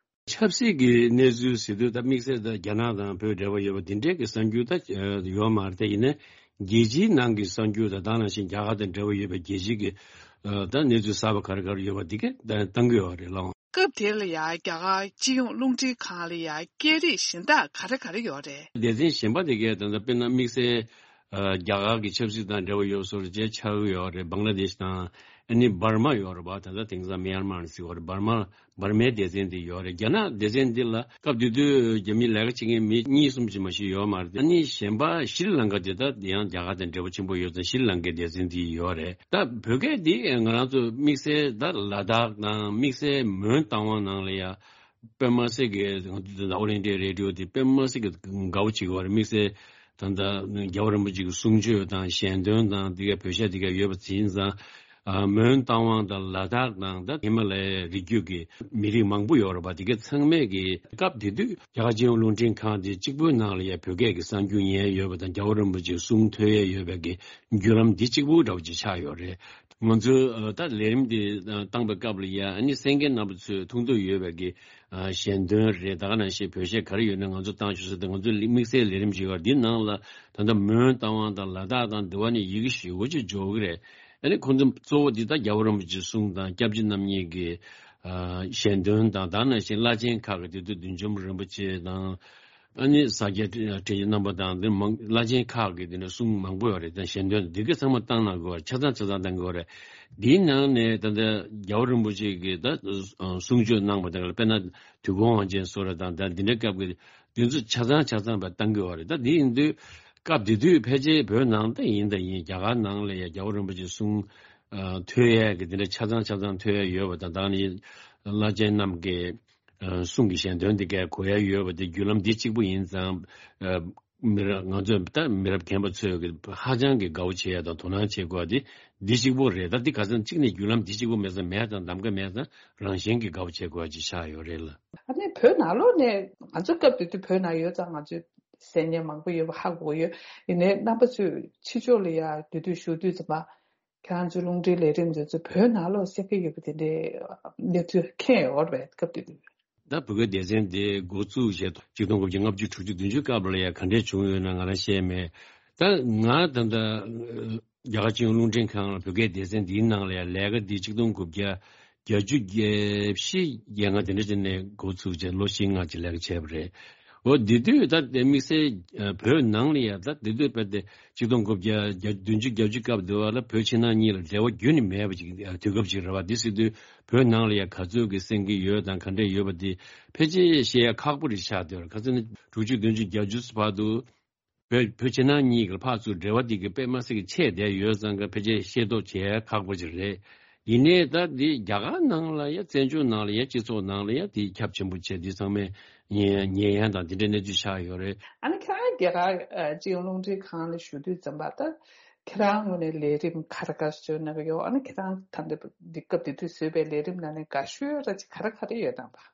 ཆབ་སྲིད་ཀྱི་གནས་ཚུལ་ཟེར་དུས་ད་དམིགས་བསལ་ད་རྒྱ་ནག་དང་བོད་འབྲེལ་བ་ཡོད་པ་འདི་འདྲའི་གི་གསར་འགྱུར་ད་ཡོད་མ་རེད། དེ་ཡིན་ན་རྒྱལ་སྤྱིའི་ནང་གི་གསར་འགྱུར་དང་ད་ནང་བཞིན་རྒྱ་གར་དང་འབྲེལ་བ་ཡོད་པའི་རྒྱལ་སྤྱིའི་གི་ད་གནས་ཚུལ་གསར་པ་ག་རེ་ག་རེ་ཡོད་པ་འདི་གས་ད་བཏང་གི་ཡོད་རེད་ལགས། སྐབས་དེ་ལ་ཡང་རྒྱ་གར་སྤྱི་ཡོངས་རླུང་འཕྲིན་ཁང་ལ་ཡང་སྐད་རིགས་གཞན་དག་ག་རེ་ག་རེ་ཡོད་རེད། སྡེ་ཚན་གཞན་པ་དེ་གས་ད་ལྟ་དཔེར་ན་དམིགས་བསལ་ཨ་རྒྱ་གར་གྱི་ཆབ་སྲིད་དང་འབྲེལ་བ་ཡོད་བཟོ་འདྲ་ཅིག་ཆགས་ཀྱི་ཡོད་རེད། བང་ལ་དེཤ་དང་ཨ་ནི་འབར་མ་ཡོད་རེད་པ། ད་ལྟ་དེང་སང་མི་ཡན་མར་ཟེར་བ་རེད། འབར་མ་འབར་མའི་སྡེ་ཚན་དེ་ཡོད་རེད། རྒྱ་ནག་སྡེ་ཚན་འདི་ལ་སྐབས་དེ་དུས་རྒྱ་མིའི་ལས་ཀ་བྱེད་མཁན་མི་གཉིས་གསུམ་ཅིག་མ་ཞིག་ཡོད་མ་རེད། ཨ་ནི་གཞན་པ་ཤྲི་ལང་ཀ་དེ་ད་ཡང་རྒྱ་གར་དང་འབྲེལ་བ་ཆེན་པོ་ཡོད་ཙང་ཤྲི་ལང་ཀའི་སྡེ་ཚན་དེ་ཡོད་རེད། ད་བོད་སྐད་འདི་ང་རང་ཚོ་དམིགས་བསལ་ད་ལ་དྭགས་དང་དམིགས་བསལ་མོན་རྟ་དབང་ནང་ལ་ཡ་དཔེ་མ་སྲིད་ཀྱི་ང་ཚོ་ད་ལྟ་ཨོལ་ཨིན་ཌི་ཡ་རེ་ཌི་ཡོ་དེ་དཔེ་མ་སྲིད་ཀྱི་དགའ་བོ་བྱེད་ཀྱི་ཡོད་རེད། དམིགས་བསལ་ད་ལྟ་རྒྱལ་བ་རིན་པོ་ཆེ་གི་གསུང་ཆོས་དང་ཞལ་འདོན་དང་དེ་ག་བོད་གཞས་དེ་ག་ཡོད་པ་ཡིན་ཙང་། ཨ་མོན་རྟ་དབང་དང་ལ་དྭགས་དང་ད་ཧི་མ་ལ་ཡའི་རི་རྒྱུད་ཀྱི་མི་རིགས་མང་པོ་ཡོད་རེད་པ། དེ་ག་ཚང་མས་ཀྱི་སྐབས་དེ་དུས་རྒྱ་གར་སྤྱི་ཡོངས་རླུང་འཕྲིན་ཁང་དེ་གཅིག་པུའི་ནང་ལ་ཡ་བོད་སྐད་ཀྱི་གསར་འགྱུར་ཉན་ཡོད་པ་དང་རྒྱལ་བ་རིན་པོ་ཆེའི་གསུང་ཐོས་ཡ་ཡོད་པའི་གི་བརྒྱུད་ལམ་འདི་གཅིག་པུ་འདྲ་བོ་ཅིག་ཆགས་ཡོད་རེད། ང་ཚོས་ཨ་ད་ལས་རིམ་འདི་ཨ་བཏང་པའི་སྐབས་ལ་ཡ་ཨ་ནི་གསན་མཁན་རྣམ་པ་ཚོས་མཐོང་ཐོས་ཡོད་པའི་གི་ཨ་ཞལ་འདོན་རེད། ད་ག་ནང་བཞིན་བོད་གཞས་ག་རེ་ཡོད་ན་ང་ཚོ་བཏང་ཤོག་ཟེར་ཏེ་ང་ཚོ་དམིགས་བསལ་ལས་རིམ་ཞིག་ཡོད་རེད། འདི་ནང་ལ་ད་ལྟ་མོན་རྟ་དབང་དང་ལ་དྭགས་དང་འདི་བ་ནི་ཡི་གེ་ཞེ་པོ་ཅིག་འཇོག་གི་རེད། ཨ་ནི་ཁོང་ཚོ་གཙོ་བོ་འདི་ད་རྒྱལ་བ་རིན་པོ་ཆེའི་གསུང་དང་སྐྱབས་རྗེ་རྣམ་གཉིས་ཀྱི་ཨ་ཞལ་འདོན་དང་ད་ག་ནང་བཞིན་བླ་ཆེན་ཁག་གི་དེ་དུས་བདུད་འཇོམས་རིན་པོ་ཆེ་དང་། ཨ་ནི་ས་སྐྱ་བཀྲ་ཤིས་རྣམ་པ་དང་འདི་མང་བླ་ཆེན་ཁག་གི་འདི་འདྲ་གསུང་མང་པོ་ཡོད་རེད། ད་ཞལ་འདོན་འདི་ག་ཚང་མ་བཏང་གནང་དགོས་རེད། ཆ་ཚང་ཆ་ཚང་བཏང་དགོས་རེད། འདིའི་ནང་ནས་ད་ལྟ་རྒྱལ་བ་རིན་པོ་ཆེ་གིས་ད་གསུང་ཆོས་གནང་པ་དང་དཔེར་ན་དུས་འཁོར་དབང་ཆེན་སོགས་རེད་དང་ད་འདི་འདྲའི་སྐབས་ཀྱི་འདི་ཚོ་ཆ་ཚང་ཆ་ཚང་བ་བཏང་གི་ཡོད་རེད། ད་འདི་ཡིན་དུས་སྐབས་དེ་དུས་ཕལ་ཆེར་བོད་ནང་ད་ཡིན་ད་ཡིན་རྒྱ་གར་ནང་ལ་ཡ་རྒྱལ་བ་རིན་པོ་ཆེ་གསུང་ཨ་ཐོས་ཡས་ཀྱི་འདི་འདྲ་ཆ་ཚང་ཆ་ཚང་ཐོས་ཡས་ཡོད་པ་དང་ད་ནི་བླ་ཆེན་རྣམས་ཀྱི་ཨ་གསུང་གི་ཞལ་འདོན་འདི་གའི་གོ་ཡ་ཡོད་པ་དེ་བརྒྱུད་ལམ་འདི་གཅིག་པུ་ཡིན་ཙང་། ཨ་མི་རབས་ང་ཚོས་ད་མི་རབས་རྒན་པ་ཚོས་ཀྱི་ཧ་ཅང་གི་དགའ་བོ་བྱེད་ཡ་དང་དོ་སྣང་བྱེད་དགོས་པ་དེ་འདི་གཅིག་པུ་རེད། ད་འདི་ག་ཚོད་གཅིག་ནས་བརྒྱུད་ལམ་འདི་གཅིག་པུ་མེད་ཙང་མེད་ཙང་གདམ་ག་མེད་ཙང་རང་བཞིན་གྱི་དགའ་བོ་བྱེད་དགོས་པ་ཅིག་ཆགས་ཡོད་རེད་ལ། ཨ་ནི་བོད་ནང་ལོགས་ནས་ང་ཚོ་སྐབས་དེ་དུས་བོད་ནང་ཡོད་ཙང་ང་ཚོས་གསན་མཁན་མང་པོ་ཡོད་པ་ཧ་གོ་ཡོད། ཡིན་ནའི་རྣམ་པ་ཚོས་ཕྱི་ཕྱོགས་ལ་ཡ་དེ་དུས་བཞུགས་དུས་ཙམ་པ། ཁྱེད་རང་ཚོའི་རླུང་འཕྲིན་ལས་རིམ་འདི་ཚོ་བོད་ནང་ལོགས་གསན་གྱི་ཡོད་པ་དེ་འདྲའི་གནས་ཚུལ་མཁྱེན་ཡོད་རེད་པས་སྐབས་དེ་དུས། ད་བོད་སྐད་སྡེ་ཚན་དེ་འགོ་བཙུགས་བྱས་ཆིག་སྟོང་དགུ་བརྒྱ་ལྔ་བཅུ་དྲུག་ཅུ་བདུན་ཅུ་སྐབས་ལ་ཡང་ག་འདྲས་བྱུང་ཡོད་ན་ང་རང་ཤེས་མེད། ད་ང་ད་ལྟ་རྒྱ་གར་སྤྱི་ཡོངས་རླུང་འཕྲིན་ཁང་ལ་བོད་སྐད་སྡེ་ཚན་འདིའི་ནང་ལ་ཡང་ལས་ཀ་འདི་ཆིག་སྟོང་དགུ་བརྒྱ་བརྒྱད་ཅུ་གྱ་བཞི་གྱ་ལྔ་དེ་འདྲ་ཅིག་ནས་འགོ་བཙུགས་བྱས་ལོ་བཞི་ལྔ་ཅིག་ལས་ཀ་བྱས་པ་རེད། འོ་དེ་དུས་ད་དེ་དམིགས་བསལ་ཨ་བོད་ནང་ལ་ཡང་ད་དེ་དུས་དཔེ་དེ་ཆིག་སྟོང་དགུ་བརྒྱ་བདུན་ཅུ་གྱ་བཅུ་སྐབས་དེ་བ་ལ་བོད་ཕྱི་ནང་གཉིས་ལ་འབྲེལ་བ་རྒྱུན་ནས་མེད་པ་ཅིག་དུས་སྐབས་ཅིག་རེད་བ། དེ་སྲིད་དུས་བོད་ནང་ལ་ཡང་ག་ཚོད་ཀྱི་གསན་གྱི་ཡོད་དང་ག་འདྲས་ཡོད་པ་དེ་ཕལ་ཆེར་ཤེས་ཡ་ཁག་པོ་རེད་ཆགས་བསྡད་ཡོད་རེད། ག་ཚོད་ན་དྲུག་ཅུ་བདུན་ཅུ་གྱ་བཅུ་བར་དུ་བོད་བོད་ཕྱི་ནང་གཉིས་ཀྱི་ཕར་ཚུར་འབྲེལ་བ་དེ་གི་དཔེ་མ་སྲིད་ཀྱི་ཆད་བསྡད་ཡོད་ཙང་གི་ཕལ་ཆེར་ཤེས་རྟོགས་བྱེད་ཡ་ཁག་པོ་ཅིག་རེད། ཡིན་ནའི་ད་འདི་རྒྱ་གར་ནང་ལ་ཡ་བཙན་བྱོལ་ནང་ལ་ཡ་སྤྱི་ཚོགས་ནང་ལ་ཡ་དེ་ཁྱབ་ཆེན་པོ་བྱས་འདི་ཚང་མས་ཉན་ཉན་ཡ་དང་དེ་འདྲའི་གནས་ཚུལ་ཆགས་ཡོད་རེད། ཨ་ནི་ཁྱེད་རང་རྒྱ་གར་ཨ་སྤྱི་ཡོངས་རླུང་འཕྲིན་ཁང་ལ་ཞུགས་དུས་ཙམ་པ་ད་ཁྱེད་རང་ངོས་ནས་ལས་རིམ་ག་རེ་ག་རེ་བཟོས་གནང་གི་ཡོད། ཨ་ནི་ཁྱེད་རང་ད་ལྟ་འདི་སྐབས་དེ་དུས་བཟོས་པའི་ལས་རིམ་ནང་ནས་དགའ་ཤོས་ར་ཅིག་ག་རེ་ག་རེ་ཡོད་དམ་པ།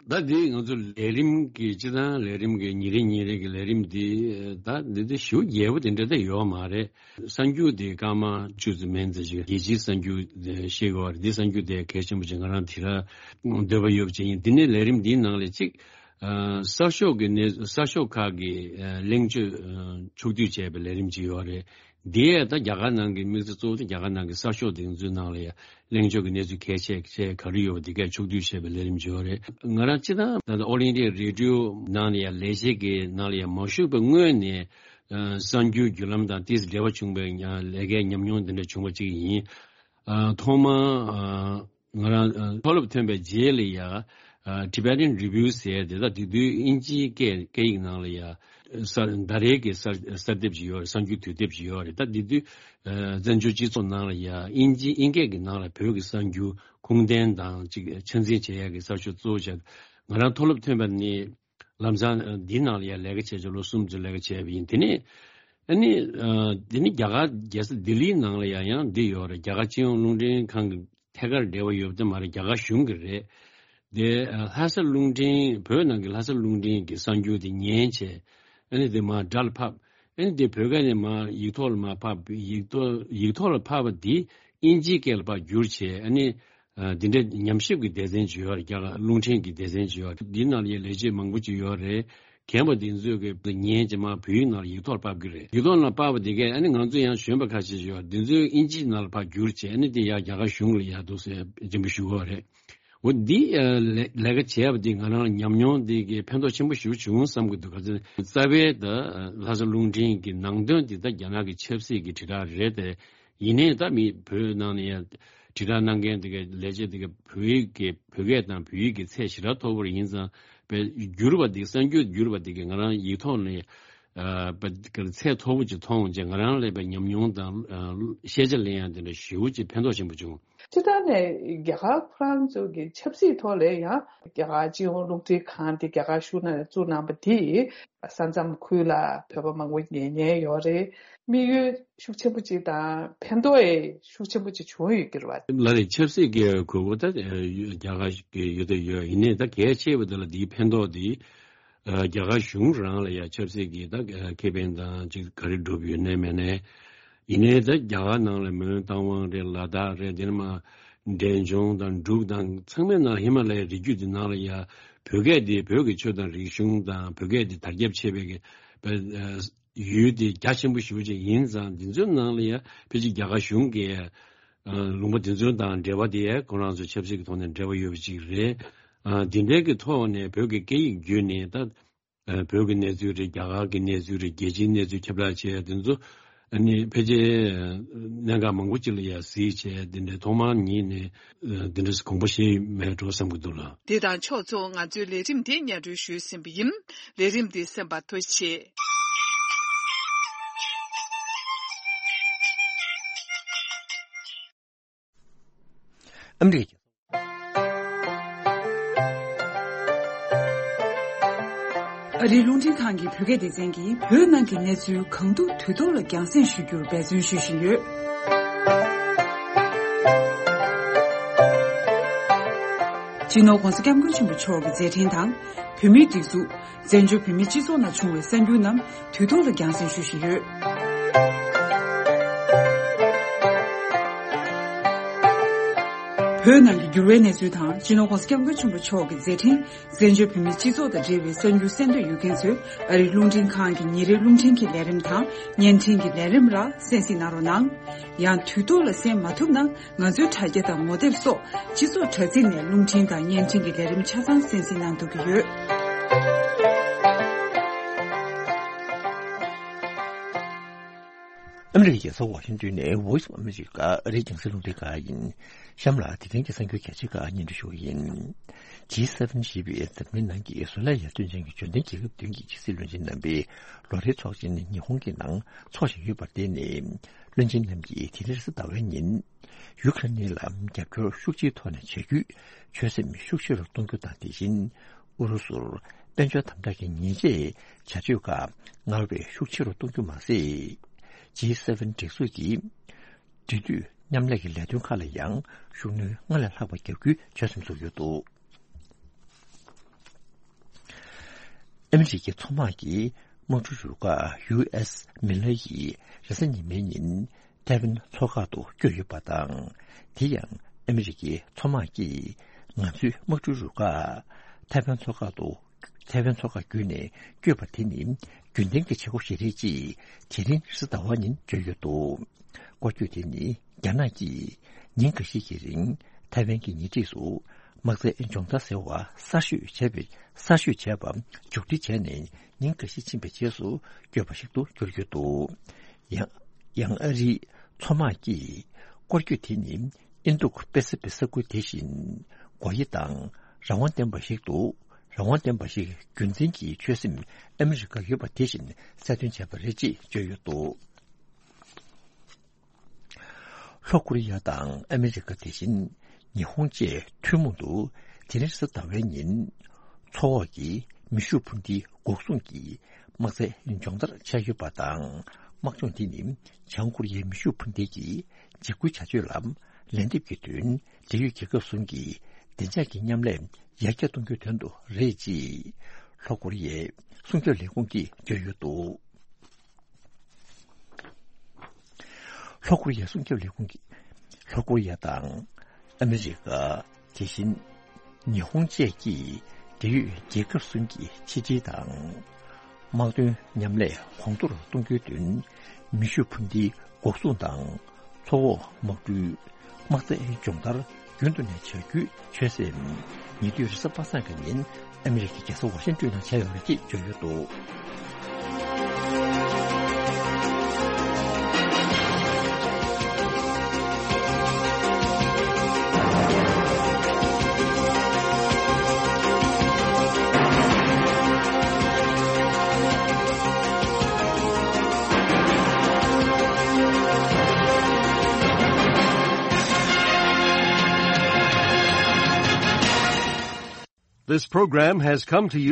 ད་འདི་ང་ཚོ་ལས་རིམ་གྱི་སྤྱི་བཏང་ལས་རིམ་གྱི་ཉིན་རེ་ཉིན་རེ་གི་ལས་རིམ་འདི་ད་འདི་འདི་ཞེ་པོ་རྒྱས་པོ་དེ་འདྲ་ད་ཡོད་མ་རེད། གསར་འགྱུར་དེ་སྐར་མ་བཅུ་ཙམ་མན་ཙམ་ཞིག་རྒྱལ་སྤྱིའི་གསར་འགྱུར་ཤེས་དགོས་པ་རེད། འདི་གསར་འགྱུར་དེ་གལ་ཆེན་པོ་ཅིག་ང་རང་དེ་ར་འདོད་པ་ཡོད་པ་ཅིག་ཡིན། འདི་ནས་ལས་རིམ་འདིའི་ནང་ལས་གཅིག་ཨ་གསར་ཤོག་གི་གནས་གསར་ཤོག་ཁག་གི་ཨ་གླེང་བརྗོད་ཨ་ཕྱོགས་བསྡུས་བྱས་པའི་ལས་རིམ་ཅིག་ཡོད་རེད། འདི་ཡས་ད་རྒྱ་གར་ནང་གི་དམིགས་བསལ་གཙོ་བོ་དེ་རྒྱ་གར་ནང་གི་གསར་ཤོག་དེ་ཚོའི་ནང་ལ་ཡ་གླེང་བརྗོད་ཀྱི་གནས་ཚུལ་གལ་ཆེ་ཆེ་ག་རེ་ཡོད་པ་དེ་གས་ཕྱོགས་བསྡུས་བྱས་པའི་ལས་རིམ་ཅིག་ཡོད་རེད། ང་རང་སྤྱི་བཏང་ད་ལྟ་ཨོལ་ཨིན་ཌི་ཡ་རེ་ཌི་ཡོ་ནང་ལ་ཡ་ལས་བྱེད་ཀྱི་ནང་ལ་ཡ་མ་ཞུགས་པའི་སྔོན་ནས་ཨ་གསར་འགྱུར་བརྒྱུད་ལམ་དང་ཏོག་ཙམ་འབྲེལ་བ་བྱུང་བའི་ལས་ཀའི་ཉམས་མྱོང་དེ་འདྲ་བྱུང་བ་གཅིག་ཡིན། ཨ་ཐོག་མར་ཨ་ང་རང་ཨ་མཐོ་སློབ་ཐོན་པའི་རྗེས་ལ་ཡ་ཨ་Tibetan Review ཟེར་དེ་ད་དེ་དུས་དབྱིན་ཇིའི་སྐད་སྐད་ཡིག་ནང་ལ་ཡ་གསར་ཟླ་རེའི་གི་གསར་གསར་དེབ་ཅིག་ཡོད་རེད། གསར་འགྱུར་དུས་དེབ་ཅིག་ཡོད་རེད། ད་དེ་དུས་ཨ་བཙན་བྱོལ་སྤྱི་ཚོགས་ནང་ལ་ཡ་དབྱིན་ཇི་དབྱིན་སྐད་ཀྱི་ནང་ལ་བོད་ཀྱི་གསར་འགྱུར་ཁུངས་ལྡན་དང་ཅིག་ཆ་འཛིན་བྱེད་ཡ་གི་གསར་ཤོག་གཙོ་བོ་བྱས། ང་རང་མཐོ་སློབ་ཐོན་པ་ནས་ལམ་སང་འདིའི་ནང་ལ་ཡ་ལས་ཀ་བྱས་བྱས་ལོ་གསུམ་ཙམ་ལས་ཀ་བྱས་པ་ཡིན། དེ་ནས་ ཨ་ནི་ཨ་དེ་ནི་རྒྱ་གར་རྒྱལ་ས་ལྡི་ལིའི་ནང་ལ་ཡང་ཡང་འདི་ཡོད་རེད། རྒྱ་གར་སྤྱི་ཡོངས་རླུང་འཕྲིན་ཁང་གི་ཐད་ཀར་འབྲེལ་བ་ཡོད་པ་དེ་མ་རེད། རྒྱ་གར་གཞུང་གི་རེད། དེ་ཨ་ལྷ་ས་རླུང་འཕྲིན། བོད་ནང་གི་ལྷ་ས་རླུང་འཕྲིན་གྱི་གསར་འགྱུར་དེ་ཉན་བྱས། ཨ་ནི་དེ་མར་སྒྲ་ལ་ཕབ། ཨ་ནི་དེ་བོད་སྐད་ནས་མར་ཡིག་ཐོག་ལ་མར་ཕབ། ཡིག་ཐོག་ཡིག་ཐོག་ལ་ཕབ་པ་དེ་དབྱིན་ཇིའི་སྐད་ལ་ཕར་བསྒྱུར་བྱས། ཨ་ནི་ཨ་འདི་འདྲའི་ཉམས་ཞིབ་ཀྱི་སྡེ་ཚན་ཅིག་ཡོད་རེད། རྒྱ་གར་རླུང་འཕྲིན་གྱི་སྡེ་ཚན་ཅིག་ཡོད་རེད། འདི་ནང་ལ་ཡང་ལས་བྱེད་མང་པོ་ཅིག་ཡོད་རེད། རྒན་པ་འདི་ཚོས་ཀྱི་ཉན་བྱས་མར་བོད་ཡིག་ནང་ལ་ཡིག་ཐོག་ཕབ་ཀྱི་རེད། ཡིག་ཐོག་ནང་ཕབ་པ་དེ་གས་ཨ་ནི་ང་ཚོ་ཡང་གཞོན་པ་ཁ་ཤས་ཡོད། འདི་ཚོས་དབྱིན་ཇིའི་ནང་ལ་ཕར་བསྒྱུར་བྱས། ཨ་ནི་དེ་ཡང་རྒྱ་གར་གཞུང་ལ་ཡར་འདུག་སེ་སྦྱིན་པ་ཞུ་གི་ཡོད་རེད། འོ་འདི་ཨ་ལས་ལས་ཀ་བྱས་པ་འདི་ང་རང་ཉམས་མྱོང་འདི་གི་ཕན་ཐོགས་ཆེན་པོ་ཞེ་པོ་བྱུང་བསམ་གྱི་འདུག་ག་ཚོད་རྩ་བའི་ད་ལྷ་ས་རླུང་འཕྲིན་གྱི་ནང་དོན་འདི་ད་རྒྱ་ནག་གི་ཆབ་སྲིད་ཀྱི་དྲིལ་བསྒྲགས་རེད་དེ། ཡིན་ནའི་ད་མི་བོད་ནང་ནས་ཡང་དྲིལ་བསྒྲགས་གནང་མཁན་དེ་ག་ལས་བྱེད་དེ་ག་བོད་ཡིག་གི་བོད་སྐད་དང་བོད་ཡིག་གི་ཚད་ཞེ་དྲག་མཐོ་པོ་ཡིན་ཙང་། བསྒྱུར་བ་དེ་གསར་འགྱུར་བསྒྱུར་བ་དེ་ག་ང་རང་ཡིག་ཐོག་ནས་ཨ་ཚད་མཐོ་པོ་ཅིག་མཐོང་བྱས། ང་རང་ལ་ཡང་ཉམས་མྱོང་དང་ཨ་ཤེས་བྱ་ལེན་ཡག་དེ་འདྲ་ཞེ་པོ་ཅིག་ཕན་ཐོགས་ཆེན་པོ་བྱུང་། སྤྱིར་བཏང་ནས་རྒྱ་གར་ཁོ་རང་ཚོ་གི་ཆབ་སྲིད་ཐོག་ལ་ཡང་རྒྱ་གར་སྤྱི་ཡོངས་རླུང་འཕྲིན་ཁང་དེ་རྒྱ་གར་གཞུང་ནས་བཙུགས་གནང་པ་དེས་ས་མཚམས་ཁུལ་ལ་བོད་པ་མང་པོ་ཉན་མཁན་ཡོད་རེད། དམིགས་ཡུལ་ཤུགས་ཆེན་པོ་ཅིག་དང་ཕན་ཐོགས་ཡང་ཤུགས་ཆེན་པོ་ཅིག་བྱུང་ཡོད་ཀྱི་རེད་བ། ལགས་རེད། ཆབ་སྲིད་ཀྱི་དགོས་མཁོ་ད་རྒྱ་གར་གྱི་ཡོད་དོ་ཡོད། ཡིན་ནའི་ད་གལ་ཆེ་བ་དེ་ལ་དེའི་ཕན་ཐོགས་དེ་རྒྱ་གར་གཞུང་རང་ལ་ཡང་ཆབ་སྲིད་ཀྱི་ད་ཁེ་ཕན་དང་ཅིག་ག་རེ་བསྒྲུབས་ཡོད་ནའི་མེད་ནའི། ཡིན་ནའི་ད་རྒྱ་གར་ནང་ལ་མོན་རྟ་དབང་རེད། ལ་དྭགས་རེད། དེ་ནས་མར་འབྲས་ལྗོངས་དང་འབྲུག་དང་ཚང་མའི་ནང་ཧི་མ་ལ་ཡའི་རི་རྒྱུད་དེ་ནང་ལ་ཡང་བོད་སྐད་དེ་བོད་ཀྱི་ཆོས་དང་རིག་གཞུང་དང་བོད་སྐད་དེ་དར་ཁྱབ་ཆེ་བའི་གི་ཡུལ་དེ་རྒྱ་ཆེན་པོ་ཞེ་པོ་ཅིག་ཡིན་ཙང་། འདི་ཚོའི་ནང་ལ་ཡང་ཕལ་ཆེར་རྒྱ་གར་གཞུང་གིས་ལུང་པ་འདི་ཚོའི་དང་འབྲེལ་བ་དེ་ཁོ་རང་ཚོ་ཆབ་སྲིད་ཀྱི་ཐོག་ནས་འབྲེལ་བ་ཡོད་པ་ཅིག་རེད། འདི་འདྲའི་གི་ཐོག་ནས་བོད་ཀྱི་སྐད་ཡིག་བརྒྱུད་ནས་ད་བོད་ཀྱི་གནས་ཚུལ་རེད། རྒྱ་གར་གྱི་གནས་ཚུལ་རེད། རྒྱལ་སྤྱིའི་གནས་ཚུལ་ཁྱབ་བསྒྲགས་བྱས། དེ་ཚོ་ཨ་ནི་ཕལ་ཆེར་གནད་འགག་མང་པོ་ཅིག་ལ་ཡང་གཟིགས་བྱས། དེ་འདྲའི་ཐོག་མར་ཉིད་ནས་དེ་འདྲ་དགོངས་པ་བཞེས་མེད་འགྲོ་བསམ་གྱི་འདུག་ལགས། འདི་དང་ཕྱོགས་མཚུངས་ང་ཚོའི་ལས་རིམ་འདི་སྙན་སྒྲོན་ཞུས་ཟིན་པ་ཡིན། ལས་རིམ་འདི་གསན་པར་ཐུགས་རྗེ་ཆེ། ཨ་མི་རི་ཀ་ཨ་རིའི་རླུང་འཕྲིན་ཁང་གི་བོད་སྐད་སྡེ་ཚན་གྱིས་བོད་ནང་གི་གནས་ཚུལ་གང་ཐུབ་དུས་ཐོག་ལ་རྒྱང་སྲིང་ཞུ་རྒྱུར་འབད་བརྩོན་ཞུ་བཞིན་ཡོད། སྤྱི་ནོར་༧གོང་ས་༧སྐྱབས་མགོན་ཆེན་པོ་མཆོག་གི་མཛད་འཕྲིན་དང་། བོད་མིའི་སྒྲིག་འཛུགས། བཙན་བྱོལ་བོད་མིའི་སྤྱི་ཚོགས་ནང་བྱུང་བའི་གསར་འགྱུར་རྣམས་དུས་ཐོག་ལ་རྒྱང་སྲིང་ཞུ་བཞིན་ཡོད། བོད་ནང་གི་འགྱུར་བའི་གནས་ཚུལ་དང་། སྤྱི་ནོར་༧གོང་ས་༧སྐྱབས་མགོན་ཆེན་པོ་མཆོག་གི་མཛད་འཕྲིན། བཙན་བྱོལ་བོད་མིའི་སྤྱི་ཚོགས་དང་འབྲེལ་བའི་གསར་འགྱུར་གསན་འདོད་ཡོད་མཁན་ཚོས་ཨ་རིའི་རླུང་འཕྲིན་ཁང་གི་ཉིན་རེའི་རླུང་འཕྲིན་གྱི་ལས་རིམ་དང་བརྙན་འཕྲིན་གྱི་ལས་རིམ་ལ་གསན་གཟིགས་གནང་རོགས་གནང་། ཡང་དུས་ཐོག་ལ་གསན་མ་ཐུབ་ན། ང་ཚོའི་དྲ་རྒྱ་དང་ངོ་དེབ་སོགས་སྤྱི་ཚོགས་དྲ་ཚིགས་ནས་རླུང་འཕྲིན་དང་བརྙན་འཕྲིན་གྱི་ལས་རིམ་ཆ་ཚང་གསན་གཟིགས་གནང་ཐུབ་ཀྱི་ཡོད། ཨ་མི་རི་ཀའི་རྒྱལ་ས་ཝ་ཤིང་ཏོན་ནས་Voice of America ཨ་རིའི་རྒྱང་སྲིང་རླུང་འཕྲིན་ཁང་ཡིན། གཤམ་ལ་དེ་རིང་གི་གསར་འགྱུར་གལ་ཆེ་ཁག་སྙན་སྒྲོན་ཞུ་གི་ཡིན། ཇི་སེ་ཝེན་ཞེས་པའི་འཛམ་གླིང་ནང་གི་བཟོ་ལས་ཡར་ཐོན་ཅན་གྱི་འབྱོར་ལྡན་རྒྱལ་ཁབ་བདུན་གྱི་ཕྱི་སྲིད་བློན་ཆེན་རྣམ་པའི་ལོ་རེའི་ཚོགས་ཆེན་ཉི་ཧོང་གི་ནང་འཚོགས་བཞིན་ཡོད་པར་བརྟེན་ནས། བློན་ཆེན་རྣམས་ཀྱིས་དེ་རིང་རེས་གཟའ་ཟླ་བའི་ཉིན། ཡུ་ཁ་རེན་ལ་རྒྱབ་སྐྱོར་ཤུགས་ཆེའི་ཐོག་ནས་བྱ་རྒྱུའི་ཆོད་སེམས་ཤུགས་ཆེ་རུ་གཏོང་རྒྱུ་དང་། དེ་བཞིན་ཨུ་རུ་སུར་དཔལ་འབྱོར་དམ་དྲག་གི་ཉེས་ཆད་བྱ་སྤྱོད་ཁག་སྔར་བས་ཤུགས་ཆེ་རུ་གཏོང་རྒྱུ་མ་ཟད། ཇི་སེ་ཝེན་སྒྲིག་འཛུགས་ཀྱི་འབྲེལ་མཐུད་མཉམ་ལས་ཀྱི་ལས་དོན་ཁག་ལ་ཡང་ཤུགས་སྣོན་སྔར་ལས་ལྷག་པ་རྒྱག་རྒྱུའི་ཆོད་སེམས་བཙུགས་ཡོད་འདུག། ཨ་མི་རི་ཀའི་མཚོ་དམག་གིས་དམག་གྲུ་རུ་ཁག་ཡུ་ཨེས་མི་ལ་ཡིས་རེས་གཟའ་ཉི་མའི་ཉིན་ཐའེ་ཝན་མཚོ་འགག་ཏུ་བསྐྱོད་ཡོད་པ་དང་། དེ་ཡང་ཨ་མི་རི་ཀའི་མཚོ་དམག་གིས་ང་ཚོའི་དམག་གྲུ་རུ་ཁག་ཐའེ་ཝན་མཚོ་འགག་ཏུ། ཐའེ་ཝན་མཚོ་འགག་བརྒྱུད་ནས་བསྐྱོད་པ་དེ་ནི་རྒྱུན་ལྡན་གྱི་བྱེད་སྒོ་ཞིག་རེད་ཅེས་དེ་རིང་རེས་གཟའ་ཟླ་བ་ཉིན་བརྗོད་ཡོད་འདུག། སྐོར་སྐྱོད་དེ་ནི་རྒྱ་ནག་གིས་ཉིན་འགའ་ཤས་ཀྱི་རིང་ཐའེ་ཝན་གྱི་ཉེ་འཁྲིས་སུ་དམག་རྩལ་སྦྱོང་བརྡར་ཟེར་བ་གསར་ཤོས་བྱས་པའི་གསར་ཤོས་བྱས་པ་མཇུག་སྒྲིལ་བྱས་ནས་ཉིན་འགའ་ཤས་ཕྱིན་པའི་རྗེས་སུ་བསྐྱོད་པ་ཞིག་ཏུ་གྱུར་ཡོད་འདུག། ཡང་ཡང་ཨ་རིའི་མཚོ་དམག་གིས་སྐོར་སྐྱོད་དེ་ནི་ཨིན་སྡུག་པེ་སི་ཕིག་ས་ཁུལ་དེ་བཞིན་སྒོ་དབྱེ་དང་རང་དབང་ལྡན་པ་ཞིག་ཏུ། རང་དབང་ལྡན་པ་ཞིག་རྒྱུན་འཛིན་གྱི་ཆོད་སེམས་ཨ་མི་རི་ཀར་ཡོད་པ་དེ་བཞིན་གསལ་སྟོན་བྱས་པ་རེད་ཅེས་བརྗོད་ཡོད་འདུག། ལྷོ་ཀོ་རི་ཡ་དང་ཨ་མི་རི་ཀ། དེ་བཞིན་ཉི་ཧོང་བཅས་ཐུན་མོང་དུ་དེ་རིང་རེས་གཟའ་ཟླ་བའི་ཉིན་མཚོ་འོག་གི་མེ་ཤུགས་འཕུར་མདེལ་འགོག་སྲུང་གི་དམག་རྩལ་སྦྱོང་བརྡར་བྱས་ཡོད་པ་དང་། དམག་སྦྱོང་འདི་ནི་བྱང་ཀོ་རི་ཡའི་མེ་ཤུགས་འཕུར་མདེལ་གྱི་འཇིགས་སྐུལ་བྱ་སྤྱོད་ལ་ལན་འདེབས་ཀྱི་དོན། འབྲེལ་ཡོད་རྒྱལ་ཁབ་གསུམ་གྱི་བདེ་འཇགས་ཀྱི་མཉམ་ལས་ཡར་རྒྱས་གཏོང་རྒྱུའི་དོན་དུ་རེད་ཅེས་ལྷོ་ཀོ་རི་ཡའི་སྲུང་སྐྱོབ་ལས་ཁུངས་ཀྱིས་བརྗོད་ཡོད་འདུག་ལྷོ་ཀོ་རི་ཡའི་སྲུང་སྐྱོབ་ལས་ཁུངས་ཀྱིས་ལྷོ་ཀོ་རི་ཡ་དང་ཨ་མི་རི་ཀ། དེ་བཞིན་ཉི་ཧོང་བཅས་ཀྱིས་འབྲེལ་ཡོད་རྒྱལ་ཁབ་གསུམ་གྱི་ཕྱི་འབྲེལ་དང་། དམག་དོན་མཉམ་ལས་གོང་མཐོར་གཏོང་རྒྱུའི་དོན། མེ་ཤུགས་འཕུར་མདེལ་འགོག་སྲུང་དང་། མཚོ་འོག་དམག་གྲུའི་དམག་རྩལ་སྦྱོང་བརྡར་རྒྱུན་དུ་ནས་བྱ་རྒྱུའི་ཆོད་སེམས། ཉེ་དུས་རེས་གཟའ་པ་སངས་ཀྱི་ཉིན་ཨ་མི་རི་ཀའི་རྒྱལ་ས་ཝ་ཤིང་ཏོན་ནང་བྱས་ཡོད་རེད་ཅེས་བརྗོད་ཡོད་འདུག This program has come to you